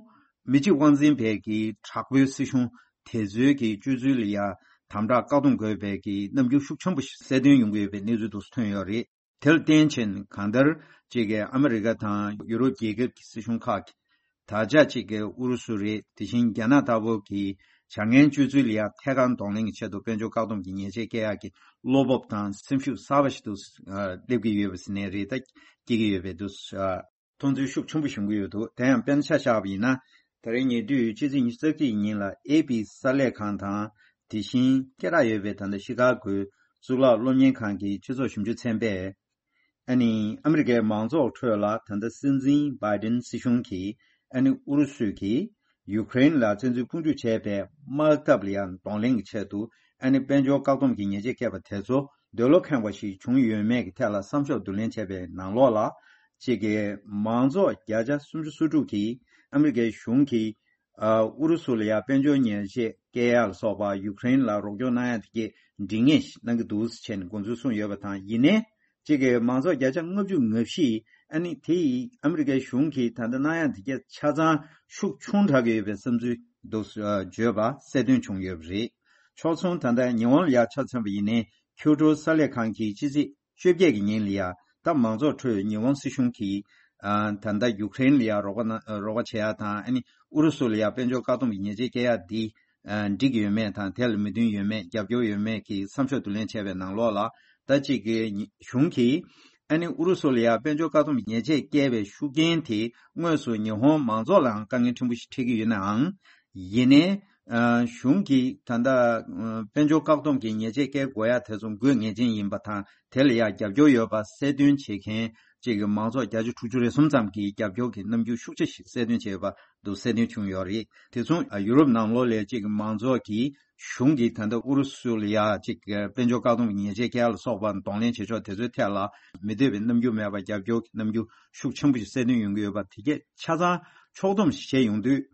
མི་གཅིག་དབང་འཛིན་པའི་གི་དྲག་པོའི་སྲིད་གཞུང་དེ་ཚོའི་གི་སྤྱོད་ཚུལ་ལ་ཡ་དམ་དྲག་བཀག་སྡོམ་དགོས་པའི་གི་རྣམ་འགྱུར་ཤུགས་ཆེན་པོ་ཞིག་གསལ་སྟོན་ཡོང་གི་ཡོད་པའི་གནས་ཚུལ་དུ་ཐོན་ཡོད་རེད། དེར་བརྟེན་ཕྱིན་གང་ལྟར་གཅིག་གི་ཨ་མི་རི་ཀ་དང་ཡུ་རོབ་རྒྱལ་ཁབ་ཀྱི་སྲིད་གཞུང་ཁག་གིས། ད་ཆ་གཅིག་གི་ཨུ་རུ་སུ་རེད། དེ་བཞིན་རྒྱ་ནག་ལྟ་བུ་གི་བྱ་ངན་སྤྱོད་ཚུལ་ལ་ཡ་ཐད་ཀར་གདོང་ལེན་གྱི་ཆེད་དུ་དཔལ་འབྱོར་བཀག་སྡོམ་གྱི་ཉེས་ཆད་བཀལ་ཡག་གི་བློ་སྤོབས་དང་སེམས་ཤུགས་གསར་པ་ཞིག་ཏུ་སླེབས་ཀྱི་ཡོད་པ་ཟེར་ནའི་རེད། ད་སྐྱེ་གི་ཡོད་པའི་དུས་མཐོང་ཚུལ་ཤུགས་ཆེན་པོ་བྱུང་གི་ཡོད་འདུག་དེ་ཡང་དཔེར་ན་ཆ་བཞག་པ་ཡིན་ན། ད་རིང་ཉེ་དུས་ཕྱི་ཚེས་ཉི་ཤུ་རྩ་གཅིག་ཉིན་ལ་ཨེ་པི་གསར་ལས་ཁང་དང་། དེ་བཞིན་སྐད་གྲགས་ཡོད་པའི་ད་ལྟ་ཤི་ཀ་གོའི་གཙུག་ལག་སློབ་གཉེར་ཁང་གི་སྤྱི་ཚོགས་ཞིབ་འཇུག་ཚན་པས། ཨ་ནི་ཨ་མི་རི་ཀའི་མང་ཚོགས་ཁྲོད་ལ་ད་ལྟ་སྲིད་འཛིན་བྷའི་ཌེན་སྲིད་གཞུང་གིས་ཨ་ནི་ཨུ་རུ་སུས་ཀྱིས་ཡུ་ཀེ་རེན་ལ་བཙན་འཛུལ་དཔུང་འཇུག་བྱས་པའི་དམག་འཐབ་ལ་ཡང་གདོང་ལེན་གྱི་ཆེད་དུ་ཨ་ནི་དཔལ་འབྱོར་བཀག་སྡོམ་གྱི་ཉེས་ཆད་བཀལ་བ་དེ་ཚོ་ འདོད་བློ་ཁེངས་པ་ཞིག་བྱུང་ཡོད་མེད་ཀྱི་ཐད་ལ་བསམ་ཤོག་བསྡུ་ལེན་བྱས་པའི་ནང་ལོགས་ལ། གཅིག་གི་མང་ཚོགས་བརྒྱ་ཆ་སུམ་ཅུ་སོ་དྲུག་གིས་ཨ་མི་རི་ཀའི་གཞུང་གིས་ཨུ་རུ་སུ་ལ་ཡང་དཔལ་འབྱོར་ཉེས་ཆད་བཀལ་ཡ་ལ་སོགས་པ་ཡུཀ་རེན་ལ་རོགས་སྐྱོར་གནང་ཡ་དེ་གའི་འགྲིག་ངེས་ཤིག་གནང་གི་འདུག་ཟེར་ནས་དགོངས་ཚུལ་གསུངས་ཡོད་པ་དང་། ཡིན་ནའི་གཅིག་གི་མང་ཚོགས་བརྒྱ་ཆ་ལྔ་བཅུ་ང་བཞི་ཨ་ནི་དེ་ཡིས་ཨ་མི་རི་ཀའི་གཞུང་གིས་ད་ལྟ་གནང་ཡ་དེ་གའི་ཆ་ཚང་ཤུགས་ཆུང་དྲགས་ཀྱི་ཡོད་པའི་བསམ་ཚུལ་འདུག་བརྗོད་པ་གསལ་སྟོན་བྱུང་ཡོད་པ་རེད། ཕྱོགས་མཚུངས་ད་ལྟ་ཉི་ཧོང་ལ་ཡ་ཆ་མཚོན་པ་ཡིན་ནའི་ཁྱོ་ཀྲོའུ་གསར་ལས་ཁང་གིས་ཕྱི་ཚེས་བཅོ་བརྒྱད་ཀྱི་ཉིན་ལ་ཡ་ད་མང་ཚོགས་ཁྲོད་ཉི་ཧོང་སྲིད་གཞུང་གིས་ཨ་ད་ལྟ་ཡུཀ་རེན་ལ་ཡ་རོགས་པ་གནང་རོགས་པ་བྱེད་ཡ་དང་ཨ་ནི་ཨུ་རུ་སུ་ལ་ཡ་དཔལ་འབྱོར་བཀག་སྡོམ་གྱི་ཉེས་ཆད་བཀལ་ཡ་འདི་ཨ་འགྲིག་ཡོད་མེད་དང་དེ་ལ་མོས་མཐུན་ཡོད་མེད་རྒྱབ་སྐྱོར་ཡོད་མེད་ཀྱི་བསམ་ཤོག་བསྡུ་ལེན་བྱས་པའི་ནང་ལོགས་ལ་ད་གཅིག་གི་གཞུང་གིས་ཨ་ནི་ཨུ་རུ་སུ་ལ་ཡ་དཔལ་འབྱོར་བཀག་སྡོམ་གྱི་ཉེས་ཆད་བཀལ་བའི་ཤུགས་རྐྱེན་དེ་དངོས་སུ་ཉི་ཧོང་མང་ཚོགས་ལའང་དཀའ་ངལ་ཕྲན་བུ་ཞིག་འཕྲད་ཀྱི་ཡོད་ནའང་། ཡིན་ནའི། ཨ་གཞུང་གིས་ད་ལྟ་ཨ་དཔལ་འབྱོར་བཀག་སྡོམ་གྱི་ཉེས་ཆད་བཀལ་དགོས་ཡ་དེ་ཚོ་དགོས་ངེས་ཅན་ཡིན་པ་དང་དེ་ལ་ཡ་རྒྱབ་སྐྱོར་ཡོད་པ་གསལ་སྟོན་བྱེད་མཁན་གཅིག་གི་མང་ཚོགས་བརྒྱ་ཆ་དྲུག་ཅུ་རེ་གསུམ་ཙམ་གྱིས་རྒྱབ་སྐྱོར་གྱི་རྣམ་འགྱུར་ཤུགས་ཆེ་ཞིག་གསལ་སྟོན་བྱས་ཡོད་པ་འདུག་གསལ་སྟོན་བྱུང་ཡོད་རེད། དེ་མཚུངས་ཨ་ཡུ་རོབ་ནང་ལོགས་ལ་གཅིག་གི་མང་ཚོགས་ཀྱིས་གཞུང་གིས་ད་ལྟ་ཨུ་རུ་སུ་ལ་ཡ་གཅིག་གི་དཔལ་འབྱོར་བཀག་སྡོམ་གྱི་ཉེས་ཆད་བཀལ་ལ་སོགས་པ་གདོང་ལེན་བྱེད་ཕྱོགས་དེ་ཚོའི་ཐད་ལ་མི་འདོད་པའི་རྣམ་འགྱུར་མེད་པར་རྒྱབ་སྐྱོར་གྱི་རྣམ་འགྱུར་ཤུགས་ཆེན་པོ་ཞིག་གསལ་སྟོན་ཡོང་གི་ཡོད་པ་དེ་གས་ཆ་ཚང་ཕྱོགས་བསྡོམས་ཤིག་བྱས་ཡོང་དུས།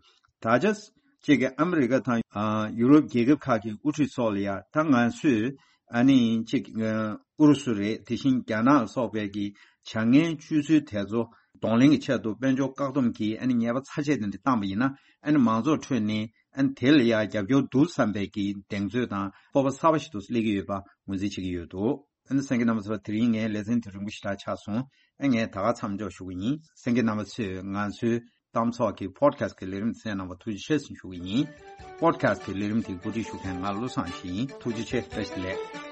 ད་ཆ་གཅིག་གི་ཨ་མི་རི་ཀ་དང་ཨ་ཡུ་རོབ་རྒྱལ་ཁབ་ཁག་གི་དབུ་ཁྲིད་སོགས་ལ་ཡ་ད་ང་ཚོས་ཨ་ནི་གཅིག་ཨུ་རུ་སུ་རེད། དེ་བཞིན་རྒྱ་ནག་ལ་སོགས་པའི་གི་བྱ་ངན་སྤྱོད་ཚུལ་དེ་ཚོ་གདོང་ལེན་གྱི་ཆེད་དུ་དཔལ་འབྱོར་བཀག་སྡོམ་གྱི་ཨ་ནི་ཉེས་པ་ཚ་ཆེ་དེ་འདྲ་བཏང་པ་ཡིན་ན་ཨ་ནི་མང་ཚོགས་ཁྲོད་ནས་ཨ་ནི་དེ་ལ་ཡ་རྒྱབ་སྐྱོར་འདུག་བསམ་པའི་གི་གདེང་ཚོད་དང་སྤོབས་པ་གསར་པ་ཞིག་ཏུ་སླེབས་ཀྱི་ཡོད་པ་ངོས་འཛིན་བྱེད་ཀྱི་ཡོད་འདུག་ཨ་ནི་གསན་མཁན་རྣམ་པ་ཚོ་དེ་རིང་ངའི་ལེ་ཚན་དེ་རིང་པོ་ཞེ་དྲག་ཆགས་སོང་། ཨ་ངས་ད་ག་མཚམས་འཇོག་ཞུ་གི་ཡིན། གསན་མཁན་རྣམ་པ་ཚོས་ང་ཚོའི་གཏམ་ཚོགས་ཀྱི་པོ་ཌི་ཁ་སི་ཊི་གི་ལས་རིམ་གསན་གནང་བར་ཐུགས་རྗེ་ཆེ་ཞེས་ཞུ་གི་ཡིན། པོ་ཌི་ཁ་སི་ཊི་གི་ལས་རིམ་དེ་གོ་སྒྲིག་ཞུ་མཁན་ང་བློ་བཟང་ཞིག་ཡིན། ཐུགས་རྗེ་ཆེ། བཀྲ་ཤིས་བདེ་ལེགས།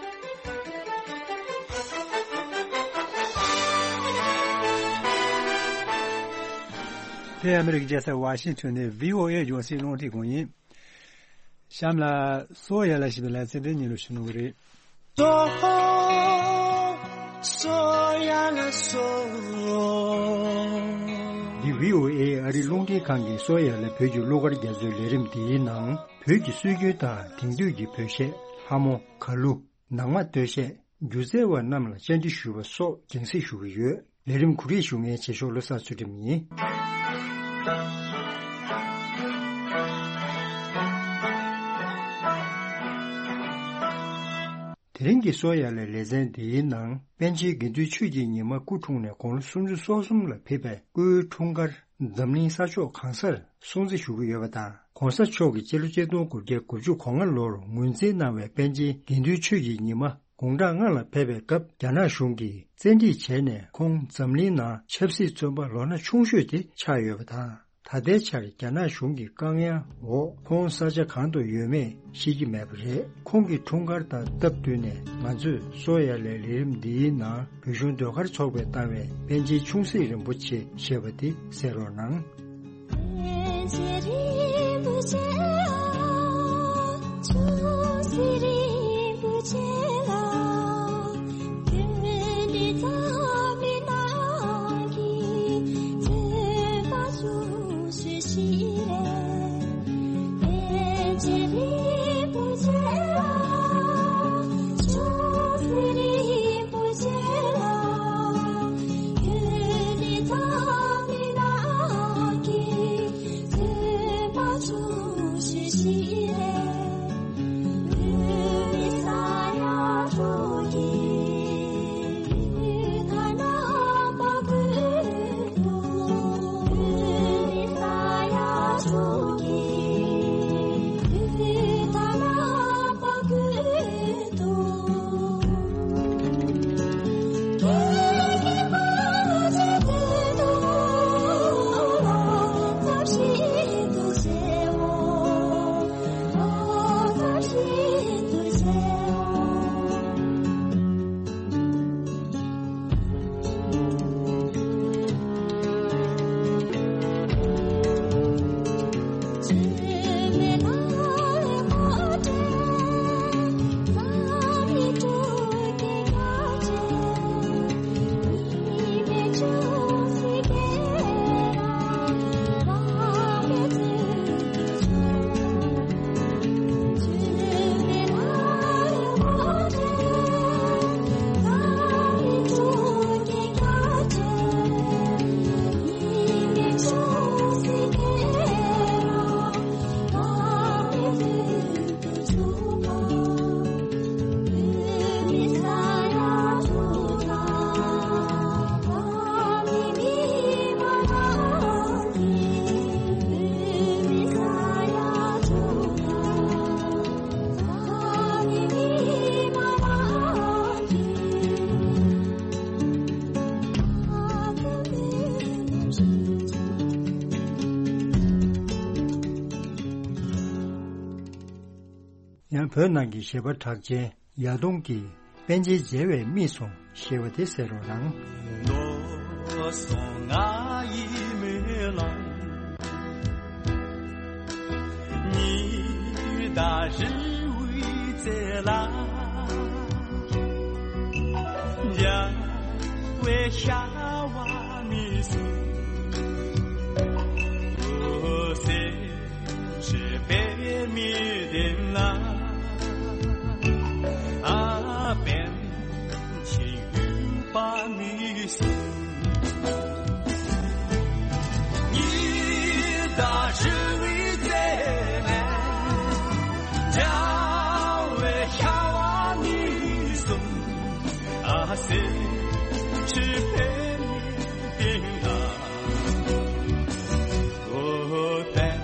དེ་ཨ་མི་རི་ཀའི་རྒྱལ་ས་ཝ་ཤིང་ཊོན་ནས་བྷི་ཨོ་ཨེ་རྒྱང་སྲིང་རླུང་འཕྲིན་ཁང་ཡིན། གཤམ་ལ་སོ་ཡ་ལ་ཞེས་པའི་ལེ་ཚན་དེ་སྙན་སྒྲོན་ཞུ་གནང་གི་རེད། སོ་སོ་ཡ་ལ་སོ། འདི་བྷི་ཨོ་ཨེ་ཨ་རིའི་རླུང་འཕྲིན་ཁང་གི་སོ་ཡ་ལ་བོད་ཀྱི་གླུ་གར་རྒྱ་མཚོའི་ལས་རིམ་འདིའི་ནང་བོད་ཀྱི་སྲོལ་རྒྱུན་དང་དེང་དུས་ཀྱི་བོད་གཞས། ལྷ་མོ། གར་གླུ། ནང་མ་སྟོད་གཞས། སྒྱུ་རྩལ་བ་རྣམས་ལ་བཅར་འདྲི་ཞུས་པ་སོགས་རྒྱང་སྲིང་ཞུ་གི་ཡོད། ལས་རིམ་གོ་སྒྲིག་ཞུ་མཁན་རྗེས་ཕྱོགས་བློ་བཟང་ཚུལ་ཁྲིམས་ཡིན། དེ་རིང་གི་སོ་ཡ་ལ་ལེ་ཚན་འདིའི་ནང་པཎ་ཆེན་དགེ་འདུན་ཆོས་ཀྱི་ཉི་མ་སྐུ་འཁྲུངས་ནས་དགུང་ལོ་སུམ་ཅུ་སོ་གསུམ་ལ་ཕེབས་པའི་སྐུའི་འཁྲུངས་སྐར་འཛམ་གླིང་ས་ཕྱོགས་གང་སར་སྲུང་བརྩི་ཞུ་གི་ཡོད་པ་དང་། ྋགོང་ས་མཆོག་གིས་སྤྱི་ལོ་ཆིག་སྟོང་དགུ་བརྒྱ་དགུ་བཅུ་གོ་ལྔ་ལོར་ངོས་འཛིན་གནང་བའི་པཎ་ཆེན་དགེ་འདུན་ཆོས་ཀྱི་ཉི་མ་དགུང་གྲངས་ལྔ་ལ་ཕེབས་པའི་སྐབས་རྒྱ་ནག་གཞུང་གིས་བཙན་ཁྲིད་བྱས་ནས་ཁོང་འཛམ་གླིང་ནང་ཆབ་སྲིད་བཙོན་པ་ལོ་ན་ཆུང་ཤོས་དེ་ཆགས་ཡོད་པ་དང་། ད་ལྟའི་ཆར་རྒྱ་ནག་གཞུང་གི་བཀག་ཉར་འོག་ཁོང་ས་ཆ་གང་དུ་ཡོད་མེད་ཤེས་ཀྱི་མེད་པ་རེད། ཁོང་གི་འཁྲུངས་སྐར་དང་སྟབས་བསྟུན་ནས་ང་ཚོས་སོ་ཡ་ལའི་ལས་རིམ་འདིའི་ནང་བོད་གཞུང་ཟློས་གར་ཚོགས་པས་བཏང་བའི་པཎ་ཆེན་ཆུང་སྲིད་རིན་པོ་ཆེ་ཞེས་པ་དེ་གསན་རོགས་གནང་། ཡང་བོད་ནང་གི་གཞས་པ་གྲགས་ཅན་ཡ་དུང་གིས་པཎ་ཆེན་མཇལ་བས་རྨིས་སོང་ཞེས་པ་དེ་གསན་རོགས་གནང་། མདོ་སོང་ང་ཡི་མེ་ལོང་། ཉི་ཟླ་རི་བོའི་རྩེ་ལ། འཇའ་བའི་ཤ་བ་མི་སྲུང་། སེམས་ཕྱི་པད་མའི་གདན་ལ། ཨ་པཎ་ཆེན་ཡུལ་པ་མི་སྲུང་། ཉི་ཟླ་རི་བོའི་རྩེ་ནས། འཇའ་བའི་ཤ་བ་མི་སྲུང་། ཨ་སེམས་ཕྱི་པད་མའི་གདན་ལ། ཨོ་པཎ་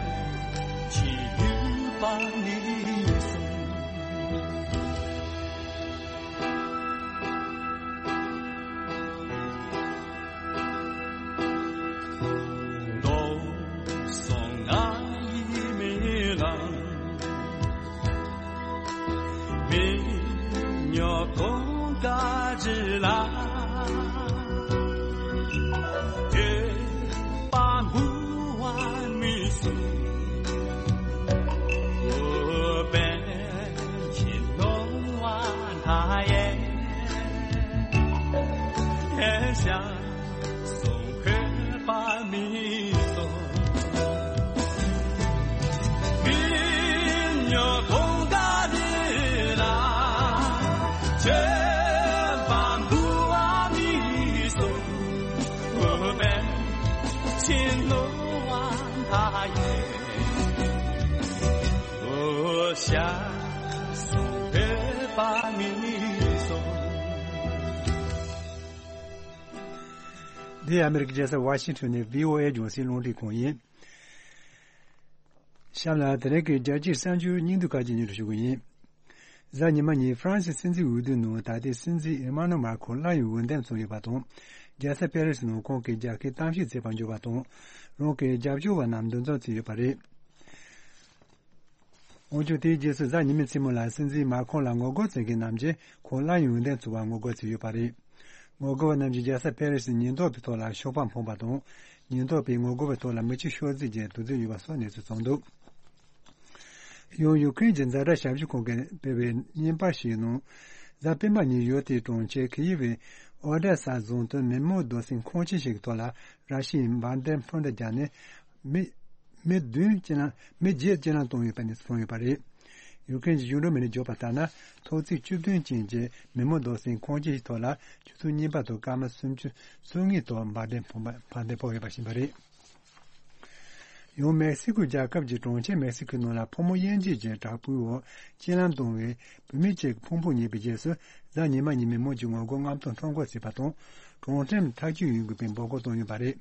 ཆེན་ཡུལ་པ་མི་སྲུང་། མདོ་སོང་ང་ཡི་མེ་ལོང་། མི་ཉོ་གོང་ཀ་རི་ལ། སྐྱོད་པ་འབུལ་བ་མི་སྲུང་། ཨོ་པཎ་ཆེན་ནོར་བ་མཐའ་ཡས། ཤ་སོང་འཁོད་པ་མི་སྲུང་། མི་ཉོ་གོང་ཀ་རི་ལ། སྐྱོད་པ་འབུལ་བ་མི་སྲུང་། ཨོ་པཎ་ཆེན་ནོར་བ་མཐའ་ཡས། ཨོ་ཤ་སོང་འཁོད་པ་མི་སྲུང་། འདི་ཨ་མེ་རི་ཀའི་རྒྱལ་ས་ཝ་ཤིང་ཊོན་ནས་བྷི་ཨོ་ཨེ་རྒྱང་སྲིང་རླུང་འཕྲིན་ཁང་ཡིན། གཤམ་ལ་དེ་རིང་གི་རྒྱལ་སྤྱིའི་གསར་འགྱུར་སྙིང་བསྡུས་ཁག་ཅིག་སྙན་སྒྲོན་ཞུ་གི་ཡིན། གཟའ་ཉི་མ་ཉིན་ཧྥ་རན་སིའི་སྲིད་འཛིན་འོས་བསྡུའི་ནང་ད་ལྟའི་སྲིད་འཛིན་ཨེ་མ་ནུ་མཱ་ཁོང་སླར་ཡང་འོས་འདེམས་བྱུང་ཡོད་པ་དང་། རྒྱལ་ས་པེ་རི་སི་ནང་ཁོང་གིས་རྒྱལ་ཁའི་གཏམ་བཤད་བྱས་པར་འགྱུར་བ་དང་། རང་གི་རྒྱབ་སྐྱོར་བ་རྣམས་འདུ་འཛོམས་བྱས་ཡོད་པ་རེད། འོན་ཀྱང་དེའི་རྗེས་སུ་གཟའ་ཉི་མའི་མཚན་མོ་ལ་སྲིད་འཛིན་མཱ་ཁོང་ལ་ངོ་རྒོལ་བྱེད་མཁན་རྣམས་ཀྱིས་ཁོང་སླར་ཡང་འོས་འདེམས་བྱུང་བར་ངོ་རྒོལ་བྱས་ཡོད་པ་རེད། ངོ་རྒོལ་བ་རྣམས་ཀྱིས་རྒྱལ་ས་པེ་རི་སིའི་ཉེན་རྟོག་པའི་ཐོག་ལ་ཤོག་སྦག་འཕངས་པ་དང་། ཉེན་རྟོག་པས་ངོ་རྒོལ་བའི་ཐོག་ལ་མེ་ལྕེ་ཤོར་རྩིས་ཀྱིས་དུག་རྫས་གཡུགས་པ་སོགས་གནས་ཚུལ་བྱུང་འདུག། ཡང་ཡུ་ཁུ་རེན་གྱི་ཛ་དྲག་ཞབས་ཞུ་ཁང་གིས་སྤེལ་བའི་བརྙན་པར་ཞིག་ནང་། གཟའ་སྤེན་པ་ཉིན་ཡུལ་དེའི་གྲོང་ཁྱེར་ཁི་ཡིབ་པའི་ཨོ་ཌེ་ས་རྫོང་དུ་མེ་མུར་རྡོ་སྲིན་ཁུག་ཆེན་ཞིག་གི་ཐོག་ལ་ར་ཤི་ཡའི་བྷམ་བརྡུངས་ཕུ་འདྲེན་བརྒྱབ་ནས། མི་མི་བདུན་རྐྱེན་ལམ། མི་བརྒྱད་རྐྱེན་ལམ་བཏང་ཡོད་པའི་གནས་ཚུལ་བྱུང་ཡོད་པ་རེད། ཡུ་ཁུ་རེན་གྱི་གཞུང་འབྲེལ་མི་སྣས་བརྗོད་པ་ལྟར་ན། ཐོག་བརྩེགས་བཅུ་བདུན་ཅན་གྱི་མེ་མུར་རྡོ་སྲིན་ཁུག་ཆེན་ཞིག་ཐོག་ལ་ཆུ་ཚོད་གཉིས་པ་དང་སྐར་མ་སུམ་ཅུ་སོ་གཉིས་ཐོག་བྷམ་བརྡུངས་ཕོག་པ། བྷམ་བརྡུངས་ཕོག་ཡོད་པ་ཞིག་ཡིན་པ་རེད། ཡང་མེག་སི་ཀོ་རྒྱལ་ཁབ་ཀྱི་གྲོང་ཁྱེར་མེག་སི་ཀོའི་ནང་ལ་ཕོ་མོ་དབྱེ་འབྱེད་ཀྱི་དྲག་པོའི་འོག་རྐྱེན་ལམ་བཏང་བའི་བུད་མེད་ཅིག་ཕུང་པོ་རྙེད་པའི་རྗེས་སུ། གཟའ་ཉི་མ་ཉིན་མི་མང་གིས་ངོ་རྒོལ་རྔམ་སྟོན་ཐོ་འགོད་བྱས་པ་དང་། གྲོང་ཁྱེར་ཐག་གཅོད་ཡོང་དགོས་པའི་འབོད་སྐུལ་བཏང་ཡོད་པ་རེད།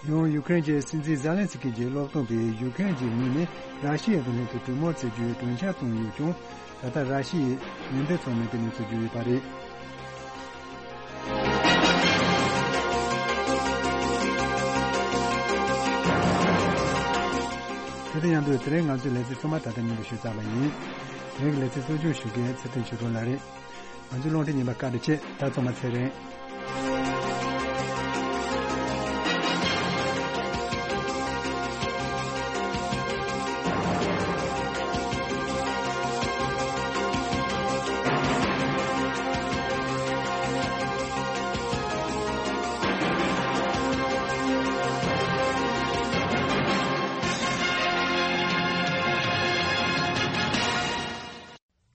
ཡང་ཡུ་ཁུ་རེན་གྱི་སྲིད་འཛིན་ཛེ་ལན་སི་ཀི་གྱི་སློབ་སྟོན་པས་ཡུ་ཁུ་རེན་གྱི་ངོས་ནས་ར་ཤི་ཡའི་གདོང་ལེན་དུ་གྲོས་མོལ་བྱེད་རྒྱུའི་གྲོས་འཆར་བཏོན་ཡོད་ཀྱང་། ད་ལྟ་ར་ཤི་ཡས་ཡོན་ཏན་ཚང་མེད་པའི་གནས་ཚུལ་བརྗོད་ཡོད་པ་རེད། དེ་དང་མཉམ་དུ་དེ་རིང་ང་ཚོའི་ལེ་ཚན་ཚང་མ་ད་ལྟ་སྙན་སྒྲོན་ཞུས་ཚར་བ་ཡིན། དེ་རིང་གི་ལེ་ཚན་གཙོ་སྐྱོང་ཞུ་མཁན་ཚེ་བརྟན་ཆོས་སྒྲོན་ལགས་རེད། ང་ཚོའི་རླུང་འཕྲིན་རྙིང་པ་བཀའ་དྲིན་ཆེ། ད་ཚང་མ་ཚེ་རིང་།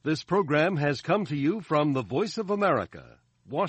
This program has come to you from the Voice of America,